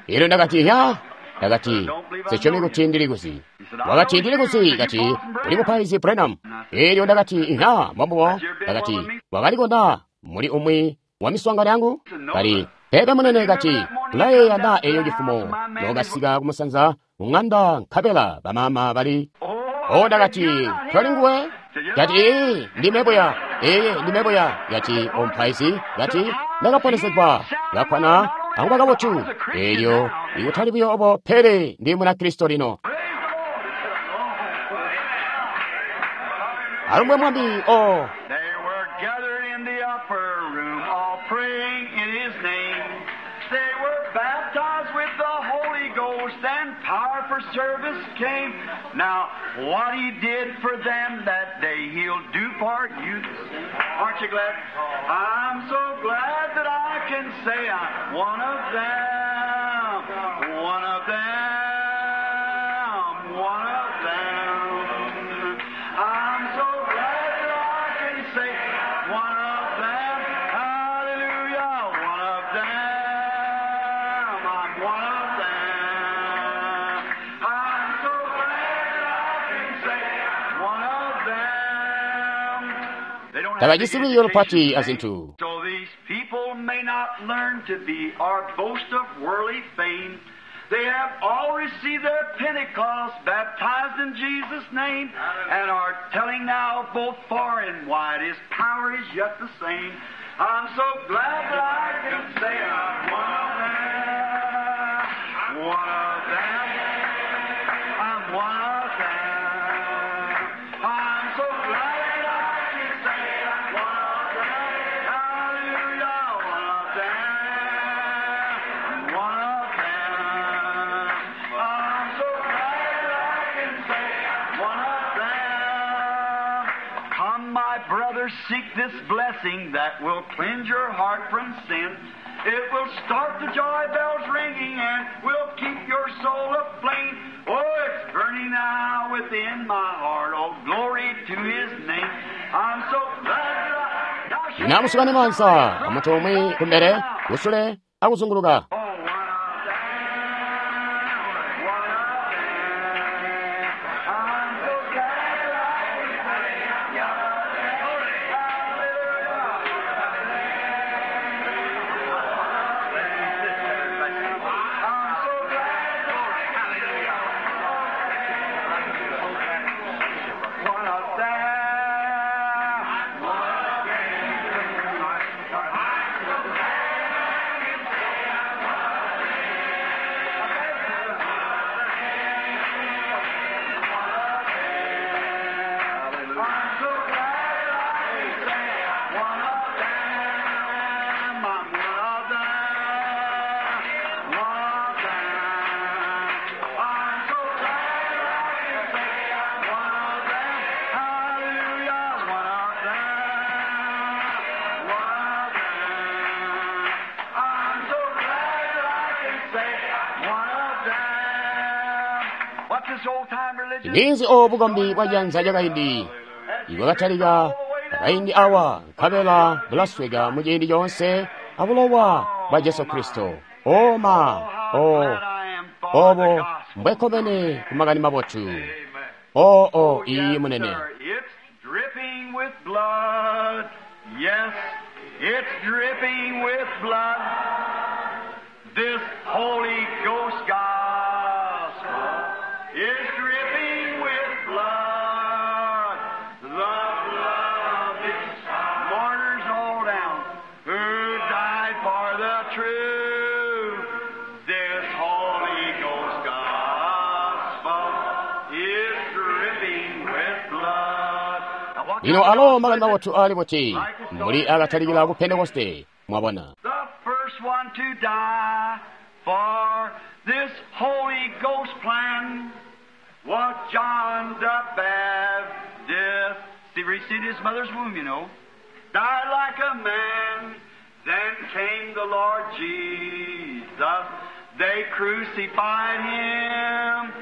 Elyo ndakati, "Ya." Ndakati, "Sasyomi kuti ndili kuzi." Wakati, "Ndili kuzi." Kati, "Uli mupaizi Branham." Elyo ndakati, "Ya, mbombubo." Ndakati, "Wakalikona muli umwi wa miswaangano yangu?" Kati, "Pepe munene." Kati, "Ulayeeya na eyo cifumo nokasika kumusanza mung'anda nkabela bamama bali?" O, ndakati, "Toli nguwe?" Kati, "Ee, ndime buya. Ee, ndime buya." Kati, "Omupaizi." Kati, "Ndakaponesegwa ngakwana akuba kabotu. Elyo ikutali buyo obo, pele ndi Munakristo lino." Alumbwe Mwami. O, They were gathered in the upper room, all praying in His name. They were baptized with the Holy Ghost, and power for service came. Now, what He did for them that day, He'll do for you. Aren't you glad? I'm so glad that I can say I'm one of them, one of them, one of them. I'm so glad that I can say one of them. Hallelujah, one of them. I'm one of them. I'm so glad that I can say one of them. They don't have tabajisi big lwiiyo lupati education, azintu. So these people may not learn to be or boast of worldly fame. They have all received their Pentecost, baptized in Jesus' name, and are telling now both far and wide His power is yet the same. I'm so glad that I can say I'm one of them, one of them, I'm one of them. I'm so glad that I can say I'm one of them. Hallelujah, one of them, one of them. I'm so glad that I can say one of them. Come, my brothers, seek this blessing that will cleanse your heart from sin. It will start the joy bells ringing and will keep your soul aflame. Oh, it's burning now within my heart. Oh, glory to His name. I'm so glad that I... Now shake Namusukane mansa amuntu umwe kumbere kusule akuzunguluka. Oh, one of them, one of them. I'm so glad that I can say, I'm so glad. One of them, one of I'm so glad I can say one of them. I'm one of them. One of them. I'm so glad I can say one of them. Hallelujah. One of them. One of them. I'm so glad that I can say one of them. What's this old time religion? Ninzi obukombi bwa janza lyakaindi ibwakatalika akaindi awa nkabela bulasweka mu ciindi coonse abulowa bwa Jesu Kristo. Oma o obo mbwekkomene ku makani mabotu. O o iyi munene. It's dripping with blood. Yes, it's dripping with blood. This Holy Ghost gospel is dripping with blood. The blood of its martyrs all down who died for the truth. This Holy Ghost gospel Lino alo makani mabotu aali buti mbuli akatalikila ku Pentekoste, mwabona. The first one to die for this Holy Ghost plan was John the Baptist. He received his mother's womb, you know. Died like a man. Then came the Lord Jesus. They crucified him.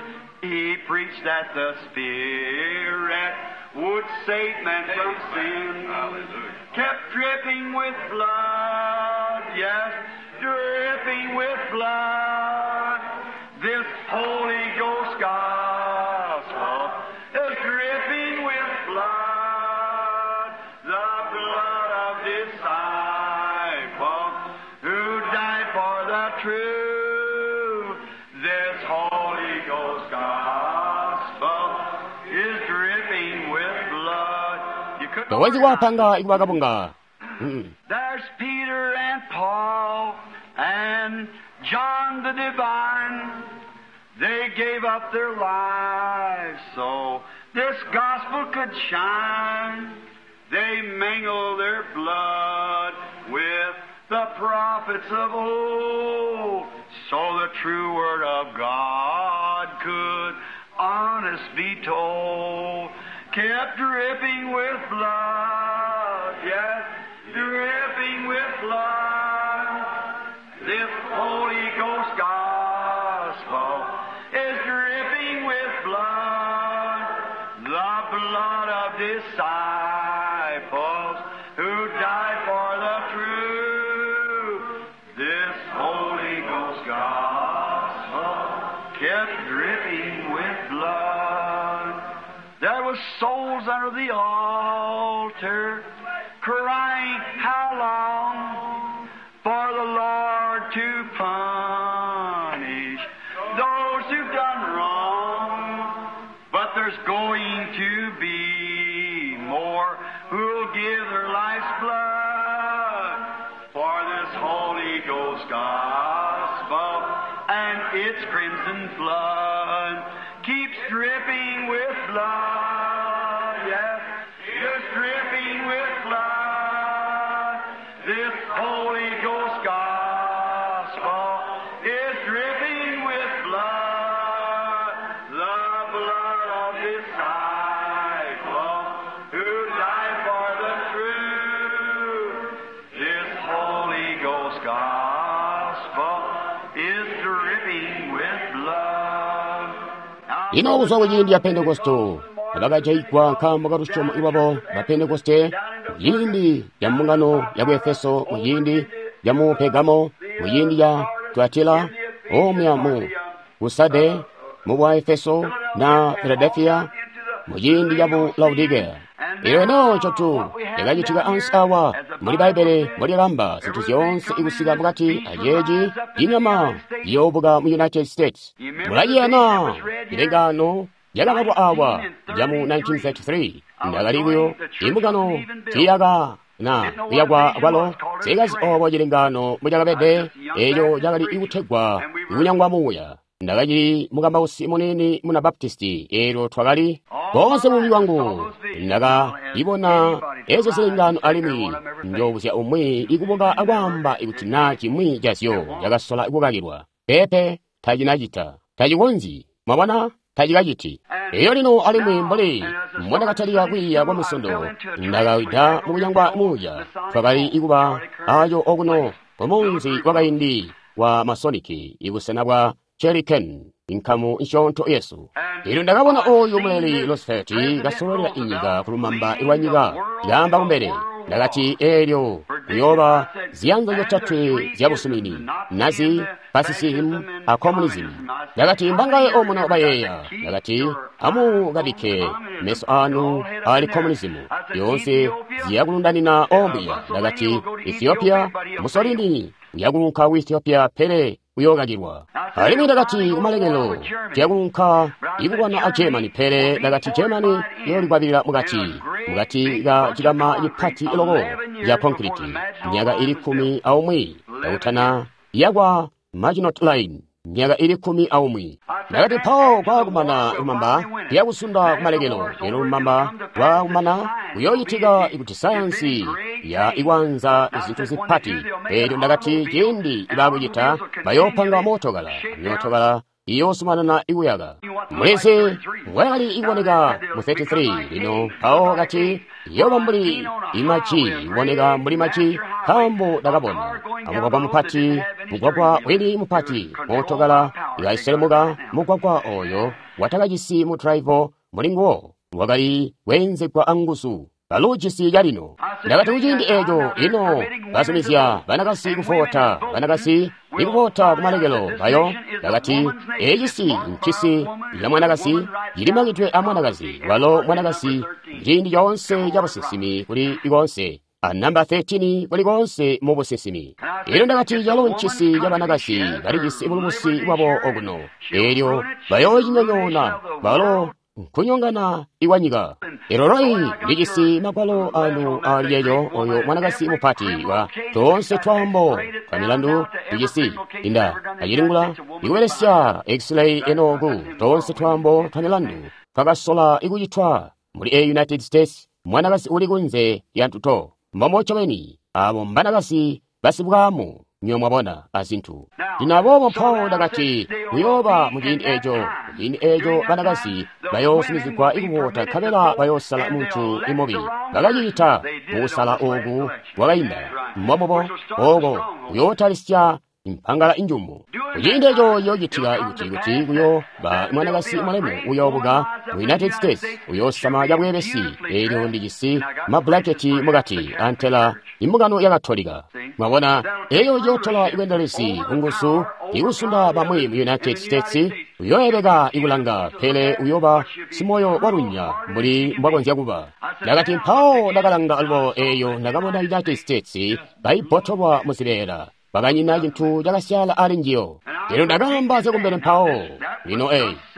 He preached that the Spirit would save men from sin. Hallelujah. Kept dripping with blood, yes, dripping with blood. This Holy Ghost gospel is dripping with blood, the blood of disciples who died for the truth. This Holy Ghost gospel is dripping with blood. You couldn't Towezi kuwapanga ikuba kabunga. There's Peter and Paul and John the Divine. They gave up their lives so this gospel could shine. They mingled their blood with the prophets of old so the true word of God could honest be told. Kept dripping with blood, yes, dripping with blood. This Holy Ghost gospel is dripping with blood, the blood of disciples who died for the truth. This Holy Ghost gospel kept dripping with blood. There was souls under the altar crying, how long for the Lord to punish those who've done wrong? But there's going to be more who'll give their life's blood for this Holy Ghost gospel and its crimson flood keeps dripping with blood. Yes, it's dripping with blood. This Holy Ghost gospel is dripping with blood, the blood of disciples who died for the truth. This Holy Ghost gospel is dripping with blood. Lino kuzwa kuciindi ya Pentekoste abakajaigwa nkaambo ka lusyomo lwabo ba Pentekoste muciindi ca mbungano ya ku Efeso, muciindi ca mu Pergamo, muciindi ca Tuatila, omwe mu Kusade, mu bwa Efeso na Philadelphia, muciindi ca mu Laodicea. Ilo eno ncotu lyakacitika ansi awa muli Bbaibele mbolyakamba zinthu zyoonse ikusika mukati aceeci inyama iyoobuka mu United States. Mulaiyana milengano yakabalwa awa ya mu 1933 ndakali kuyo imbungano tiyaka na kuyakwa kwalo sikazi obo cilengano mucakabede eco cakali ikutegwa ikunyangwa muuya. Ndakacili mukambausi munini muna Baptisti eelyo twakali boonse bubi bwangu ndakaibona ezo zilengano alimwi njoobuzya umwi ikubuka akwaamba ikuti naa cimwi cazyo cakasola kukakilwa. Peepe tacinacita, tacikonzyi, mwabona, tacikaciti. Eyo lino alimwi mbuli mbondakatalika kwiiya kwa Munsondo ndakawida mukunyangwa muuya. Twakali ikuba aco okuno kumunzi wakaindi wa Masoniki ibusena bwa Cheriken, inkamu nsyoonto yesu. Eelyo ndakabona oyu muleli Roosevelt kasololela inyika kulumamba lwa nyika yaamba kumbele. Ndakati eelyo kuyooba ziyanza zyotatwe zya busumini, Nazi, Fascism a Communism. Ndakati mbangaye omuno bayeeya. Ndakati amukabikke meso anu ali Communism yoonse ziyakulundanina ombuya. Ndakati Ethiopia, Mussolini uyakuunka ku Ethiopia pele uyookakilwa. Alimwi ndakati kumalekelo tiyakuunka ikulwana a Germany pele ndakati Germany yoolikwabilila mukati mukati ka cikama cipati loko ca concrete myaka ili 11 kakutana yakwa Maginot Line. myaka ili 11. Ndakati mpawo kwaakumana lumamba lyakusunda kumalekelo. Elyo lumamba lwaakumana kuyoocitika kuti sayansi ya ikwanza zintu zipati. Elyo ndakati ciindi baakucita bayoopanga mootokala, myootokala iyoosumanana ikuyaka. Mulezi mbwayakali ikuboneka mu 33 lino mpawo kati iyooba mbuli imaji, iboneka mbuli maji, nkaambo ndakabona amugwagwa mupati, mugwagwa wini mupati, mootokala ikaselemuka mugwagwa oyo watakajisi mu driver muli nguwo, wakali kweenzegwa anguzu. Baluujisi calino. Ndakati kuciindi eco ino bazumizya banakasi kuvota, banakasi ikuvota kumalekelo bayo. Ndakati ecisi ncisi ca mwanakasi, cilimakidwe a mwanakazi, walo mwanakasi ciindi coonse ca businsimi kuli konse, a namba 13 kuli konse mu businsimi. Elyo ndakati calo ncisi ca banakasi balijisi bulubusi bwabo okuno, elyo bayoocinyonyoona balo nkunyongana iwanyika. Elyo loi lijisi magwalo anu ali eyo oyo mwanakasi mupati wa toonse twaambo twa milandu tujisi inda acilingula ikubelesya x-ray enoku toonse twaambo twa milandu twakasola ikucitwa muli a United States. Mwanakasi uli kunze lya ntuto mbomo ncobeni abo mbanakasi basibwaamu, nywe mwabona azintu. Lino aboobo mpawo ndakati kuyooba muciindi eco, muciindi eco banakasi bayoosumizigwa ikuvota nkabela bayoosala muntu imubi. Bakacita mukusala oku kwakainda mbombubo oko kuyootalisya impangala injumu. Kuciindi eco ciyoocitika kuti kuyooba mwanakasi mulemu uyoobuka mu United States, uyoosama cabweebesi. Elyo ndijisi mabbulaketi mukati antela imbungano ya Katolika. Mwabona, eyo iyootola ibwendelezi kunguzu ikusunda bamwi mu United States. Uyooyebeka ikulanga, pele uyooba simoyo walunya mbuli mbwakonzya kuba. Ndakati mpawo ndakalanga alubo eyo ndakabona United States kaibotolwa muzibeela, bakanyina cintu cakasyaala ali njiyo. Lino ndakaamba zyakumbele mpawo. Lino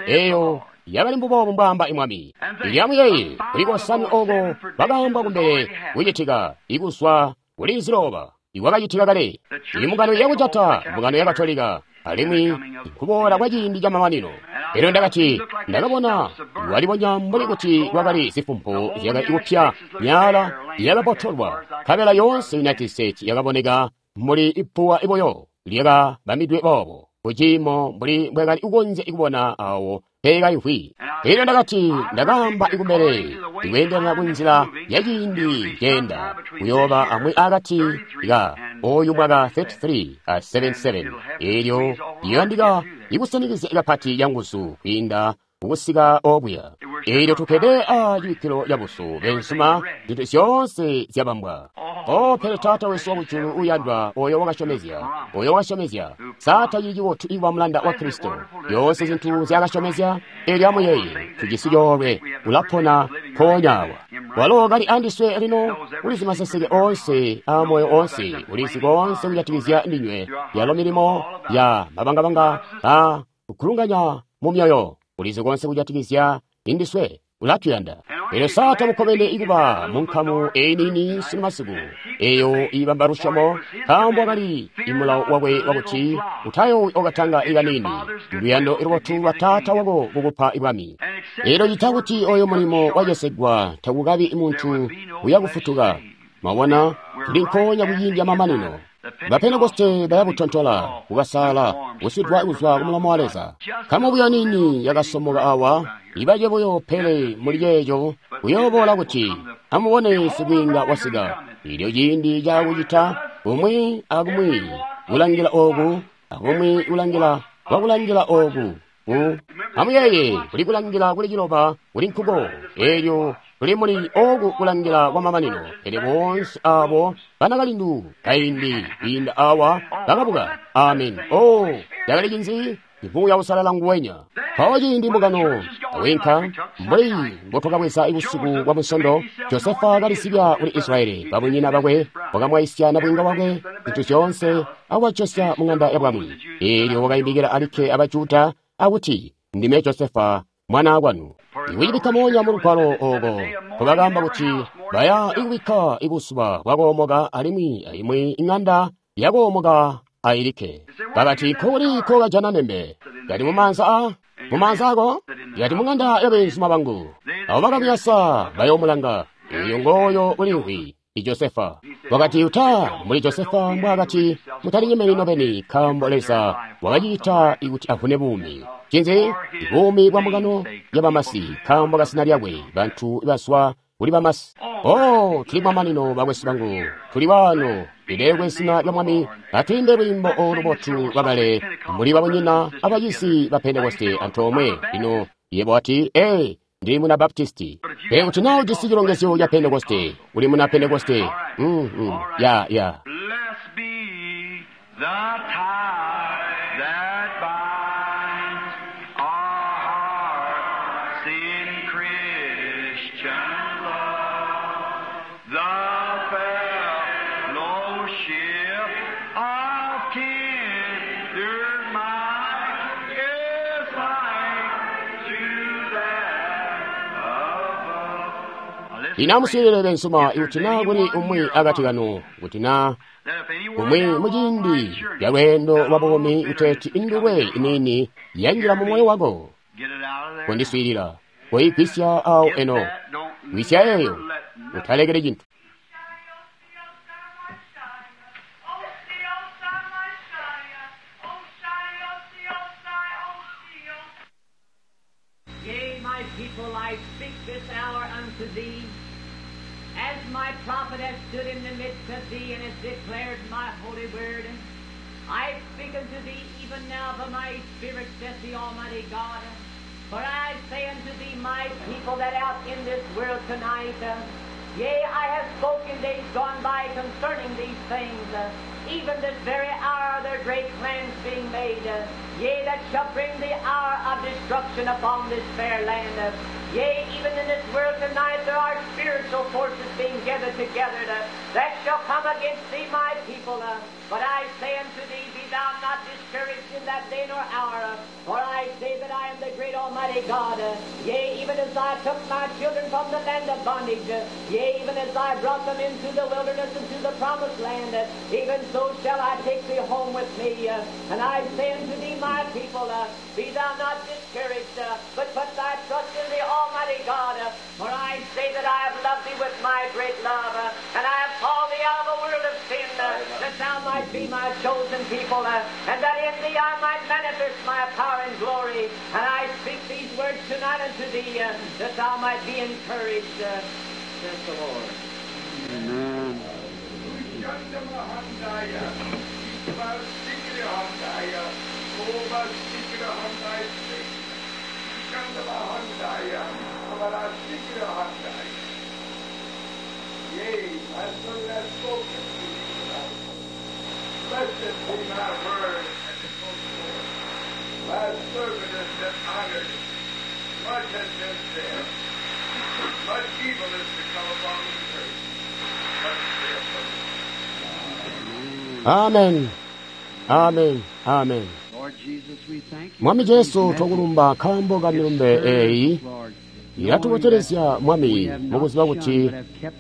eyo yakali mbuboobu mbwaamba imwami. Ilyamuyeeye kuli kosanwe oko bakaambwa kumbele kucitika ikuzwa kuli ziloba ikwakacitika kale. Imbungano yakujata, mbungano ya Katolika, alimwi nkuboola kwa ciindi camamanino. Elyo ndakati ndakabona walibonya mbuli kuti kwakali zifumpu zyakali kupya, myaala yakabotolwa, nkabela yoonse United States yakaboneka mbuli ipuwa iboyo lyakabamidwe boobo kuciimo mbuli mbwakali kukonzya kubona awo peekayivwi. Elyo ndakati ndakaamba ikumbele ikweendelana kunzila ya ciindi ceenda kuyooba amwi akati ka oyu mwaka 33 a 77. Elyo iyandika ikusanikizya kapati yanguzu kwiinda kukusika okuya. Elyo tukkede a cibikkilo cabusu bensuma, zintu zyoonse zyabambwa. O pele Taata wesu wakujulu uyandwa, oyo wakasyomezya, sa tacili cibotu ikuba mulanda wa Kristo? Zyoonse zintu zyakasyomezya. Elyo amuyeeye, tujisi coolwe, ulapona mpoonya awa. Walo kali andiswe lino, ulizi maseseke oonse a moyo oonse, ulizi koonse kujatikizya ndinywe, yalo milimo ya mabangabanga a kukulunganya mu myoyo, ulizi koonse kujatikizya indiswe, ulatuyanda. Elyo sa tamukkomene ikuba mu nkamu eyi niini sunu masiku, eyo ibamba lusyomo, nkaambo wakali imulawo wakwe wakuti utayoowi okatanga ikanini, luyando lubotu lwa Taata wako kukupa ibwami. Elyo cita kuti oyo mulimo wacesegwa takukabi muntu uyakufutuka. Mwabona, tuli nkoonya kuciindi camamanino. Bapentekoste bayabutontola, kukasala, kuswidwa kuzwa kumulomo wa Leza. Nkamu buyo nini yakasomoka awa, ibaje buyo pele muli ceeco kuyooboola kuti amubone sibwiinga wasika. Elyo ciindi cakucita kumwi akumwi kulangila oku, akumwi kulangila kwakulangila oku. Amuyeeye, kuli kulangila kuli ciloba kuli nkuko. Elyo tuli muli oku kulangila kwa mamanino. Pele boonse abo banakalindu kaindi kwiinda awa bakabuka. Amen. Oh, cakali cinzi? Muuya Uusalala nguwenya. Mpawo ciindi mbungano awinka mbuli mbotwakabweza busiku bwa Munsondo, Josefa kalisibya kuli Israeli, babunyina bakwe wakamwaisya nabwiinga wakwe zintu zyoonse akubajosya mu ng'anda ya bwami. Eelyo wakaimikila alikke abajuda akuti, ndime Josefa mwana kwanu. Ikucibikka moonya mu lugwalo oko nkobakaamba kuti baya ikubikka ibuzuba bwakoomoka alimwi aimwi ing'anda yakoomoka ailikke. Bakati, nkokuli kokajana nembe? Kati mumaanza a mumaanza ako? Kati mung'anda ya beenzuma bangu. Abo bakamuyasa bayoomulanga. Eyo ngooyo ulimvwi Josefa. Wakati uta muli Josefa mbwaakati mutalinyemeli nobeni nkaambo Leza wakacita kuti avune buumi. Cinzi? Buumi bwa mbungano ya bamasi nkaambo kasina lyakwe bantu bazwa kuli bamasi. Oh, tuli mamanino bakwesu bangu, tuli waano lilekwe zina lya Mwami, atwiimbe lwiimbo olu lubotu lwakale muli babunyina abacizi ba Pentekoste antoomwe. Lino yebo wati, ee, ndili muna Baptisti. Pele kuti naa ujisi cilongezyo ca Pentekoste, uli muna Pentekoste. Ya. Blessed be the tie that binds our hearts in Christian love, the fellowship of kindred mind is like to that above. Now listen, Inamusilile bensuma ikuti naa kuli umwi akati kanu, kuti naa that if any word kumwi thou muciindi art sure lya lweendo lwa buumi uteeti indulwe iniini yanjila mu moyo wako, get it out of there. kondiswiilila, koyigwisya awo Get eno, that, don't gwisya never eyo, let nothing utalekele cintu. Yea, my people, I speak this hour unto thee, as my prophet hath stood in the midst of thee and hath declared my holy word. I speak unto thee even now by my Spirit, saith the Almighty God. For I say unto thee, my people that out in this world tonight, yea, I have spoken days gone by concerning these things, even this very hour there are great plans being made, yea, that shall bring the hour of destruction upon this fair land. Yea, even in this world tonight there are spiritual forces being gathered together that shall come against thee, my people. But I say unto thee, be thou not discouraged in that day nor hour, for I say that I am the great Almighty God. Yea, even as I took my children from the land of bondage, yea, even as I brought them into the wilderness and to the promised land, even so shall I take thee home with me. And I say unto thee, my people, be thou not discouraged, but put thy trust in the Almighty God. For I say that I have loved thee with my great love, and I have called thee out of the world of sin, that thou might be my chosen people, and that in thee I might manifest my power and glory. And I speak these words tonight unto thee, that thou might be encouraged, saith the Lord. Amen. Yea, my servant hath spoken to thee tonight. Blessed be my word and it goes forth. My servant has been honored. Much has been said. Much evil is to come upon the earth. But saith the Lord. Amen. Amen. Amen. Lord Jesus, we thank you Mwami for these Jesu messages. twakulumba nkaambo ka milumbe eeyi Lord, ilatubotelezya Mwami mukuziba kuti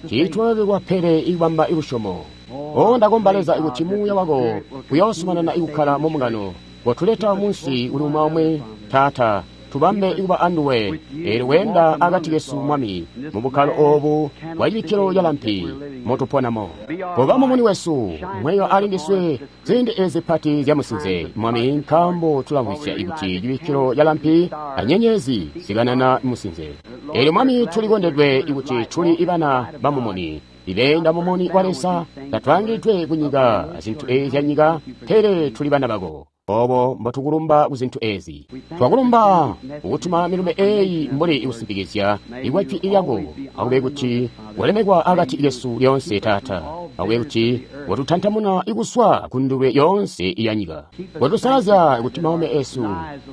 tiitwalekwa pele ikubamba ilusyomo. O ndakomba Leza ikuti muuya wako uyoosumanana ikukkala mu mbungano, kotuleta munsi kuli umwi aumwi, Taata, tubambe ikuba anduwe, eelyo weenda akati kesu Mwami, mu bukkalo oobu bwa cibikkilo ca lampi motuponamo. Koba mumuni wesu, mweyo ali ndiswe ziindi ezi pati zya musinze, Mwami, nkaambo tulamvwisya ikuti cibikkilo ca lampi anyenyezi zikanana musinze. Eelyo Mwami tulikondedwe ikuti tuli ibana ba mumuni, ibeenda mumuni wa Leza, tatwaangidwe ku nyika azintu ezi zya nyika, pele tuli bana bako. Obo mbotukulumba ku zintu ezi. Twakulumba kukutuma milumbe eyi mbuli ikusimpikizya ikwa jwi lyako, akube kuti walemekwa akati kesu lyoonse Taata, akube kuti watutantamuna ikuswa ku ndulwe yoonse ya nyika. Watusalazya kuti maume esu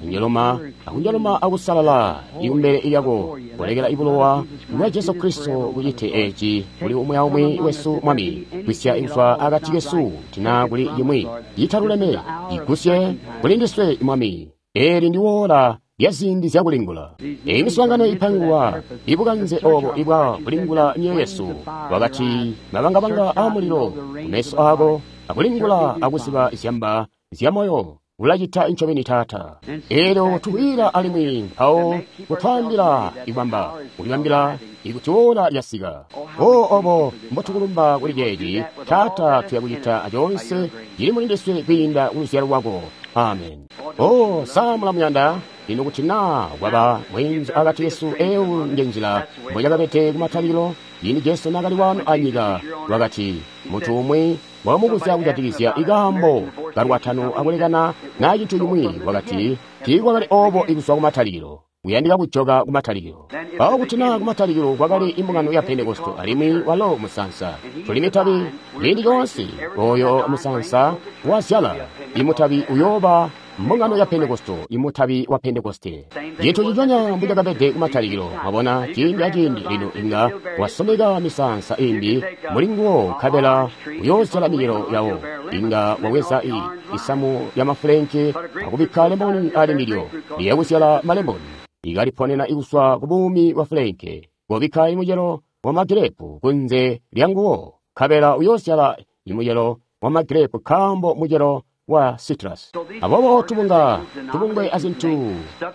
anjoloma akunjoloma akusalala ikumbele lyako, kulekela ibulowa bwa Jesu Kristo kucite eci kuli umwi aumwi wesu Mwami, kwisya ikuswa akati kesu tina kuli yimwi yitaluleme igusye kuli ndiswe Mwami. Eli ndi wola lya ziindi zyakulingula. Eyi miswaangano ipangwa ibukanze obo ibwa kulingula myoyo yesu, wakati mabangabanga a mulilo kumeso ako akulingula akuziba zyamba zya moyo. Ulacita ncobeni, Taata. Eelyo tukwiila alimwi mpawo kutwaambila ikwamba kulibambila ikuti ola lyasika. O obo mbotukulumba kuli ceeci, Taata, tuya kucita acoonse cili muli ndiswe kwiinda ku luzyalo lwako. Amen. O, sa mulamuyanda? Lino kuti naa kwaba mweenzu akati kesu, eyo nje nzila mbocakabede kumatalikilo. Ciindi Jesu naakali wano anyika, wakati muntu umwi wakamubuzya kujatikizya ikaambo kalwatano akulekana naa cintu cimwi, wakati tiikwakali obo ikuzwa kumatalikilo. Kuyandika kujoka kumatalikilo. Mpawo kuti naa kumatalikilo kwakali imbungano ya Pentekoste alimwi walo musansa, tuli mitabi ciindi coonse. Oyo musansa wazyala imutabi uyooba mbungano ya Pentekoste, imutabi wa Pentekoste. Cintu ciconya mbucakabede kumatalikilo. Mwabona, ciindi aciindi lino inga wasomeka misansa imbi muli nguwo, nkabela uyoozyala micelo yawo. Inga waweza isamu ya mafulenke akubikka lemoni ali ndilyo, liyakuzyala malemoni. Ikaliponena ikuswa ku buumi bwa fulenke. Kobikka imucelo wa magirepu kunze lya nguwo, nkabela uyoozyala imucelo wa magirepu, nkaambo mucelo wa citrus. Aboobo tubunga tubungwe azintu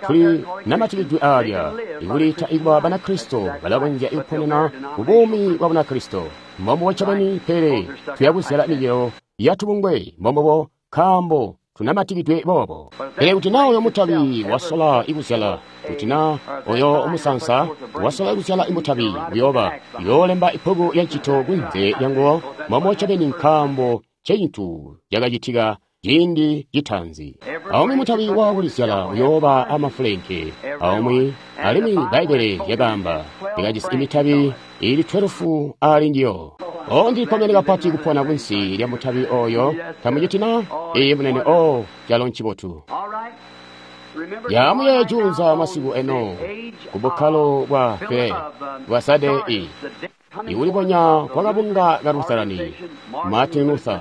tuli namatikidwe aalya ikuliita ikuba Banakristo balakonzya ikuponena ku buumi bwa Bunakristo mbombubo ncobeni, pele tuyakuzyala micelo ya tubungwe mbombubo, nkaambo tunamatikidwe boobo. Pele kuti naa oyo mutabi wasola ikuzyala, kuti naa oyo musansa wasola ikuzyala imutabi, uyooba uyoolemba ibbuku lya ncito kunze lyanguwo mbombubo ncobeni, nkaambo ncecintu cakacitika ciindi citaanzi. Aumwi mutabi wakulizyala uyooba amafulenke aumwi, alimwi Bbaibbele lyakaamba likajisi imitabi ili 12 ali njiyo. O, ndilikkomene kapati kupona kunsi lya mutabi oyo. Tamuciti na? Iye munene. O, calo ncibotu. Yamuye juunza masiku eno ku bukkalo bwa File bwa Sade i ikulibonya kwa kabunga ka Lutherani, Martin Luther.